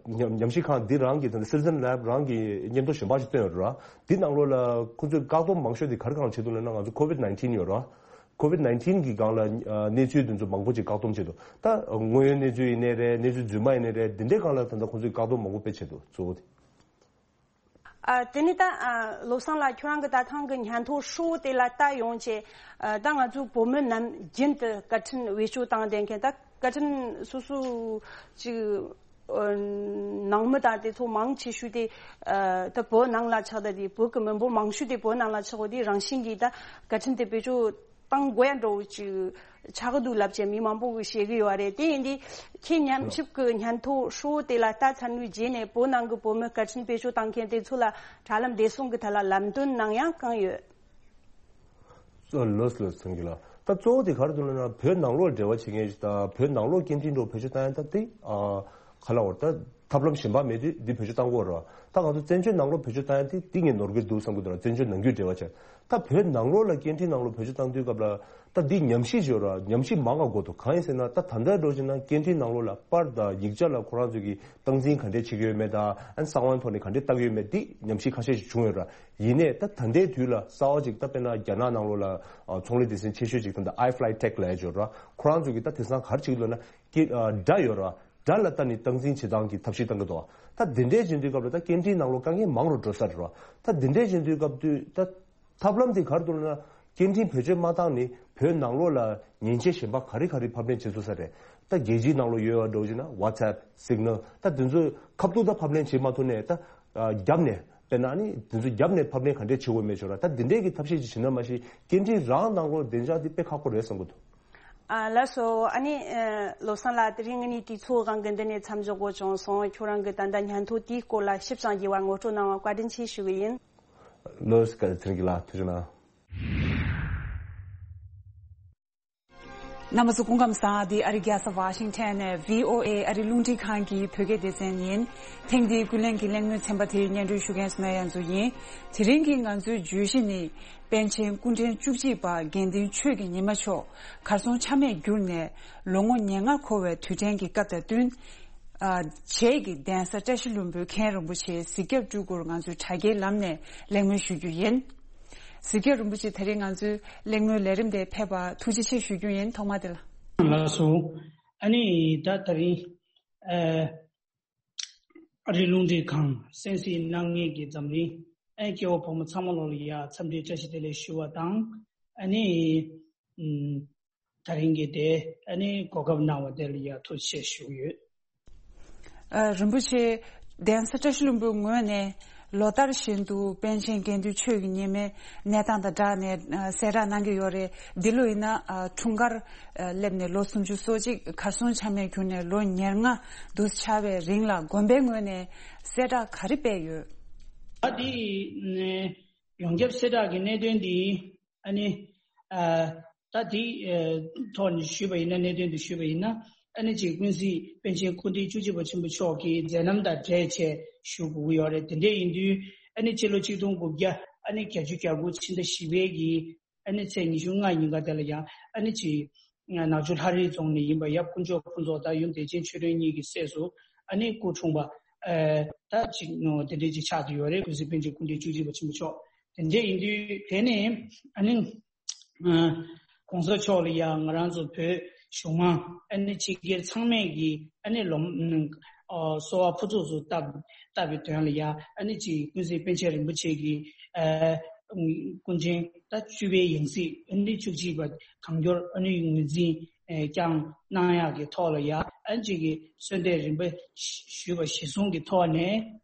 ཉམས་ཉམས་ཞིབ་ཁང་འདི་རང་གི་ད་ལྟ་Citizen Lab རང་གི་སྙན་ཐོ་གཞན་པ་ཞིག་བཏོན་ཡོད་རེད། འདི་ནང་ལོགས་ལ་ཁོ་ཚོས་བཀག་སྡོམ་མང་ཤོས་དེ་ག་རེ་སྒང་བྱེད་འདུག་ལབ་ན་ང་ཚོ་ཀོ་ཝིད་ནའིན་ཊིན་ཡོད་རེད། ཀོ་ཝིད་ནའིན་ཊིན་གི་སྒང་ལ་ཨ་གནས་ཚུལ་དེ་ཚོ་མང་པོ་ཅིག་བཀག་སྡོམ་བྱས་འདུག་ད་དངོས་ཡོད་གནས་ཚུལ་ཡིན་ནའི་རེད། གནས་ཚུལ་རྫུན་མ་ཡིན་ནའི་རེད། འདི་འདྲའི་སྒང་ལ་ད་ལྟ་ཁོ་ཚོས་བཀག་སྡོམ་མང་པོ་དཔེ་བྱས་འདུག་གཙོ་བོ་དེ། ཨ། དེ་ནས་ད་ཨ་བློ་བཟང་ལགས་ཁྱོད་རང་གི་ད་ཐེངས་ཀྱི་སྙན་ཐོ་ཧྲིལ་བོ་དེ་ལ་ལྟ་ཡོང་བྱས། ཨ། ད་ང་ཚོའི་བོད་མི་ནམ་རྒྱུན་དུ་བཀའ་དྲིན་བེད་སྤྱོད་བཏང་བསྡད་མཁན། ད་བཀའ་དྲིན་སོ་སོ་ཅིག་ཨ་ནང་མི་དང་དེ་ཚོ་མང་ཆེ་ཤོས་དེ་ཨ་ད་བོད་ནང་ལ་ཆགས། ད་དེ་བོད་ཀྱི་མི་འབོར་མང་ཤོས་དེ་བོད་ནང་ལ་ཆགས་པ་དེ་རང་བཞིན་གྱིས་ད་བཀའ་དྲིན་དེ་བེད་སྤྱོད་བཏང་དགོས་ཡ་འདྲ་བོ་ཅིག་ཆགས་ཀྱི་འདུག་ལབ་བྱས་མི་མང་པོ་གིས་བཤད་ཀྱི་ཡོད་རེད། དེ་ཡིན་དུས་ཁྱེད་ཉམས་ཞིབ་ཀྱི་སྙན་ཐོ་ཧྲིལ་བོ་དེ་ལ་ལྟ་ཚར་བའི་རྗེས་ནས་བོད་ནང་གི་བོད་མི་བཀའ་དྲིན་བེད་སྤྱོད་བཏང་མཁན་དེ་ཚོ་ལ་དྲ་ལམ་བདེ་སྲུང་གི་ཐད་ལ་ལམ་སྟོན་གནང་ཡ་གང་ཡོད། ལགས་ལགས་སོ། ད་གཙོ་བོ་དེ་ག་རེ་འདུག་ལབ་ན་བོད་ནང་ལོགས་འབྲེལ་བ་བྱེད་མཁན་ཞིག་དང་བོད་ནང་ལོགས་སྐད་འཕྲིན་འདྲ་བོ་བེད་སྤྱོད་བཏང་ཡ་ད་དེ་ཨ་ག་ལབ་དགོས་རེད། ད་ཐབས་ལམ་གཞན་པ་མེད་དུས་འདི་བེད་སྤྱོད་བཏང་དགོས་རེད། ད་ང་ཚོ་བཙན་བྱོལ་ནང་ལོགས་བེད་སྤྱོད་བཏང་ཡ་དེ་འདི་ངས་ནོར་གྱི་འདུག་བསམ་གྱི་འདུག་ར། བཙན་བྱོལ་ནང་རྒྱུད་འབྲེལ་བ་བྱས། ད་བོད་ནང་ལོགས་ལ་སྐད་འཕྲིན་ནང་ལོགས་བེད་སྤྱོད་བཏང་དུས་སྐབས་ལ་ད་འདི་ཉམས་ཞིབ་བྱེད་ར། ཉམས་ཞིབ་མང་ང་དགོས་འདུག་གང་ཡིན་ཟེར་ན་ད་ད་ལྟ་འགྲོ་བྱས་ན་སྐད་འཕྲིན་ནང་ལོགས་ལ་པར་དང་ཡིག་ཆ་ལ་ཁོ་རང་ཚོས་ཀྱི་སྟངས་འཛིན་ག་འདྲས་བྱེད་ཀྱི་ཡོད་མེད་དང་ཨན་གསང་བའི་ཐོག་ནས་ག་འདྲས་བལྟ་གི་ཡོད་མེད་འདི་ཉམས་ཞིབ་ཁ་ཤས་ཤིག་བྱུང་ཡོད་ར། ཡིན་ནའི་ད་ད་ལྟའི་དུས་ལ་གསར་བ་ཅིག་ད་དཔེར་ན་རྒྱ་ནག་ནང་ལོགས་ལ་ཚོང་ལས་སྡེ་ཚན་ཆེ་ཤོས་ཅིག་ད་ལྟ་iFlytek ལབ་ཡ་ཅིག་ཡོད་ར། ཁོ་རང་ཚོས་ཀྱི་ད་དེང་སང་ག་རེ་བྱེད་ཀྱི་འདུག་ན་ཀི་སྒྲ་ཡོད་ར། སྒྲ་ལ་ལྟ་ནས་སྟངས་འཛིན་བྱེད་སྟངས་ཀྱི་ཐབས་ཤེས་བཏང་གི་འདུག་ད་དེ་འདྲས་བྱེད་དུས་སྐབས་ལ་ད་སྐད་འཕྲིན་ནང་ལོགས་དཀའ་ངལ་མང་རུ་འགྲོ་ས་རེད་ར། ད་དེ་འདྲས་བྱེད་དུས་སྐབས་དུས་ད་ཐབས་ལམ་དེ་ག་རེ་འདུག་ལབ་ན་སྐད་འཕྲིན་བེད་སྤྱོད་མ་བཏང་ནས་བོད་ནང་ལོགས་ལ་ཉེན་ཆེ་གཞན་པ་ག་རེ་ག་རེ་ཕབ་ལེན་བྱེད་ཐུབ་ས་རེད། ད་རྒྱལ་སྤྱིའི་ནང་ལོགས་ཡོད་པ་འདྲ་བོ་ཞིག་ན་WhatsApp Signal ད་དེ་ཚོ་ཁ་ཐུག་ད་ཕབ་ལེན་བྱེད་མ་ཐུབ་ནས་ད་རྒྱབ་ནས་དཔེར་ན་ནི་དེ་ཚོ་རྒྱབ་ནས་ཕབ་ལེན་ག་འདྲས་བྱེད་དགོས་མེད་ཆོག་ར། ད་དེ་འདྲས་ཀྱི་ཐབས་ཤེས་ཅིག་བྱེད་ན་མ་གཞི་སྐད་འཕྲིན་རང་ནང་ལོགས་བདེ་འཇགས་དེ་དཔེ་ཁག་པོ་རེད་བསམ་གི་འདུག་ཨ་ལགས་སོ། ཨ་ནི་ཨ་བློ་བཟང་ལགས་དེ་རིང་ངེད་གཉིས་དུས་ཚོད་སྒང་གི་འདི་ནས་མཚམས་འཇོག་དགོས་བྱུང་སོང་། ཁྱོད་རང་གི་ད་ལྟ་སྙན་ཐོ་དེའི་སྐོར་ལ་ཞིབ་ཅིང་རྒྱས་པར་ངོ་སྤྲོད་གནང་བར་བཀའ་དྲིན་ཆེ་ཞུ་གི་ཡིན། ལགས་སོ། བཀའ་དྲིན་ཆེ་ལགས། ཐུགས་རྗེ་གནང་། རྣམ་པ་ཚོ་སྐུ་ཁམས་བཟང་། འདི་ཨ་རི་རྒྱལ་ས་ཝ་ཤིང་ཊོན་ནས་བྷི་ཨོ་ཨེ་ཨ་རི་རླུང་འཕྲིན་ཁང་གི་བོད་སྐད་སྡེ་ཚན་ཡིན། ཐེངས་འདིའི་ཀུན་གླེང་གི་གླེང་མོལ་ཚན་པ་དེའི་སྙན་སྒྲོན་ཞུ་མཁན་སོ་ན་ཡ་མཚོ་ཡིན། དེ་རིང་གི་ང་ཚོའི་བརྗོད་གཞི་ནི། པཎ་ཆེན་སྐུ་ཕྲེང་བཅུ་གཅིག་པ་དགེ་འདུན་ཆོས་ཀྱི་ཉི་མ་མཆོག་གར་སོང་ཆ་མེད་གྱུར་ནས་ལོ་ངོ་ཉེར་ལྔ་འཁོར་བའི་དུས་དྲན་གྱི་སྐབས་དང་བསྟུན། ཨ། བྱེས་ཀྱི་གདན་ས་བཀྲ་ཤིས་ལྷུན་པོའི་མཁན་རིན་པོ་ཆེ་གཟིགས་སྐྱབས་སྤྲུལ་སྐུར་ང་ཚོས་དྲ་རྒྱའི་ལམ་ནས་གླེང་མོལ་ཞུ་རྒྱུ་ཡིན། གཟིགས་སྐྱབས་རིན་པོ་ཆེ་དེ་རིང་ང་ཚོའི་གླེང་མོལ་ལས་རིམ་དེར་ཕེབས་པར་ཐུགས་རྗེ་ཆེ་ཞུ་རྒྱུ་ཡིན། ཐོག་མ་དེ་ལ། ལགས་སོ། ཨ་ནི་ད་དེ་རིང་ཨ་རི་རླུང་འཕྲིན་ཁང་གསན་གཟིགས་གནང་མཁན་གྱི་འཛམ་གླིང་ཨ་སྐྱེ་བོ་ཕོ་མོ་ཚང་མ་ལོ་ལ་ཡ་འཚམས་འདྲི་བཀྲ་ཤིས་བདེ་ལེགས་ཞུ་བ་དང་། ཨ་ནི་ཨམ་ད་རིང་གི་དེ་ཨ་ནི་གོ་སྐབས་གནང་བ་དེ་ལ་ཡ་ཐུགས་རྗེ་ཆེ་ཞུ་གི་ཡོད། ཨ། རིན་པོ་ཆེ། གདན་ས་བཀྲ་ཤིས་ལྷུན་པོའི་ངོས་ནས་ལོ་ལྟར་བཞིན་དུ་པཎ་ཆེན་དགེ་འདུན་ཆོས་ཀྱི་ཉི་མའི་གནས་སྟངས་དང་སྦྲགས་ནས་ཨ་གསལ་བསྒྲགས་གནང་གི་ཡོད་རེད། འདི་ལོ་ཡིན་ན་ཨ་འཁྲུངས་སྐར་ཨ་སླེབས་ནས་ལོ་སུམ་ཅུ་སོ་གཅིག་གར་སོང་ཆ་མེད་གྱུར་ནས་ལོ་ཉེར་ལྔ་འདུ་ཆགས་པའི་རིང་ལ་དགོན་པའི་ངོས་ནས་གསལ་བསྒྲགས་ག་རེ་སྤེལ་ཡོད། ད་འདི་ནས་ཡོངས་ཁྱབ་གསལ་བསྒྲགས་ཀྱི་གནད་དོན་འདི། ཨ་ནི། ཨ། ད་དེའི་ཨ་ཐོག་ནས་ཞུས་པ་ཡིན་ན། གནད་དོན་དུ་ཞུས་པ་ཡིན་ན། ཨ་ནི་ཅིག་ཀུན་གཟིགས་པཎ་ཆེན་སྐུ་ཕྲེང་བཅུ་གཅིག་པ་ཆེན་པོ་མཆོག་གི་མཛད་རྣམ་དང་འབྲེལ་བྱས་ཞུ་དགོས་ཀྱི་ཡོད་རེད། དེ་འདྲ་ཡིན་དུས་ཨ་ནི་ཕྱི་ལོ་ཆིག་སྟོང་དགུ་བརྒྱ་ཨ་ནི་བརྒྱད་ཅུ་གྱ་དགུ་ཕྱི་ཟླ་བཞི་པའི་གི་ཨ་ནི་ཚེས་ཉི་ཤུ་ལྔ་ཉིན་ཀ་དེ་ལ་ཡང་ཨ་ནི་ཅིག་ནག་ཆུ་ལྷ་རི་རྫོང་ནས་ཡིན་པ་ཡབ་དཀོན་མཆོག་ཕུན་ཚོགས་དང་ཡུམ་བདེ་ཆེན་ཆོས་སྒྲོན་གཉིས་ཀྱི་སྲས་སུ་ཨ་ནི་སྐུ་འཁྲུངས་པ། ཨ། ད་ཅིག་དེ་འདྲ་ཅིག་ཆགས་བསྡད་ཡོད་རེད། ཀུན་གཟིགས་པཎ་ཆེན་སྐུ་ཕྲེང་བཅུ་གཅིག་པ་ཆེན་པོ་མཆོག་དེ་འདྲ་ཡིན་དུས་དེ་ནས་ཨ་ནི། ཨ། གོང་ས་མཆོག་ལ་ཡང་ང་རང་ཚོ་བོད་གཞུང་མང་ཨ་ནི་སྤྱི་སྒེར་ཚང་མས་ཀྱི་ཨ་ནི་ལོ། ཨ། གསོལ་བ་ཕུར་ཚུགས་སུ་བཏབ་བཏབ་པའི་དོན་ལ་ཡང་ཨ་ནི་ཅིག་ཀུན་གཟིགས་པཎ་ཆེན་རིན་པོ་ཆེ་གི། ཨ། སྐུ་ཕྲེང་ད་བཅུ་པའི་ཡང་སྲིད་ཨ་ནི་བཅུ་གཅིག་པ་གང་མགྱོགས་ཨ་ནི་ངོས་འཛིན་བསྐྱངས་གནང་ཡག་གི་ཐོག་ལ་ཡང་ཨ་ནི་ཅིག་གི་གསོལ་འདེབས་རིམ་པ་ཞུས་པ་གཞིར་བཟུང་གི་ཐོག་ནས་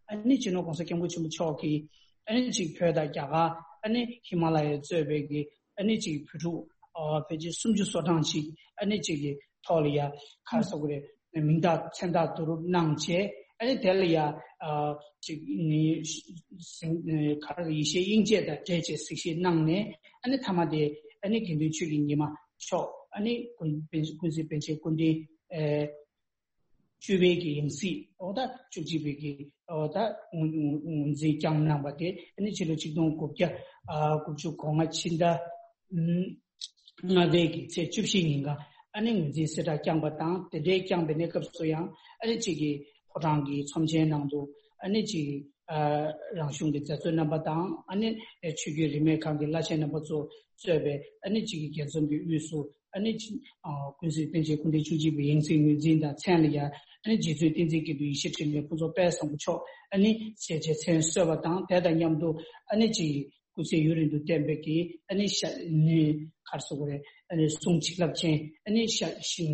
ཨ་ནི་སྤྱི་ནོར་གོང་ས་སྐྱབས་མགོན་ཆེན་པོ་མཆོག་གིས། ཨ་ནི་ཅིག་བོད་དང་རྒྱ་གར། ཨ་ནི་ཧི་མ་ལ་ཡ་གཙོས་པའི་གི་ཨ་ནི་ཅིག་བོད་ཕྲུག་ཨ་ཕལ་ཆེར་སུམ་ཅུ་སོ་གྲངས་ཅིག་ཨ་ནི་ཅིག་གི་ཐོག་ལ་ཡ་ག་རེ་ཟེར་དགོས་རེད། མིང་རྟགས་མཚན་རྟགས་བསྡུ་རུབ་གནང་བྱས། ཨ་ནི་དེ་ལ་ཡ་ཨ་ཅིག་ནི་ག་རེ་ཡེ་ཤེས་དབྱིངས་དཔྱད་དང་འབྲེལ་བྱས་གཟིགས་ཞིབ་གནང་ནས། ཨ་ནི་མཐའ་མ་དེ་ཨ་ནི་དགེ་འདུན་ཆོས་ཀྱི་ཉི་མ་མཆོག་ཨ་ནི་ཀུན་ཀུན་གཟིགས་པཎ་ཆེན་སྐུ་ཕྲེང་ཨ། བཅུ་པའི་གི་ཡང་སྲིད་འོ་ད་བཅུ་གཅིག་པའི་གི་འོ་ད་ངོས་ངོས་འཛིན་བསྐྱངས་གནང་པ་དེ་ཨ་ནི་ཕྱི་ལོ་ཆིག་སྟོང་དགུ་བརྒྱ་ཨ་དགུ་བཅུ་གོ་ལྔ་ཕྱི་ཟླ་ཨམ་ལྔ་པའི་གི་ཚེས་བཅུ་བཞི་ཉིན་ཀ་ཨ་ནི་ངོས་འཛིན་གསལ་བསྒྲགས་བསྐྱངས་པ་དང་། དེ་འདྲའི་བསྐྱངས་པའི་གནས་སྐབས་སུ་ཡང་ཨ་ནི་གཅིག་གི་ཕོ་བྲང་གི་ཚོམས་ཆེན་ནང་དུ་ཨ་ནི་གཅིག་གི་ཨ་རང་གཞུང་གི་མཛད་གཙོ་རྣམ་པ་དང་། ཨ་ནི་ཆོས་བརྒྱུད་རིས་མེད་ཁག་གི་བླ་ཆེན་རྣམ་པ་ཚོ་གཙོས་པའི་ཨ་ནི་གཅིག་གི་རྒྱལ་འཛོམས་ཀྱི་དབུས་སུ། ཨ་ནི་ཅི། ཨ། ཀུན་གཟིགས་པཎ་ཆེན་སྐུ་ཕྲེང་བཅུ་གཅིག་པའི་ཡང་སྲིད་ངོས་འཛིན་དང་མཚན་ལ་ཡ། ཨ་ནི་རྗེ་བཙུན་བསྟན་འཛིན་དགེ་འདུན་ཡེ་ཤེས་འཕྲིན་ལས་ཕུན་ཚོགས་དཔལ་བཟང་པོ་མཆོག་ཨ་ནི་ཞལ་མཇལ་མཚན་གསོལ་བ་དང་། དེ་དང་མཉམ་དུ་ཨ་ནི་ཅི། སྐུ་ཚེ་ཡུན་རིང་དུ་བརྟན་པའི་གི་ཨ་ནི་ཞལ་ནི་ག་རེ་ཟེར་དགོས་རེད། ཨ་ནི་གསུང་བྱིན་རླབས་ཅན་ཨ་ནི་ཞལ་ཞལ་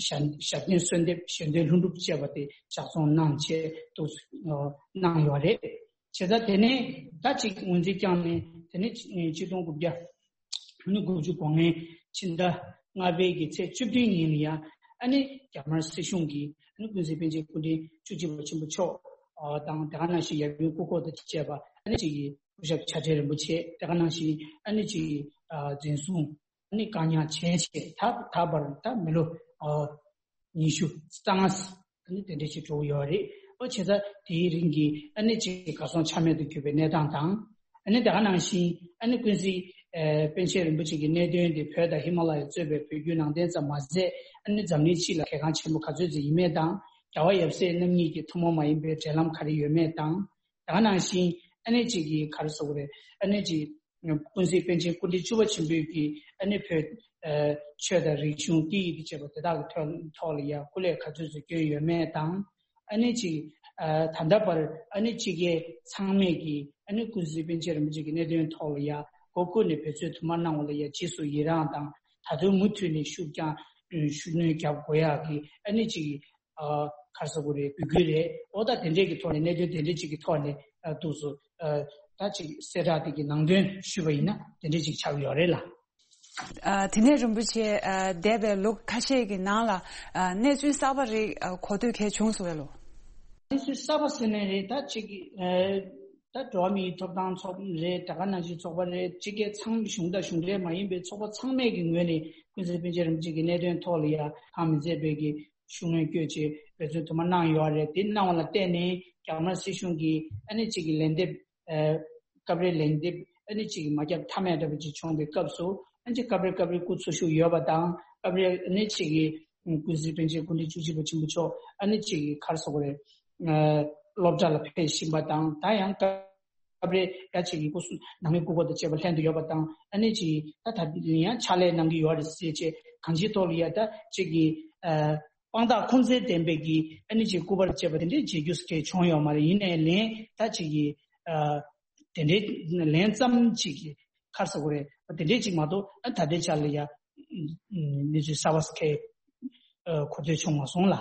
ཞལ་ཞལ་འདོན་གསོལ་འདེབས་ཞལ་འདོན་ལྷུན་གྲུབ་བཅས་པ་དེ་ཕྱག་རྫོང་གནང་བྱས་འདུག་གནང་ཡོད་རེད། བྱས་ཙང་དེ་ནས་ད་ཅིག་ངོས་འཛིན་བསྐྱངས་ནས། དེ་ནས་ཆིག་སྟོང་དགུ་བརྒྱ། ཨ་ནི་དགུ་བཅུ་གོ་ལྔའི་ཕྱི་ཟླ་ལྔ་པའི་གི་ཚེས་བཅུ་བདུན་ཉིན་ལ་ཡང་ཨ་ནི་རྒྱ་དམར་སྲིད་གཞུང་གིས་ཨ་ནི་ཀུན་གཟིགས་པཎ་ཆེན་སྐུ་ཕྲེང་བཅུ་གཅིག་པ་ཆེན་པོ་མཆོག་དང་། དེ་ག་ནང་བཞིན་ཡབ་ཡུམ་སྐུ་འཁོར་དང་བཅས་པ་ཨ་ནི་གཅིག་གི་སྐུ་ཞབས་བྱ་བྲལ་རིན་པོ་ཆེ། དེ་ག་ནང་བཞིན་ཨ་ནི་གཅིག་གི་འཛིན་བཟུང་ཨ་ནི་བཀག་ཉར་བྱས་བྱས། ད་ད་བར་ད་མི་ལོ་ཉི་ཤུ་རྩ་ལྔ་ཨ་ནི་དེ་འདྲ་ཞིག་འགྲོ་གི་ཡོད་རེད། ཨོ་བྱས་ཙང་དེའི་རིང་གི་ཨ་ནི་ཅིག་གར་སོང་ཆ་མེད་དུ་གྱུར་པའི་གནས་སྟངས་དང་། ཨ་ནི་དེ་ག་ནང་བཞིན་ཨ་ནི་ཀུན་གཟིགས་ཨ་པཎ་ཆེན་རིན་པོ་ཆེ་གི་གནད་དོན་དེ་བོད་དང་ཧི་མ་ལ་ཡ་གཙོས་པའི་བོད་བརྒྱུད་ནང་བསྟན་ཙམ་མ་ཟད། ཨ་ནི་འཛམ་གླིང་སྤྱི་ལ་གལ་འགངས་ཆེན་པོ་ག་ཚོད་ཅིག་ཡིན་མིན་དང་། རྒྱལ་བ་ཡབ་སྲས་རྣམ་གཉིས་ཀྱི་ཐུན་མོང་མ་ཡིན་པའི་འབྲེལ་ལམ་ག་རེ་ཡོད་མེད་དང་། དེ་ག་ནང་བཞིན་ཨ་ནི་ཅིག་གི་ག་རེ་ཟེར་དགོས་རེད། ཨ་ནི་ཅིག་ཀུན་གཟིགས་པཎ་ཆེན་སྐུ་ཕྲེང་བཅུ་པ་ཆེན་པོས་ཀྱིས་ཨ་ནི་བོད་ཨ་ཆོས་དང་རིག་གཞུང་སྐད་ཡིག་དང་བཅས་པ་དེ་དག་གི་ཐོག་ཐོག་ལ་ཡ་སྐུ་ལས་ག་ཚོད་ཅིག་བསྐྱོན་ཡོད་མེད་དང་། ཨ་ནི་ཅིག་ཨ་ད་ལྟ་བར་ཨ་ནི་སྤྱི་སྒེར་ཚང་མས་ཀྱིས་ཨ་ནི་ཀུན་གཟིགས་པཎ་ཆེན་རིན་པོ་ཆེ་གི་གནད་དོན་ཐོག་ལ་ཡ་མགོ་བསྐོར་ནས་འབད་བརྩོན་དུ་མ་གནང་བ་ལ་ཡ་རྗེས་སུ་ཡི་རངས་དང་། ད་དུང་མུ་མཐུད་ནས་ཤུགས་རྐྱང་ཤུགས་སྣོན་རྒྱབ་དགོས་ཡག་གི་ཨ་ནི་ཅིག་ཨ་ག་རེ་ཟེར་དགོས་རེད། འབོད་སྐུལ་རེད། འོ་ད་དེ་འདྲས་ཀྱི་ཐོག་ནས་གནད་དོན་དེ་འདྲས་ཅིག་གི་ཐོག་ནས་ཨ་འདུག་སེ་ཨ་ད་ཅིག་གསལ་བསྒྲགས་དེ་གི་ནང་དོན་ཞུས་པ་ཡིན་ན་དེ་འདྲས་ཅིག་ཆགས་ཀྱི་ཡོད་རེད་ལ། ཨ་དེ་ནས་རིན་པོ་ཆེ། ཨ་འདས་པའི་ལོ་ཁ་ཤས་ཀྱི་ནང་ལ་ཨ་གནས་ཚུལ་གསར་པ་རིགས་ཨ་གོ་ཐོས་གལ་བྱུང་སོང་བས་ལོ། གནས་ཚུལ་གསར་པ་ཟེར་ནའི་རེད། ད་ཅིག་ཨ་ད་འགྲོ་བ་མིའི་ཐོབ་ཐང་ཚོགས་རེད། དེ་ག་ནང་བཞིན་ཚོགས་པ་རེད། སྤྱི་སྒེར་ཚང་། གཞུང་དང་གཞུང་འབྲེལ་མ་ཡིན་པའི་ཚོགས་པ་ཚང་མས་ཀྱི་ངོས་ནས་ཀུན་གཟིགས་པཎ་ཆེན་རིན་པོ་ཆེ་གི་གནད་དོན་ཐོག་ལ་ཡ་གང་མི་མཛད་པའི་གི་ཤུགས་སྣོན་བསྐྱོད་བྱས་འབད་བརྩོན་དུ་མ་གནང་ཡོད་རེད། དེ་གནང་བ་ལ་བརྟེན་ནས་རྒྱ་དམར་སྲིད་གཞུང་གིས་ཨ་ནི་གཅིག་གི་ལན་འདེབས། ཨ་སྐབས་རེ་ལན་འདེབས་ཨ་ནི་གཅིག་གི་མ་བརྒྱབ་ཐབས་མེད་འདྲ་པོ་ཅིག་བྱུང་བའི་སྐབས་སུ། ཨ་ནི་གཅིག་སྐབས་རེ་སྐབས་རེ་སྐུ་འཚོ་བཞུགས་ཡོད་པ་དང་། སྐབས་རེ་ཨ་ནི་གཅིག་གི་ཀུན་གཟིགས་པཎ་ཆེན་སྐུ་ཕྲེང་བཅུ་གཅིག་པ་ཆེན་པོ་མཆོག་ཨ་ནི་གཅིག་གི་ག་རེ་ཟེར་དགོས་རེད། ཨ་སློབ་གྲྭ་ལ་ཕེབས་བཞིན་པ་དང་། ད་ཡང་སྐབས། སྐབས་རེ་ཡ་ཅིག་གི་སྐུ་གཟུགས་ནང་མི་སྐུ་འཁོར་དང་བཅས་པ་ལྷན་དུ་ཡོད་པ་དང་། ཨ་ནི་ཅིག་ད་ད་ཡང་ཕྱག་ལས་གནང་གི་ཡོད་རེད་ཟེར་བྱས། གང་ཅིའི་ཐོག་ལ་ཡ་ད་ཅིག་གི་ཨ་དཔང་རྟགས་ཁུངས་བཙན་ལྡན་པའི་གི་ཨ་ནི་ཅིག་སྐུ་པར་བཅས་པ་དེ་འདྲའི་མཇལ་རྒྱུ་ཟེར་མཁན་བྱུང་ཡོད་མ་རེད། ཡིན་ནའི་ལན་ད་ཅིག་གི་ཨ་དེ་འདྲའི་ལན་ཙམ་ཅིག་གི་ག་རེ་ཟེར་དགོས་རེད། དེ་འདྲའི་ཅིག་མ་གཏོགས་ཨ་ད་ལྟའི་ཆ་ལ་ཡ་གནས་ཚུལ་གསར་པ་ཟེར་མཁན་གོ་ཐོས་བྱུང་མ་སོང་ལ།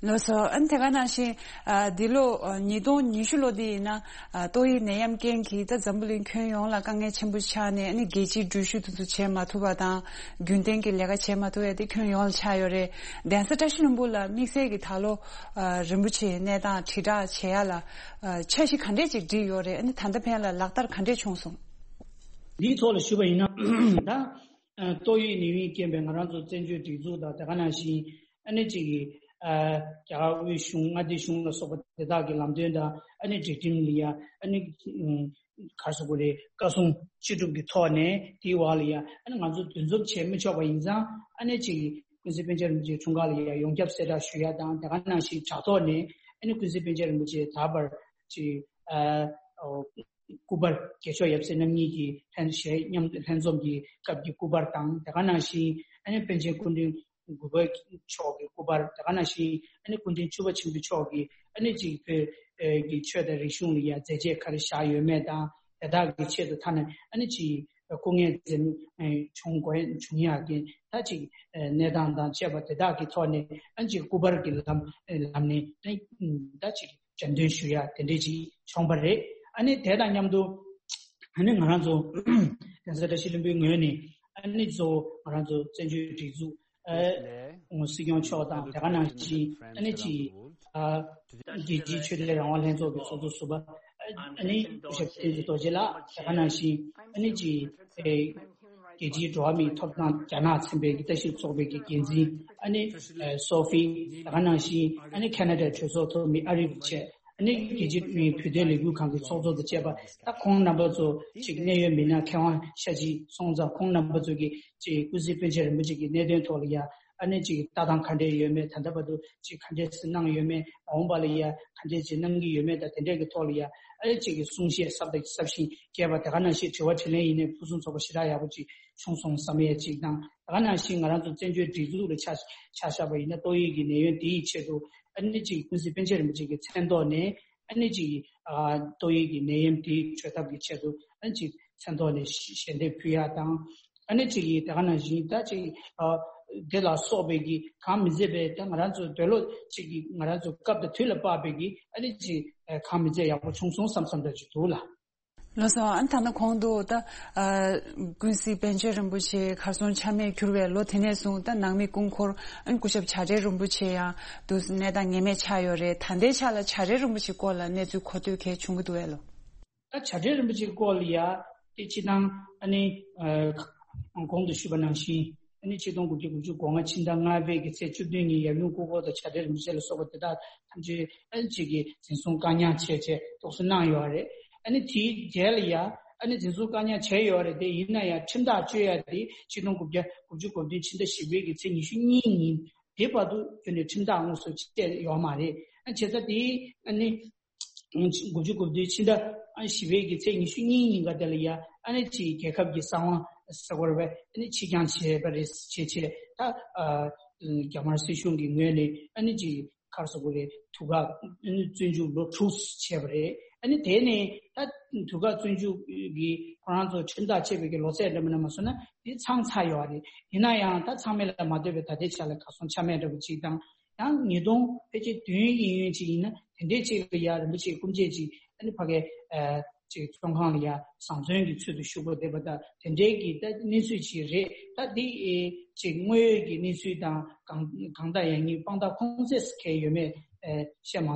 ལགས་སོ། ཨ་ནི་དེ་ག་ནང་བཞིན་ཨ་འདི་ལོ་ཨ་ཉིས་སྟོང་ཉི་ཤུ་ལོ་འདི་ཡིན་ན་ཨ་ཏོག་དབྱིབས་ནད་ཡམས་རྐྱེན་གྱིས་ད་འཛམ་བུ་གླིང་ཁྱོན་ཡོངས་ལ་དཀའ་ངལ་ཆེན་པོ་ཆགས་ནས། ཨ་ནི་རྒྱལ་སྤྱིའི་འགྲུལ་བཞུད་དེ་ཚོ་བྱེད་མ་ཐུབ་པ་དང་། རྒྱུན་ལྡན་གྱི་ལས་ཀ་བྱེད་མ་ཐུབ་ཡ་དེ་ཁྱོན་ཡོངས་ལ་ཆགས་ཡོད་རེད། གདན་ས་བཀྲ་ཤིས་ལྷུན་པོ་ལ་དམིགས་བསལ་གྱི་ད་ལོ་ཨ་རིན་པོ་ཆེའི་གནས་སྟངས་དྲིལ་བསྒྲགས་བྱེད་ཡ་ལ་ཨ་འཆར་གཞི་ག་འདྲས་ཅིག་བསྒྲིགས་ཡོད་རེད། ཨ་ནི་ད་ལྟ་ཕན་ལ་ལག་བསྟར་ག་འདྲས་བྱུང་སོང་། འདིའི་ཐོག་ལ་ཞུས་པ་ཡིན་ན། ད་ཨ་ཏོག་དབྱིབས་ནད་ཡམས་རྐྱེན་པས་ང་རང་ཚོ་བཙན་བྱོལ་སྒྲིག་འཛུགས་དང་། དེ་ག་ནང་བཞིན་ཨ་ནི་ཅིག་གི་ཨ་རྒྱ་གར་དབུས་གཞུང་། མངའ་སྡེ་གཞུང་ལ་སོགས་པ་དེ་དག་གི་ལམ་སྟོན་དང་། ཨ་ནི་སྒྲིག་ཁྲིམས་ལ་ཡ་ཨ་ནི་ཨ་ག་རེ་ཟེར་དགོས་རེད། བཀའ་གསུང་ཅི་སྒྲུབ་ཀྱི་ཐོག་ནས་དེའི་འོག་ལ་ཡ་ཨ་ནི་ང་ཚོ་འདུ་འཛོམས་བྱེད་མི་ཆོག་པ་ཡིན་ཙང་། ཨ་ནི་ཅིག་གི་ཀུན་གཟིགས་པཎ་ཆེན་རིན་པོ་ཆེའི་འཁྲུངས་སྐར་ལ་ཡ་ཡོངས་ཁྱབ་གསལ་བསྒྲགས་ཞུ་ཡ་དང་། དེ་ག་ནང་བཞིན་དྲ་ཐོག་ནས་ཨ་ནི་ཀུན་གཟིགས་པཎ་ཆེན་རིན་པོ་ཆེ་ད་བར་ཅིག་ཨ་ཨོ་སྐུ་པར། རྒྱལ་མཆོག་ཡབ་སྲས་རྣམ་གཉིས་ཀྱི་ལྷན་ཞལ་མཉམ་ལྷན་འཛོམས་ཀྱི་སྐབས་ཀྱི་སྐུ་པར་དང་། དེ་ག་ནང་བཞིན་ཨ་ནི་པཎ་ཆེན་སྐུ་ཕྲེང་དགུ་པ་མཆོག་གི་སྐུ་པར། དེ་ག་ནང་བཞིན་ཨ་ནི་སྐུ་ཕྲེང་བཅུ་པ་ཆེན་པོ་མཆོག་གིས་ཨ་ནི་ཅིག་བོད་ཀྱི་ཆོས་དང་རིག་གཞུང་ལ་ཡ་མཛད་རྗེས་ག་རེ་བཞག་ཡོད་མེད་དང་། དེ་དག་གི་ཆེད་དུ་ཐ་ན་ཨ་ནི་ཅིག་སྐུ་ངལ་འཛེམ་བྱུང་དགོས་བྱུང་ཡག་གི་ད་ཅིག་གནས་སྟངས་དང་བཅས་པ་དེ་དག་གི་ཐོག་ནས། ཨ་ནི་ཅིག་སྐུ་པར་གྱི་ལམ་ལམ་ནས་ཨ་ནི་ད་ཅིག་འགྲེམས་སྟོན་ཞུ་ཡ་དེ་འདྲས་ཅིག་བྱུང་བ་རེད། ཨ་ནི་དེ་དང་མཉམ་དུ་ཨ་ནི་ང་རང་ཚོ་གདན་ས་བཀྲ་ཤིས་ལྷུན་པོའི་ངོས་ནས་ཨ་ནི་གཙོ་བོ་ང་རང་ཚོ་བཙན་བྱོལ་སྒྲིག་འཛུགས་ཨ་སྲིད་སྐྱོང་མཆོག་དང་། དེ་ག་ནང་བཞིན་ཨ་ནི་ཅིག་ཨ་རྒྱལ་སྤྱིའི་ཆོས་དད་རང་དབང་ལྷན་ཚོགས་ཀྱི་ཚོགས་གཙོ་ཟུར་པ་ཨ་ནི་སྐུ་ཞབས་བསྟན་འཛིན་རྡོ་རྗེ་ལགས། དེ་ག་ནང་བཞིན་ཨ་ནི་ཅིག་ཨེ་རྒྱལ་སྤྱིའི་འགྲོ་བ་མིའི་ཐོབ་ཐང་རྒྱ་ནག་ཚན་པའི་གི་ལྟ་ཞིབ་ཚོགས་པའི་གི་འགན་འཛིན་ཨ་ནི་ཨེ་སོ་ཧྥི། དེ་ག་ནང་བཞིན་ཨ་ནི་ཁེ་ན་ཌའི་གྲོས་ཚོགས་ཐོག་མི་ཨ་རིབ་བཅས། ཨ་ནི་རྒྱལ་སྤྱིའི་བོད་དོན་ལས་འགུལ་ཁང་གི་ཚོགས་གཙོ་དང་བཅས་པ། ད་ཁོང་རྣམ་པ་ཚོ་ཅིག་གནད་ཡོད་མི་སྣ་མཁས་དབང་ཤ་ཅིག་སོང་ཙང་། ཁོང་རྣམ་པ་ཚོ་གིས་ཅིག་ཀུན་གཟིགས་པཎ་ཆེན་རིན་པོ་ཆེ་གི་གནད་དོན་ཐོག་ལ་ཡ་ཨ་ནི་ཅིག་ལྟ་སྟངས་ག་འདྲས་ཡོད་མེད། ད་ལྟ་བར་དུ་ཅིག་ག་འདྲས་སེ་གནང་ཡོད་མེད། མ་འོངས་པ་ལ་ཡ་ག་འདྲས་ཅིག་གནང་གི་ཡོད་མེད་དང་། དེ་འདྲས་ཀྱི་ཐོག་ལ་ཡ་ཨ་ནི་ཅིག་གི་གསུང་བཤད་ཟབ་དང་ཟབ་ཞིང་རྒྱས་པ། དེ་ག་ནང་བཞིན་དྲི་བ་དྲིས་ལན་ཡིན་ནའི་ཕུན་སུམ་ཚོགས་པ་ཞེ་དྲག་ཡག་པོ་ཅིག་བྱུང་སོང་བསམ་ཡས་ཅིག་དང་། དེ་ག་ནང་བཞིན་ང་རང་ཚོ་བཙན་བྱོལ་སྒྲིག་འཛུགས་ལ་ཆ་ཆ་བཞག་པ་ཡིན་ན། ཏོག་དབྱིབས་ཀྱི་ནད་ཡམས་དེའི་ཆེད་དུ་ཨ་ནི་ཅིག་ཀུན་གཟིགས་པཎ་ཆེན་རིན་པོ་ཆེ་གི་མཚན་ཐོག་ནས་ཨ་ནི་ཅིག་ཨ་ཏོག་དབྱིབས་ཀྱི་ནད་ཡམས་དེའི་བཅོས་ཐབས་ཀྱི་ཆེད་དུ་ཨ་ནི་ཅིག་མཚན་ཐོག་ནས་ཞལ་འདེབས་ཕུལ་ཡ་དང་། ཨ་ནི་ཅིག་དེ་ག་ནང་བཞིན་ད་ཅིག་ཨ་དེ་ལ་སོགས་པའི་གི་གང་མི་མཛད་པའི། ད་ང་རང་ཚོ་འདོད་བློ་ཅིག་གི་ང་རང་ཚོ་སྐབས་དང་དུས་ལ་དཔག་པའི་གི་ཨ་ནི་ཅིག་ཨ་གང་མི་མཛད་ཡག་པོ་བྱུང་སོང་བསམ་བསམ་འདྲ་ཅིག་འདུག་ལ། ལགས་སོ། ཨ་ནི་ད་ནི་གོང་དུ་ད་ཨ་ཀུན་གཟིགས་པཎ་ཆེན་རིན་པོ་ཆེ་གར་སོང་ཆ་མེད་གྱུར་བའི་ལོ་དེ་ནས་བཟུང་། ད་ནང་མི་སྐུ་འཁོར་ཨ་ནི་སྐུ་ཞབས་བྱ་བྲལ་རིན་པོ་ཆེ་ཡང་དུ་གནས་སྟངས་ངེས་མེད་ཆགས་ཡོད་རེད། ད་ལྟའི་ཆ་ལ་བྱ་བྲལ་རིན་པོ་ཆེའི་སྐོར་ལ་གནས་ཚུལ་གོ་ཐོས་གལ་བྱུང་གི་འདུག་བས་ལོ། ད་བྱ་བྲལ་རིན་པོ་ཆེའི་སྐོར་ལ་ཡ་དེ་སྤྱི་བཏང་ཨ་ནི་ཨ་གོང་དུ་ཞུས་པ་ནང་བཞིན་ཨ་ནི་ཆིག་སྟོང་དགུ་བརྒྱ་དགུ་བཅུ་གོ་ལྔ་ཕྱི་ཟླ་ལྔ་པའི་གི་ཚེས་བཅུ་བདུན་ཉིན་ཡབ་ཡུམ་སྐུ་འཁོར་དང་བྱ་བྲལ་རིན་པོ་ཆེ་ལ་སོགས་པ་དེ་དག་ཐམས་ཅད་ཨ་ནི་ཅིག་གི་འཛིན་བཟུང་བཀག་ཉར་བྱས་བྱས་འདུག་སེ་གནང་ཡོད་རེད། ཨ་ནི་དེའི་རྗེས་ལ་ཡ་ཨ་ནི་འཛིན་བཟུང་བཀག་ཉར་བྱས་ཡོད་རེད། དེ་ཡིན་ན་ཡང་ཁྲིམས་ཐག་གཅོད་ཡ་དེ་ཆིག་སྟོང་དགུ་བརྒྱ་དགུ་བཅུ་གོ་བདུན་ཕྱི་ཟླ་བཞི་པའི་གི་ཚེས་ཉི་ཤུ་གཉིས་ཉིན་དེ་བར་དུ་ཁྱོན་ནས་ཁྲིམས་ཐག་དངོས་སུ་བཅད་ཡོད་མ་རེད། ཨ་བྱས་ཙང་དེ་ཨ་ནི་དགུ་བཅུ་གོ་བདུན་ཕྱི་ཟླ་ཨ་བཞི་པའི་གི་ཚེས་ཉི་ཤུ་གཉིས་ཉིན་ག་དེ་ལ་ཡ་ཨ་ནི་ཅིག་རྒྱལ་ཁབ་ཀྱི་གསང་བ་ཟེར་དགོས་རེད་པས། ཨ་ནི་ཕྱིར་འགྱངས་བྱས་པ་རེད། བྱས་བྱས་ད་ཨ་རྒྱ་དམར་སྲིད་གཞུང་གི་ངོས་ནས་ཨ་ནི་ཅིག་ག་རེ་ཟེར་དགོས་རེད། དུས་བཀག་ཨ་ནི་བཙོན་འཇུག་ལོ་དྲུག་བྱས་པ་རེད། ཨ་ནི་དེ་ནས་ད་དུས་བཀག་བཙོན་འཇུག་གི་ཁོ་རང་ཚོ་ཁྲིམས་ཐག་བཅད་པའི་གི་ལོ་ཚད་འདྲ་མིན་ན་མ་སོང་ན་དེ་ཚང་ཚར་ཡོད་རེད། ཡིན་ན་ཡང་ད་ཚང་མེད་ལ་མ་ལྟོས་པའི་ད་ལྟའི་ཆ་ལ་གར་སོང་ཆ་མེད་འདྲ་པོ་ཅིག་དང་། ཡང་ཉིས་སྟོང་ཕལ་ཆེར་བདུན་ཡིན་ཡོད་ཅིག་ཡིན་ན་དེ་འདྲའི་ཅིག་ལ་ཡ་རིན་པོ་ཆེའི་སྐུ་མཆེད་ཅིག་ཨ་ནི་ཕ་གའི་ཨ་ཅིག་བཙོན་ཁང་ལ་ཡ་བཟང་བཙོན་གྱི་ཚུལ་དུ་བཞུགས་པ་བསྡད་པ་དང་། དེ་འདྲའི་གི་ད་གནས་ཚུལ་ཅིག་རེད། ད་འདི་ཨེ་ཅིག་དངོས་ཡོད་ཀྱི་གནས་ཚུལ་དང་གང་གང་ལྟར་ཡང་ཉིད་དཔང་རྟགས་ཁུངས་བཙན་ཟེར་མཁན་ཡོད་མེད་ཨེ་བཤད་མ་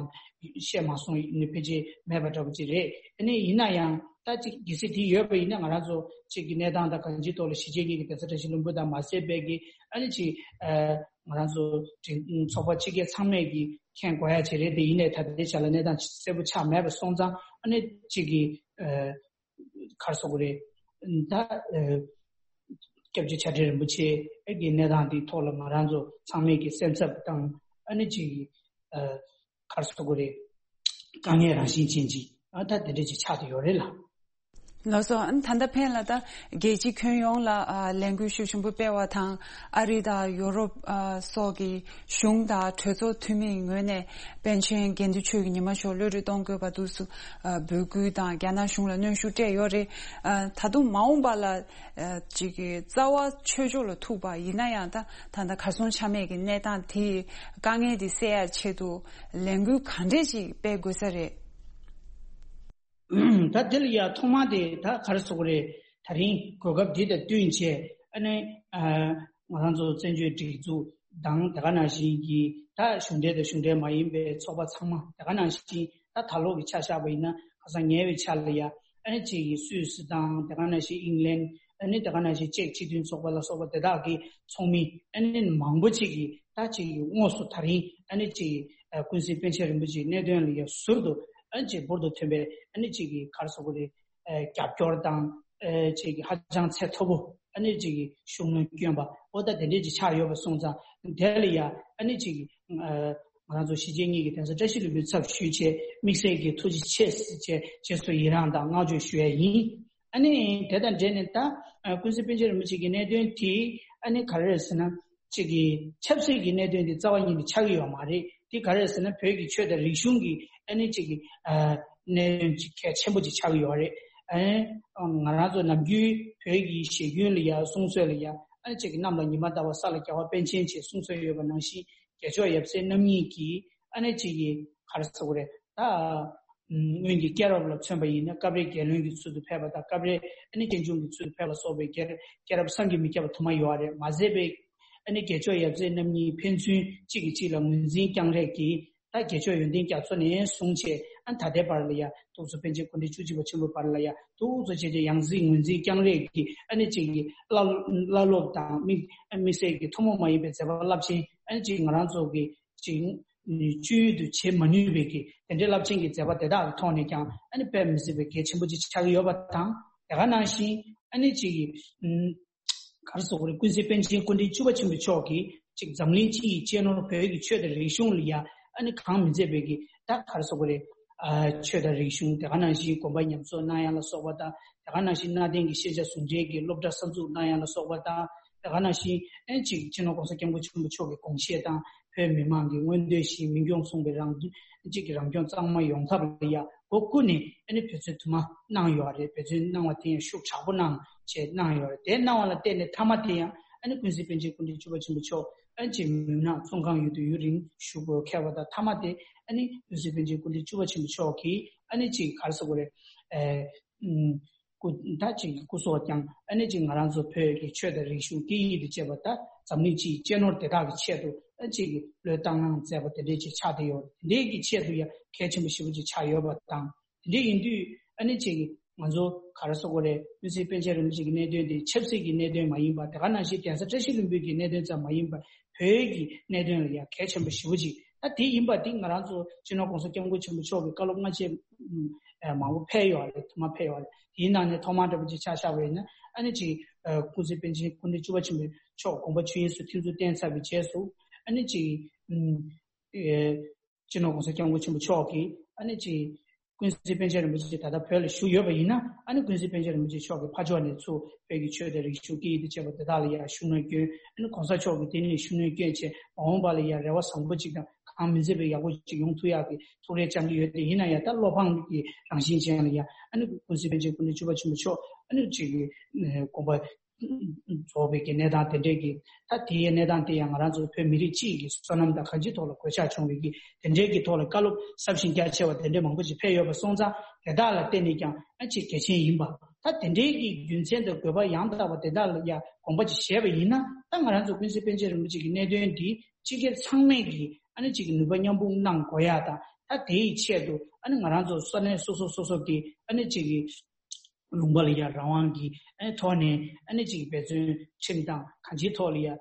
བཤད་མ་སོང་ནི་ཕལ་ཆེར་མེད་པ་འདྲ་པོ་ཅིག་རེད། ཨ་ནི་ཡིན་ན་ཡང་ད་ཅིག་གལ་སྲིད་དེ་ཡོད་པ་ཡིན་ན་ང་རང་ཚོ་ཅིག་གི་གནས་སྟངས་དང་གང་ཅིའི་ཐོག་ལ་གཞིས་བྱེས་གཉིས་ཀྱི་གདན་ས་བཀྲ་ཤིས་ལྷུན་པོ་དང་མ་ཟད་པའི་གི་ཨ་ནི་ཅིག་ཨ་ང་རང་ཚོ་ཚོགས་པ་ཕྱི་རྒྱལ་ཚང་མས་ཀྱི་མཁྱེན་དགོས་ཡ་ཅིག་རེད། དེ་ཡིན་ནའི་ད་ལྟའི་ཆ་ལ་གནས་སྟངས་གསལ་པོ་ཆགས་མེད་པ་སོང་ཙང་། ཨ་ནི་གཅིག་གི་ཨ་ག་རེ་ཟེར་དགོས་རེད། ད་ཨ་སྐྱབས་རྗེ་བྱ་བྲལ་རིན་པོ་ཆེ་གི་གནས་སྟངས་འདིའི་ཐོག་ལ་ང་རང་ཚོ་ཚང་མས་ཀྱི་སེམས་འཚབ་དང་། ཨ་ནི་གཅིག་གི་ཨ་ག་རེ་ཟེར་དགོས་རེད། དཀའ་ངལ་རང་བཞིན་ཅན་ཅིག་ ཨ་ད་དེ་འདྲ་ཅིག་ཆགས་བསྡད་ཡོད་རེད་ལགས། ལགས་སོ། ཨ་ནི་ད་ལྟ་ཕན་ལ་ད་རྒྱལ་སྤྱི་ཁྱོན་ཡོངས་ལ་ཨ་ལས་འགུལ་ཤུགས་ཆེན་པོ་སྤེལ་བ་དང་། ཨ་རི་དང་ཡོ་རོབ་ཨ་སོགས་ཀྱི་གཞུང་དང་གྲོས་ཚོགས་འཐུས་མིའི་ངོས་ནས་པཎ་ཆེན་དགེ་འདུན་ཆོས་ཀྱི་ཉི་མ་ཞོགས་གློད་གྲོལ་གཏོང་དགོས་པ་འདུག་སུ་ཨ་འབོད་སྐུལ་དང་རྒྱ་ནག་གཞུང་ལ་གནོན་ཤུགས་སྤྲད་ཡོད་རེད། ཨ་ད་དུང་མ་འོངས་པ་ལ་ཨ་ཅིག་གི་རྩ་བ་ཆོས་ཕྱོགས་ལ་ཐུག་པ་ཡིན་ན་ཡང་། ད་ད་ལྟ་གར་སོང་ཆ་མེད་ཀྱི་གནས་སྟངས་དེའི་དཀའ་ངལ་དེ་སེལ་ཡ་ཆེད་དུ་ལས་འགུལ་ག་འདྲས་ཅིག་སྤེལ་དགོས་ས་རེད། ད་དེ་ལ་ཡ་ཐོག་མ་དེ་ད་ག་རེ་ཟེར་དགོས་རེད། ད་རིང་གོ་སྐབས་འདི་དང་བསྟུན་བྱས། ཨ་ནི་ཨ་ང་རང་ཚོ་བཙན་བྱོལ་སྒྲིག་འཛུགས་དང་དེ་ག་ནང་བཞིན་གྱི་ད་གཞུང་འབྲེལ་དང་གཞུང་འབྲེལ་མ་ཡིན་པའི་ཚོགས་པ་ཚང་མ། དེ་ག་ནང་བཞིན་ད་ད་ལོ་གི་ཆ་བཞག་པ་ཡིན་ན། ཁ་སང་ཉེ་བའི་ཆར་ལ་ཡ་ཨ་ནི་གཅིག་གི་སུད་སི་དང་དེ་ག་ནང་བཞིན་ཨིང་ལན། ཨ་ནི་དེ་ག་ནང་བཞིན་ཅེཀ་སྤྱི་མཐུན་ཚོགས་པ་ལ་སོགས་པ་དེ་དག་གི་ཚོགས་མི་ཨ་ནི་མང་པོ་ཅིག་གིས་ད་གཅིག་གི་དངོས་སུ་ད་རིང་ཨ་ནི་གཅིག་གི་ཨ་ཀུན་གཟིགས་པཎ་ཆེན་རིན་པོ་ཆེའི་གནད་དོན་ལ་ཡ་ཟུར་དུ་ཨ་ནི་གཅིག་འབུར་དུ་ཐོན་པའི་ཨ་ནི་གཅིག་གི་ག་རེ་ཟེར་དགོས་རེད། ཨ་རྒྱབ་སྐྱོར་དང་ཨ་གཅིག་གི་ཧ་ཅང་ཚད་མཐོ་པོ་ཨ་ནི་གཅིག་གི་ཤུགས་སྣོན་བསྐྱོན་པ་འོ་ད་དེ་འདྲས་ཅིག་ཆགས་ཡོད་པ་སོང་ཙང་། དེ་ལ་ཡ་ཨ་ནི་གཅིག་གི་ཨ་ང་རང་ཚོ་གཞིས་བྱེས་གཉིས་ཀྱི་གདན་ས་བཀྲ་ཤིས་ལྷུན་པོའི་ཚབ་ཞུས་བྱས། དམིགས་བསལ་གྱི་ཐུགས་རྗེ་ཆེ་ཟེར་བྱས་རྗེས་སུ་ཡི་རང་དང་བསྔགས་བརྗོད་ཞུ་ཡ་ཡིན། ཨ་ནི་དེ་དང་འབྲེལ་ནས་ད་ཨ་ཀུན་གཟིགས་པཎ་ཆེན་རིན་པོ་ཆེ་གི་གནད་དོན་དེ་ཨ་ནི་ག་རེ་རེད་ཟེར་ན། གཅིག་གི་ཆབ་སྲིད་ཀྱི་གནད་དོན་དེ་རྩ་བ་ཉིད་ནས་ཆགས་ཀྱི་ཡོད་མ་རེད། དེ་ག་རེ་རེད་ཟེར་ན། བོད་ཀྱི་ཆོས་དང་རིག་གཞུང་གི་ཨ་ནི་གཅིག་གི་ཨ་གནད་དོན་གཅིག་གལ་ཆེན་པོ་ཅིག་ཆགས་ཀྱི་ཡོད་རེད། ཨ་ང་རང་ཚོ་ནམ་རྒྱུན་བོད་ཀྱི་ཞེ་རྒྱུན་ལ་ཡ་གསུང་སྲོལ་ལ་ཡ་ཨ་ནི་གཅིག་གི་གནམ་ལ་ཉི་མ་ལྟ་བུ་ས་ལ་རྒྱ་བ་པཎ་ཆེན་ཅེས་གསུང་སྲོལ་ཡོད་པ་ནང་བཞིན། རྒྱལ་མཆོག་ཡབ་སྲས་རྣམ་གཉིས་ཀྱིས་ཨ་ནི་གཅིག་གི་ག་རེ་ཟེར་དགོས་རེད། ད་སྔོན་གྱི་སྐྱེས་རབས་ལ་མཚོན་པ་ཡིན་ན། སྐབས་རེ་རྒྱལ་བློན་གྱི་ཚུལ་དུ་ཕེབས་པ་དང་། སྐབས་རེ་ཨ་ནི་གཅེན་གཅུང་གི་ཚུལ་དུ་ཕེབས་པ་སོགས་པའི་སྐྱེས་སྐྱེས་རབས་བསམ་གྱིས་མི་ཁྱབ་པ་དུ་མ་ཡོད་རེད། མ་ཟད་པའི་ཨ་ནི་རྒྱལ་མཆོག་ཡབ་སྲས་རྣམ་གཉིས་ཕན་ཚུན་གཅིག་གིས་གཅིག་ལ་ངོས་འཛིན་རྐྱང་རེས་ཀྱིས། ད་རྒྱལ་མཆོག་ཡོན་ཏན་རྒྱ་མཚོ་ནས་བཟུང་བྱས་ཨ་ནི་ད་ལྟའི་བར་ལ་ཡ། ཐུགས་གཙོ་པཎ་ཆེན་སྐུ་ཕྲེང་བཅུ་གཅིག་པ་ཆེན་པོའི་བར་ལ་ཡ། ཐུགས་གཙོ་ཆེ་ཆེ་ཡང་སྲིད་ངོས་འཛིན་རྐྱང་རེས་ཀྱིས་ཨ་ནི་གཅིག་གི་བླ་བླ་སློབ་དང་། དམིགས་དམིགས་བསལ་གྱི་ཐུན་མོང་མ་ཡིན་པའི་མཛད་པ་རླབས་ཆེན་ཨ་ནི་གཅིག་ང་རང་ཚོ་གི་གཅིག་སྤྱོད་ཡུལ་དུ་བྱེད་མ་ནུས་པའི་གི་དེ་འདྲའི་རླབས་ཆེན་གྱི་མཛད་པ་དེ་དག་གི་ཐོག་ནས་ཀྱང་ཨ་ནི་དཔེ་མི་སྲིད་པའི་གལ་ཆེན་པོ་ཅིག་ཆགས་ཀྱི་ཡོད་པ་དང་། དེ་ག་ནང་བཞིན་ཨ་ནི་གཅིག་གི་ག་རེ་ཟེར་དགོས་རེད། ཀུན་གཟིགས་པཎ་ཆེན་སྐུ་ཕྲེང་བཅུ་པ་ཆེན་པོ་མཆོག་གིས་གཅིག་འཛམ་གླིང་སྤྱི་ཡི་གཅེས་ནོར་བོད་ཀྱི་ཆོས་དང་རིག་གཞུང་ལ་ཡ་ཨ་ནི་གང་མི་མཛད་པའི་གི་ད་ག་རེ་ཟེར་དགོས་རེད། ཨ་ཆོས་དང་རིག་གཞུང་། དེ་ག་ནང་བཞིན་དགོན་པ་ཉམས་གསོ་གནང་ཡ་ལ་སོགས་པ་དང་། དེ་ག་ནང་བཞིན་གནའ་དེང་གི་ཤེས་བྱ་ཟུང་འབྲེལ་གྱི་སློབ་གྲྭ་གསར་འཛུགས་གནང་ཡ་ལ་སོགས་པ་དང་། དེ་ག་ནང་བཞིན་ཨ་ནི་གཅིག་སྤྱི་ནོར་༸གོང་ས་༸སྐྱབས་མགོན་ཆེན་པོ་མཆོག་གི་དགོངས་བཞེད་དང་། བོད་མི་མང་གི་མངོན་འདོད་བཞིན་མི་སྐྱོང་མཚུངས་པའི་རང་གཅིག་གི་རང་སྐྱོང་གཙང་མ་ཡོང་ཐབས་ལ་ཡ་སྒོ་ཀུན་ནས་ཨ་ནི་འབད་བརྩོན་དུ་མ་གནང་ཡོད་རེད། འབད་བརྩོན་གནང་བ་དེ་ཡང་ཤུགས་དྲག་པོ་གནང་བྱས་གནང་ཡོད་རེད། དེ་གནང་བ་ལ་བརྟེན་ནས་མཐའ་མ་དེ་ཡང་ཨ་ནི་ཀུན་གཟིགས་པཎ་ཆེན་སྐུ་ཕྲེང་བཅུ་པ་ཆེན་པོ་མཆོག་ཨ་ནི་གཅིག་མུན་ནག་བཙོན་ཁང་ཡུལ་དུ་ཡུན་རིང་བཞུགས་དགོས་ཁེལ་བ་དང་། མཐའ་མ་དེ་ཨ་ནི་ཀུན་གཟིགས་པཎ་ཆེན་སྐུ་ཕྲེང་བཅུ་པ་ཆེན་པོ་མཆོག་གིས་ཨ་ནི་གཅིག་ག་རེ་ཟེར་དགོས་རེད། ཨེ། ཨུམ། སྐུ་ད་གཅིག་གི་སྐུ་སྲོག་ཀྱང་ཨ་ནི་གཅིག་ང་རང་ཚོ་བོད་ཀྱི་ཆོས་དང་རིག་གཞུང་སྐད་ཡིག་དང་བཅས་པ་དང་འཛམ་གླིང་སྤྱིའི་གཅེས་ནོར་དེ་དག་གི་ཆེད་དུ་ཨ་གཅིག་གི་བློས་བཏང་གནང་མཛད་པ་དེ་འདྲས་ཅིག་ཆགས་བསྡད་ཡོད། དེ་འདྲས་ཀྱི་ཆེད་དུ་ཡང་གལ་ཆེན་པོ་ཞེ་པོ་ཅིག་ཆགས་ཡོད་པ་དང་། དེ་འདྲས་ཡིན་དུས་ཨ་ནི་གཅིག་གི་ང་ཚོ་ག་རེ་ཟེར་དགོས་རེད། ཀུན་གཟིགས་པཎ་ཆེན་རིན་པོ་ཆེ་གི་གནད་དོན་དེ་ཆབ་སྲིད་ཀྱི་གནད་དོན་མ་ཡིན་པ། དེ་ག་ནང་བཞིན་གདན་ས་བཀྲ་ཤིས་ལྷུན་པོའི་གི་གནད་དོན་ཙམ་མ་ཡིན་པ། བོད་ཀྱི་གནད་དོན་ལ་ཡང་གལ་ཆེན་པོ་ཞེ་པོ་ཅིག་ད་དེ་ཡིན་པ་དེ་ང་རང་ཚོ་སྤྱི་ནོར་༸གོང་ས་༸སྐྱབས་མགོན་ཆེན་པོ་མཆོག་གི་བཀའ་སློབ་སྔ་རྗེས་ཨ་མང་པོ་ཕེབས་ཡོད་རེད། དུ་མ་ཕེབས་ཡོད་རེད། དེའི་ནང་ནས་ཐོག་མར་འདྲ་པོ་ཅིག་ཆ་བཞག་པ་ཡིན་ན། ཨ་ནི་གཅིག་ཨ་ཀུན་གཟིགས་པཎ་ཆེན་སྐུ་ཕྲེང་བཅུ་པ་ཆེན་པོ་མཆོག་དགོངས་པ་ཆོས་དབྱིངས་སུ་ཐིམ་ཚུལ་བསྟན་ཚར་བའི་རྗེས་སུ། ཨ་ནི་གཅིག་ཨ་སྤྱི་ནོར་༸གོང་ས་༸སྐྱབས་མགོན་ཆེན་པོ་མཆོག་གིས་ཨ་ནི་གཅིག་ཀུན་གཟིགས་པཎ་ཆེན་རིན་པོ་ཆེ་ད་ལྟ་བོད་ལ་བཞུགས་ཡོད་པ་ཡིན་ན། ཨ་ནི་ཀུན་གཟིགས་པཎ་ཆེན་རིན་པོ་ཆེ་མཆོག་གི་ཕ་ཕྱོགས་ནས་ཚུར་བོད་ཀྱི་ཆོས་དང་རིག་གཞུང་སྐད་ཡིག་དང་བཅས་པ་དེ་དག་ལ་ཡང་ཤུགས་སྣོན་བསྐྱོན། ཨ་ནི་གོང་ས་མཆོག་གིས་དེ་ནས་ཤུགས་སྣོན་བསྐྱོན་བྱས། མ་འོངས་པ་ལ་ཡང་རེ་བ་བཟང་པོ་ཅིག་དང་གང་མི་མཛད་པའི་ཡག་པོ་ཅིག་ཡོང་ཐུབ་ཡག་གི་ཐུགས་རེ་བཅངས་ཀྱི་ཡོད་དེ། ཡིན་ན་ཡང་ད་བློ་ཕམ་གྱི་རང་བཞིན་ཅན་ལ་ཡང་ཨ་ནི་ཀུན་གཟིགས་པཎ་ཆེན་སྐུ་ཕྲེང་བཅུ་པ་ཆེན་པོ་མཆོག་ཨ་ནི་གཅིག་གི་དགོངས་པ་རྫོགས་པའི་གི་གནས་སྟངས་དེ་འདྲས་ཀྱི། ད་དེའི་གནས་སྟངས་དེ་ཡང་ང་རང་ཚོ་བོད་མི་རིགས་སྤྱི་ཡི་གི་བསོད་ནམས་དང་གང་ཅིའི་ཐོག་ལ་གོད་ཆག་བྱུང་བའི་གི་དེ་འདྲས་ཀྱི་ཐོག་ལ་བཀའ་སློབ་ཟབ་ཞིང་རྒྱ་ཆེ་བ་དེ་འདྲས་མང་པོ་ཞིག་ཕེབས་ཡོད་པ་སོང་ཙང་། དེ་དག་ལ་བརྟེན་ནས་ཀྱང་ཨ་ཅིག་གལ་ཆེན་ཡིན་པ། ད་དེ་འདྲས་ཀྱི་རྒྱུ་མཚན་དང་དགོས་པ་ཡང་དག་པ་དེ་དག་ལ་ཡང་དགོངས་པ་ཅིག་བཞེས་པ་ཡིན་ན། ད་ང་རང་ཚོ་ཀུན་གཟིགས་པཎ་ཆེན་རིན་པོ་ཆེ་གི་གནད་དོན་འདི་སྤྱི་སྒེར་ཚང་མས་ཀྱི་ཨ་ནི་ཅིག་གི་ནུས་པ་མཉམ་སྤུངས་གནང་དགོས་ཡ་དང་། ད་དེའི་ཆེད་དུ་ཨ་ནི་ང་རང་ཚོ་ས་གནས་སོ་སོ་སོ་སོ་གི་ཨ་ནི་ཅིག་གི་ལུང་པ་ལ་ཡ་རང་དབང་གི་ཨ་ནི་ཐོག་ནས་ཨ་ནི་ཅིག་འབད་བརྩོན་ཁྲིམས་དང་གང་ཅིའི་ཐོག་ལ་ཡ་ཨ་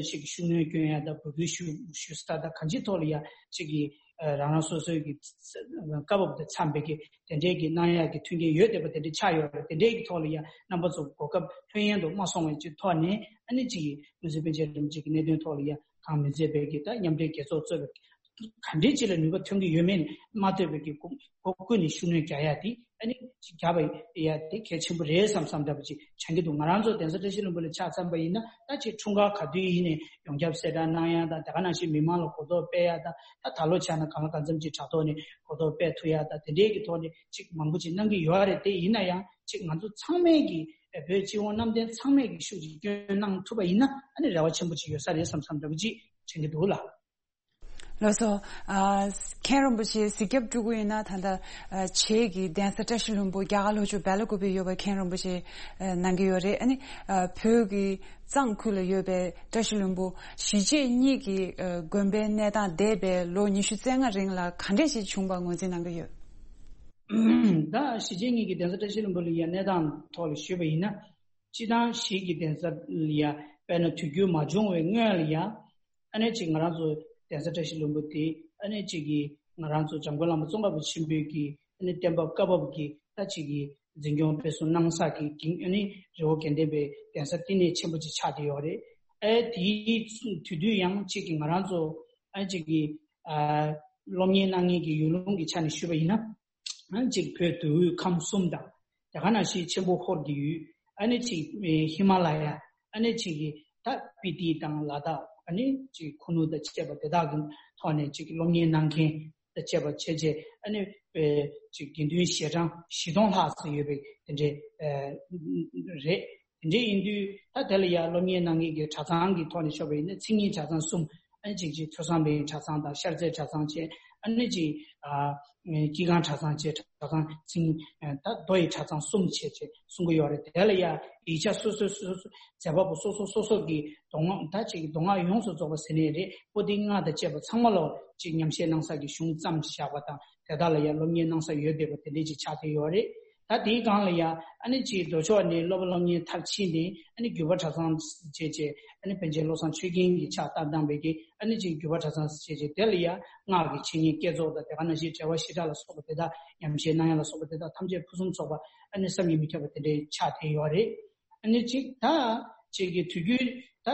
ཅིག་ཤུགས་སྣོན་སྐྱོན་ཡ་དང་། འབོད་སྐུལ་ཞུ་ཞུ་ས་དང་གང་ཅིའི་ཐོག་ལ་ཡ་ཅིག་གི་ཨ་རང་རང་སོ་སོའི་གི་བཀའ་བབས་དང་འཚམས་པའི་གི་དེ་འདྲའི་གི་གནང་ཡ་གི་མཐུན་རྐྱེན་ཡོད་བསྡད་པ་དེ་འདྲ་ཆགས་ཡོད་རེད། དེ་འདྲའི་གི་ཐོག་ལ་ཡ་རྣམ་པ་ཚོ་གོ་སྐབས་ལྷོད་གཡེང་དུ་མ་སོང་བའི་ཅིག་ཐོག་ནས་ཨ་ནི་ཅིག་གི་ཀུན་གཟིགས་པཎ་ཆེན་རིན་པོ་ཆེ་གི་གནད་དོན་ཐོག་ལ་ཡ་གང་མི་མཛད་པའི་གི་ད་མཉམ་འབྲེལ་རྒྱལ་ཚོགས་གཙོས་པའི་ ག་འདྲའི་ཅིག་ལ་ནུས་པ་ཐོན་གྱི་ཡོད་མེད་མ་ལྟོས་པའི་གི་སྒོ་སྒོ་ཀུན་ནས་ཤུགས་སྣོན་རྒྱག་ཡ་དེ་ཨ་ནི་ཅིག་རྒྱག་པ་ཡ་དེ་གལ་ཆེན་པོ་རེད་བསམ་བསམ་འདྲ་པོ་ཅིག་བྱང་གི་འདུག་ང་རང་ཚོ་གདན་ས་བཀྲ་ཤིས་ལྷུན་པོ་ལ་ཆ་མཚོན་པ་ཡིན་ན། ད་ཅིག་འཁྲུངས་སྐར་ག་དུས་ཡིན་ནའི་ཡོངས་ཁྱབ་གསལ་བསྒྲགས་གནང་ཡ་དང་། དེ་ག་ནང་བཞིན་མི་མང་ལ་གོ་རྟོགས་སྤེལ་ཡ་དང་། ད་ད་ལོ་ཆགས་ན་གང་ལ་གང་འཚམ་ཅིག་དྲ་ཐོག་ནས་གོ་རྟོགས་སྤེལ་ཐུབ་ཡ་དང་། དེ་འདྲའི་གི་ཐོག་ནས་ཅིག་མང་པོ་ཅིག་གནང་གི་ཡོད་རེད། དེ་ཡིན་ན་ཡང་ཅིག་ང་ཚོ་ཚང་མས་ཀྱི་བོད་སྤྱི་དབང་རྣམ་ལྡན་ཚང་མས་ཀྱི་ཤུགས་ཀྱིས་སྐྱོན་གནང་ཐུབ་པ་ཡིན་ན་ཨ་ནི་རེ་བ་ཆེན་པོ་ཅིག་ཡོད་ས་རེད་བསམ་བསམ་འདྲ་པོ་ཅིག་དྲན་གྱི་འདུག་ལགས། ལགས་སོ། ཨ། མཁན་རིན་པོ་ཆེ་གཟིགས་རྒྱབ་སྤྲུལ་སྐུ་ཡིན་ན་ད་ལྟ་ཨ། བྱེས་ཀྱི་གདན་ས་བཀྲ་ཤིས་ལྷུན་པོ་རྒྱ་གར་ལྷོ་ཕྱོགས་སྦེལ་ཀོབ་ཡོད་པ་མཁན་རིན་པོ་ཆེ་ཨ། གནང་གི་ཡོད་རེད། ཨ་ནི་ཨ། བོད་ཀྱི་གཙང་ཁུལ་ལ་ཡོད་པའི་བཀྲ་ཤིས་ལྷུན་པོ་གཞིས་བྱེས་གཉིས་ཀྱི་ཨ། དགོན་པའི་གནས་སྟངས་འདས་པའི་ལོ་ཉི་ཤུ་རྩ་ལྔ་རིང་ལ་ག་འདྲས་ཞིག་བྱུང་བ་ངོས་འཛིན་གནང་གི་ཡོད། ད་གཞིས་བྱེས་གཉིས་ཀྱི་གདན་ས་བཀྲ་ཤིས་ལྷུན་པོ་ལ་ཡ་གནས་སྟངས་ཐོག་ལ་ཞུས་པ་ཡིན་ན། སྤྱི་བཏང་གཞིས་ཀྱི་གདན་ས་ལ་ཡ་དཔེར་ན་དུས་འགྱུར་མ་བྱུང་བའི་སྔོན་ལ་ཡ། ཨ་ནི་ཅིག་ང་རང་ཚོ་གདན་ས་བཀྲ་ཤིས་ལྷུན་པོ་དེ་ཨ་ནི་ཅིག་གི་ང་རང་ཚོ་འཇམ་མགོན་བླ་མ་ཙོང་ཁ་པ་ཆེན་པོའི་གི་ཨ་ནི་བསྟན་པ་བཀའ་བབས་ཀྱི་ད་ཅིག་གི་འཛིན་སྐྱོང་སྤེལ་གསུམ་གནང་ས་གི་གིང་ཨ་ནི་རི་བོ་དགེ་ལྡན་པའི་གདན་ས་བསྟི་གནས་ཆེན་པོ་ཅིག་ཆགས་བསྡད་ཡོད་རེད། ཨ་དེའི་དུས་དུས་ཡང་ཅིག་གི་ང་རང་ཚོ་ཨ་ཅིག་གི་ཨ་སློབ་གཉེར་གནང་མཁན་གྱི་ཡུལ་ལུང་གི་ཆ་ནས་ཞུས་པ་ཡིན་ན། ཨ་ནི་ཅིག་བོད་མདོ་དབུས་ཁམས་གསུམ་དང་། དེ་ག་ནང་བཞིན་ཆེན་པོ་ཧོར་གྱི་ཡུལ། ཨ་ནི་ཅིག་ཧི་མ་ལ་ཡ། ཨ་ནི་ཅིག་གི་ད་སྤི་ཏི་དང་ལ་དྭགས། ཨ་ནི་ཅིག་ཁུ་ནུ་དང་བཅས་པ་དེ་དག་གི་ཐོག་ནས་ཅིག་སློབ་གཉེར་གནང་མཁན་དང་བཅས་པ་བྱས་རྗེས། ཨ་ནི་ཅིག་དགེ་འདུན་ཞལ་གྲངས་བཞི་སྟོང་ལྷག་ཙམ་ཡོད་པའི་དེ་འདྲའི་རེད། དེ་འདྲའི་ཡིན་དུས་ད་དེ་ལ་ཡ་སློབ་གཉེར་གནང་མཁན་གྱི་གྲྭ་ཚང་གི་ཐོག་ནས་ཞུས་པ་ཡིན་ན་མཚན་ཉིད་གྲྭ་ཚང་གསུམ། ཨ་ནི་ཅིག་ཅིག་ཐོས་བསམ་པའི་གྲྭ་ཚང་དང་ཤར་རྩེ་གྲྭ་ཚང་བཅས། ཨ་ནི་ཅིག་ཨ་སྐྱེས་ཁང་གྲྭ་ཚང་བཅས། གྲྭ་ཚང་མཚན་ཨ་ད་མདོ་ཡི་གྲྭ་ཚང་གསུམ་བྱས་བྱས་གསུང་གི་ཡོད་རེད། དེ་ལ་ཡ་ཡིག་ཆ་སོ་སོ་སོ་སོ་མཛད་པ་པོ་སོ་སོ་སོ་སོ་གི་མདོ་སྔགས་ད་ཅིག་མདོ་སྔགས་ཡོངས་སུ་རྫོགས་པ་ཟེར་ནའི་རེད། པོ་ཏི་ལྔ་དང་བཅས་པ་ཚང་མ་ལོ་ཅིག་ཉམས་བཞེས་གནང་ས་གི་གཞུང་བརྩམས་བཞག་པ་དང་། དེ་དག་ལ་ཡང་སློབ་གཉེར་གནང་ས་ཡོད་བསྡད་པ་དེ་འདྲས་ཅིག་ཆགས་བསྡད་ཡོད་རེད། ད་དེའི་སྒང་ལ་ཡང་ཨ་ནི་ཅིག་མདོ་ཕྱོགས་ནས་སློབ་པ་སློབ་གཉེར་མཐར་ཕྱིན་ནས། ཨ་ནི་རྒྱུད་པ་གྲྭ་ཚང་བྱས་བྱས། ཨ་ནི་པཎ་ཆེན་བློ་བཟང་ཆོས་རྒྱན་གྱི་ཕྱག་བཏབ་བཏང་བའི་གི་ཨ་ནི་ཅིག་རྒྱུད་པ་གྲྭ་ཚང་བྱས་བྱས། དེ་ལ་ཡང་སྔགས་ཀྱི་འཆད་ཉན་བསྐྱེད་རྫོགས་དང་། དེ་ག་ནང་བཞིན་གྲྭ་པ་ཞི་དྲག་ལ་སོགས་པ་དེ་དག་ཉམས་བཞེས་གནང་ཡ་ལ་སོགས་པ་དེ་དག་ཐམས་ཅད་ཕུན་སུམ་ཚོགས་པ། ཨ་ནི་བསམ་གྱིས་མི་ཁྱབ་པ་དེ་འདྲས་ཆགས་བསྡད་ཡོད་རེད། ཨ་ནི་ཅིག་ད་ཅིག་གི་དུས་རྒྱུན་ད་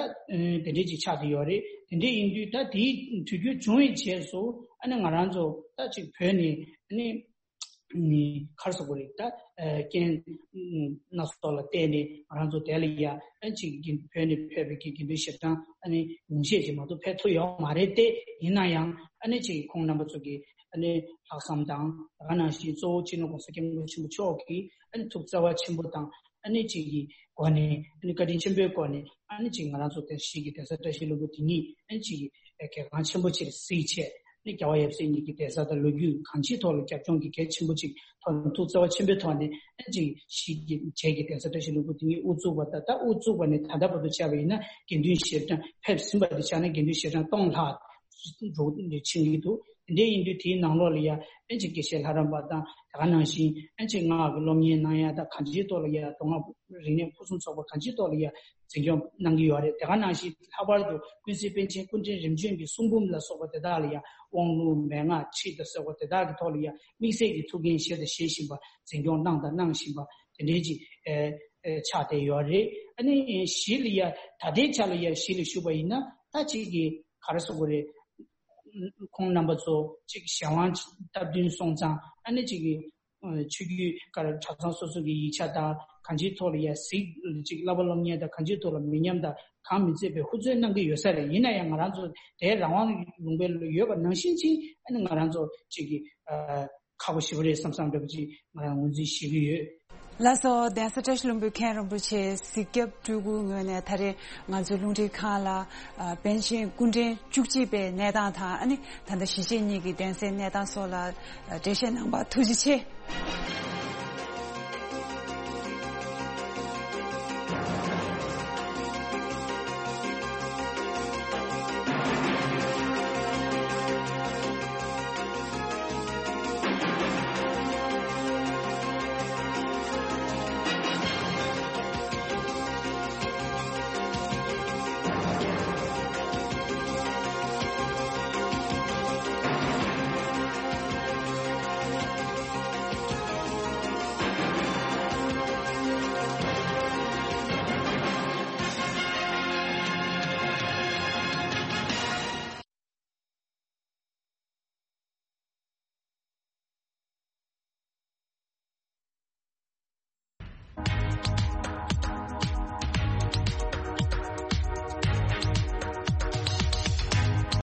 དེ་འདྲས་ཅིག་ཆགས་བསྡད་ཡོད་རེད། དེ་འདྲས་ཡིན་དུས་ད་དེའི་དུས་རྒྱུན་བྱུང་བའི་རྗེས་སུ་ཨ་ནི་ང་རང་ཚོ་ད་ཅིག་བོད་ནས་ཨ་ནི་ག་རེ་ཟེར་དགོས་རེད། ད་རྐྱེན་སྣ་ཚོགས་ལ་བརྟེན་ནས་ང་རང་ཚོ་དེ་ལ་ཡ་ཨ་ཅིག་གི་བོད་ནས་ཕེབས་པའི་གི་དགེ་འདུན་ཞལ་གྲངས་ཨ་ནི་ཉུང་ཤས་ཅིག་མ་གཏོགས་ཕེབས་ཐུབ་ཡོད་མ་རེད་དེ། ཡིན་ན་ཡང་ཨ་ནི་ཅིག་ཁོང་རྣམ་པ་ཚོ་གི་ཨ་ནི་ལྷག་བསམ་དང་། དེ་ག་ནང་བཞིན་གཙོ་བོ་སྤྱི་ནོར་༸གོང་ས་༸སྐྱབས་མགོན་ཆེན་པོ་མཆོག་གིས་ཨ་ནི་ཐུགས་བརྩེ་བ་ཆེན་པོ་དང་། ཨ་ནི་ཅིག་གི་སྒོ་ནས། ཨ་ནི་བཀའ་དྲིན་ཆེན་པོའི་སྒོ་ནས། ཨ་ནི་ཅིག་ང་རང་ཚོ་དེ་གཞིས་ཀྱི་གདན་ས་བཀྲ་ཤིས་ལྷུན་པོ་དེ་ཉིད་ཨ་ནི་ཅིག་གི་གལ་འགངས་ཆེན་པོ་ཅིག་གཟིགས་བྱས། ཨ་ནི་རྒྱལ་བ་ཡབ་སྲས་གཉིས་ཀྱི་གདན་ས་དང་ལོ་རྒྱུས་གང་ཅིའི་ཐོག་ལ་རྒྱབ་ལྗོངས་ཀྱི་གལ་ཆེན་པོ་ཅིག་ཐོག་ནས་ཐུགས་བརྩེ་བ་ཆེན་པོའི་ཐོག་ནས། ཨ་ནི་ཅིག་གཞིས་ཀྱི་བྱེས་ཀྱི་གདན་ས་བཀྲ་ཤིས་ལྷུན་པོ་དེ་ཉིད་དབུ་བཙུགས་པ་དང་། ད་དབུ་བཙུགས་པ་ནས་ད་ལྟ་བར་དུ་བྱས་པ་ཡིན་ན་དགེ་འདུན་ཞལ་གྲངས་ཕེབས་ཟིན་པ་དེ་ཆ་ནས་དགེ་འདུན་ཞལ་གྲངས་སྟོང་ལྷག་འགྲོ་ཕྱིན་གྱི་འདུག་དེ་འདྲ་ཡིན་དུས་དེའི་ནང་ལོགས་ལ་ཡ་ཨ་ནི་ཅིག་དགེ་བཤེས་ལྷ་རམས་པ་དང་། དེ་ག་ནང་བཞིན་ཨ་ནི་ཅིག་སྔགས་ཀྱི་སློབ་གཉེར་གནང་ཡ་དང་། གང་ཅིའི་ཐོག་ལ་ཡ་མདོ་སྔགས་རིག་གནས་ཕུན་སུམ་ཚོགས་པ་གང་ཅིའི་ཐོག་ལ་ཡ་འཛིན་སྐྱོང་གནང་གི་ཡོད་རེད། དེ་ག་ནང་བཞིན་ལྷག་པར་དུ་ཀུན་གཟིགས་པཎ་ཆེན་སྐུ་ཕྲེང་རིམ་བྱོན་གྱི་གསུང་འབུམ་ལ་སོགས་པ་དེ་དག་ལ་ཡ་དབང་ལུང་མན་ངག་ཁྲིད་དང་ཟེར་བ་དེ་དག་གི་ཐོག་ལ་ཡ་དམིགས་བསལ་གྱི་ཐུགས་འགན་བཞེས་དང་བཞེས་བཞིན་པ། འཛིན་སྐྱོང་གནང་དང་གནང་བཞིན་པ་དེ་འདྲའི་ཅིག་ཨེ་ཨེ་ཆགས་བསྡད་ཡོད་རེད། ཨ་ནི་གཞིས་ལ་ཡ་ད་ལྟའི་ཆ་ལ་ཡ་གཞིས་ལ་བཞུགས་པ་ཡིན་ན་ད་ཅིག་གི་ག་རེ་ཟེར་དགོས་རེད། ཁོང་རྣམ་པ་ཚོ་ཅིག་གཞན་དབང་སྟབས་བསྟུན་སོང་ཙང་། ཨ་ནི་ཅིག་གི་ཆོས་བརྒྱུད་ག་རེ་གྲྭ་ཚང་སོ་སོ་གི་ཡིག་ཆ་དང་། གང་ཅིའི་ཐོག་ལ་ཡ་གཟིགས། ཅིག་བསླབ་པ་སློབ་གཉེར་དང་གང་ཅིའི་ཐོག་ལ་མི་ཉམས་དང་གང་མི་འཛད་པའི་ཧུར་བརྩོན་གནང་གི་ཡོད་ས་རེད། ཡིན་ན་ཡང་ང་རང་ཚོ་དེའི་རང་དབང་ལུང་པ་ལ་ཡོད་པ་ནང་བཞིན་ཅིག་ཨ་ནི་ང་རང་ཚོ་ཅིག་གི་ཨ་ཁག་པོ་ཞེ་པོ་རེད་བསམ་བསམ་འདྲ་པོ་ཅིག་ང་རང་ངོས་འཛིན་ཞུ་གི་ཡོད། ལགས་སོ། གདན་ས་བཀྲ་ཤིས་ལྷུན་པོའི་མཁན་རིན་པོ་ཆེ་གཟིགས་རྒྱབ་སྤྲུལ་སྐུའི་ངོས་ནས་ད་རེས་ང་ཚོའི་རླུང་འཕྲིན་ཁང་ལ་ཨ་པཎ་ཆེན་སྐུ་ཕྲེང་བཅུ་གཅིག་པའི་གནས་སྟངས་དང་། ཨ་ནི་ད་ལྟ་གཞིས་བྱེས་གཉིས་ཀྱི་གདན་སའི་གནས་སྟངས་སོགས་ལ་ཨ་འགྲེལ་བཤད་གནང་བར་ཐུགས་རྗེ་ཆེ།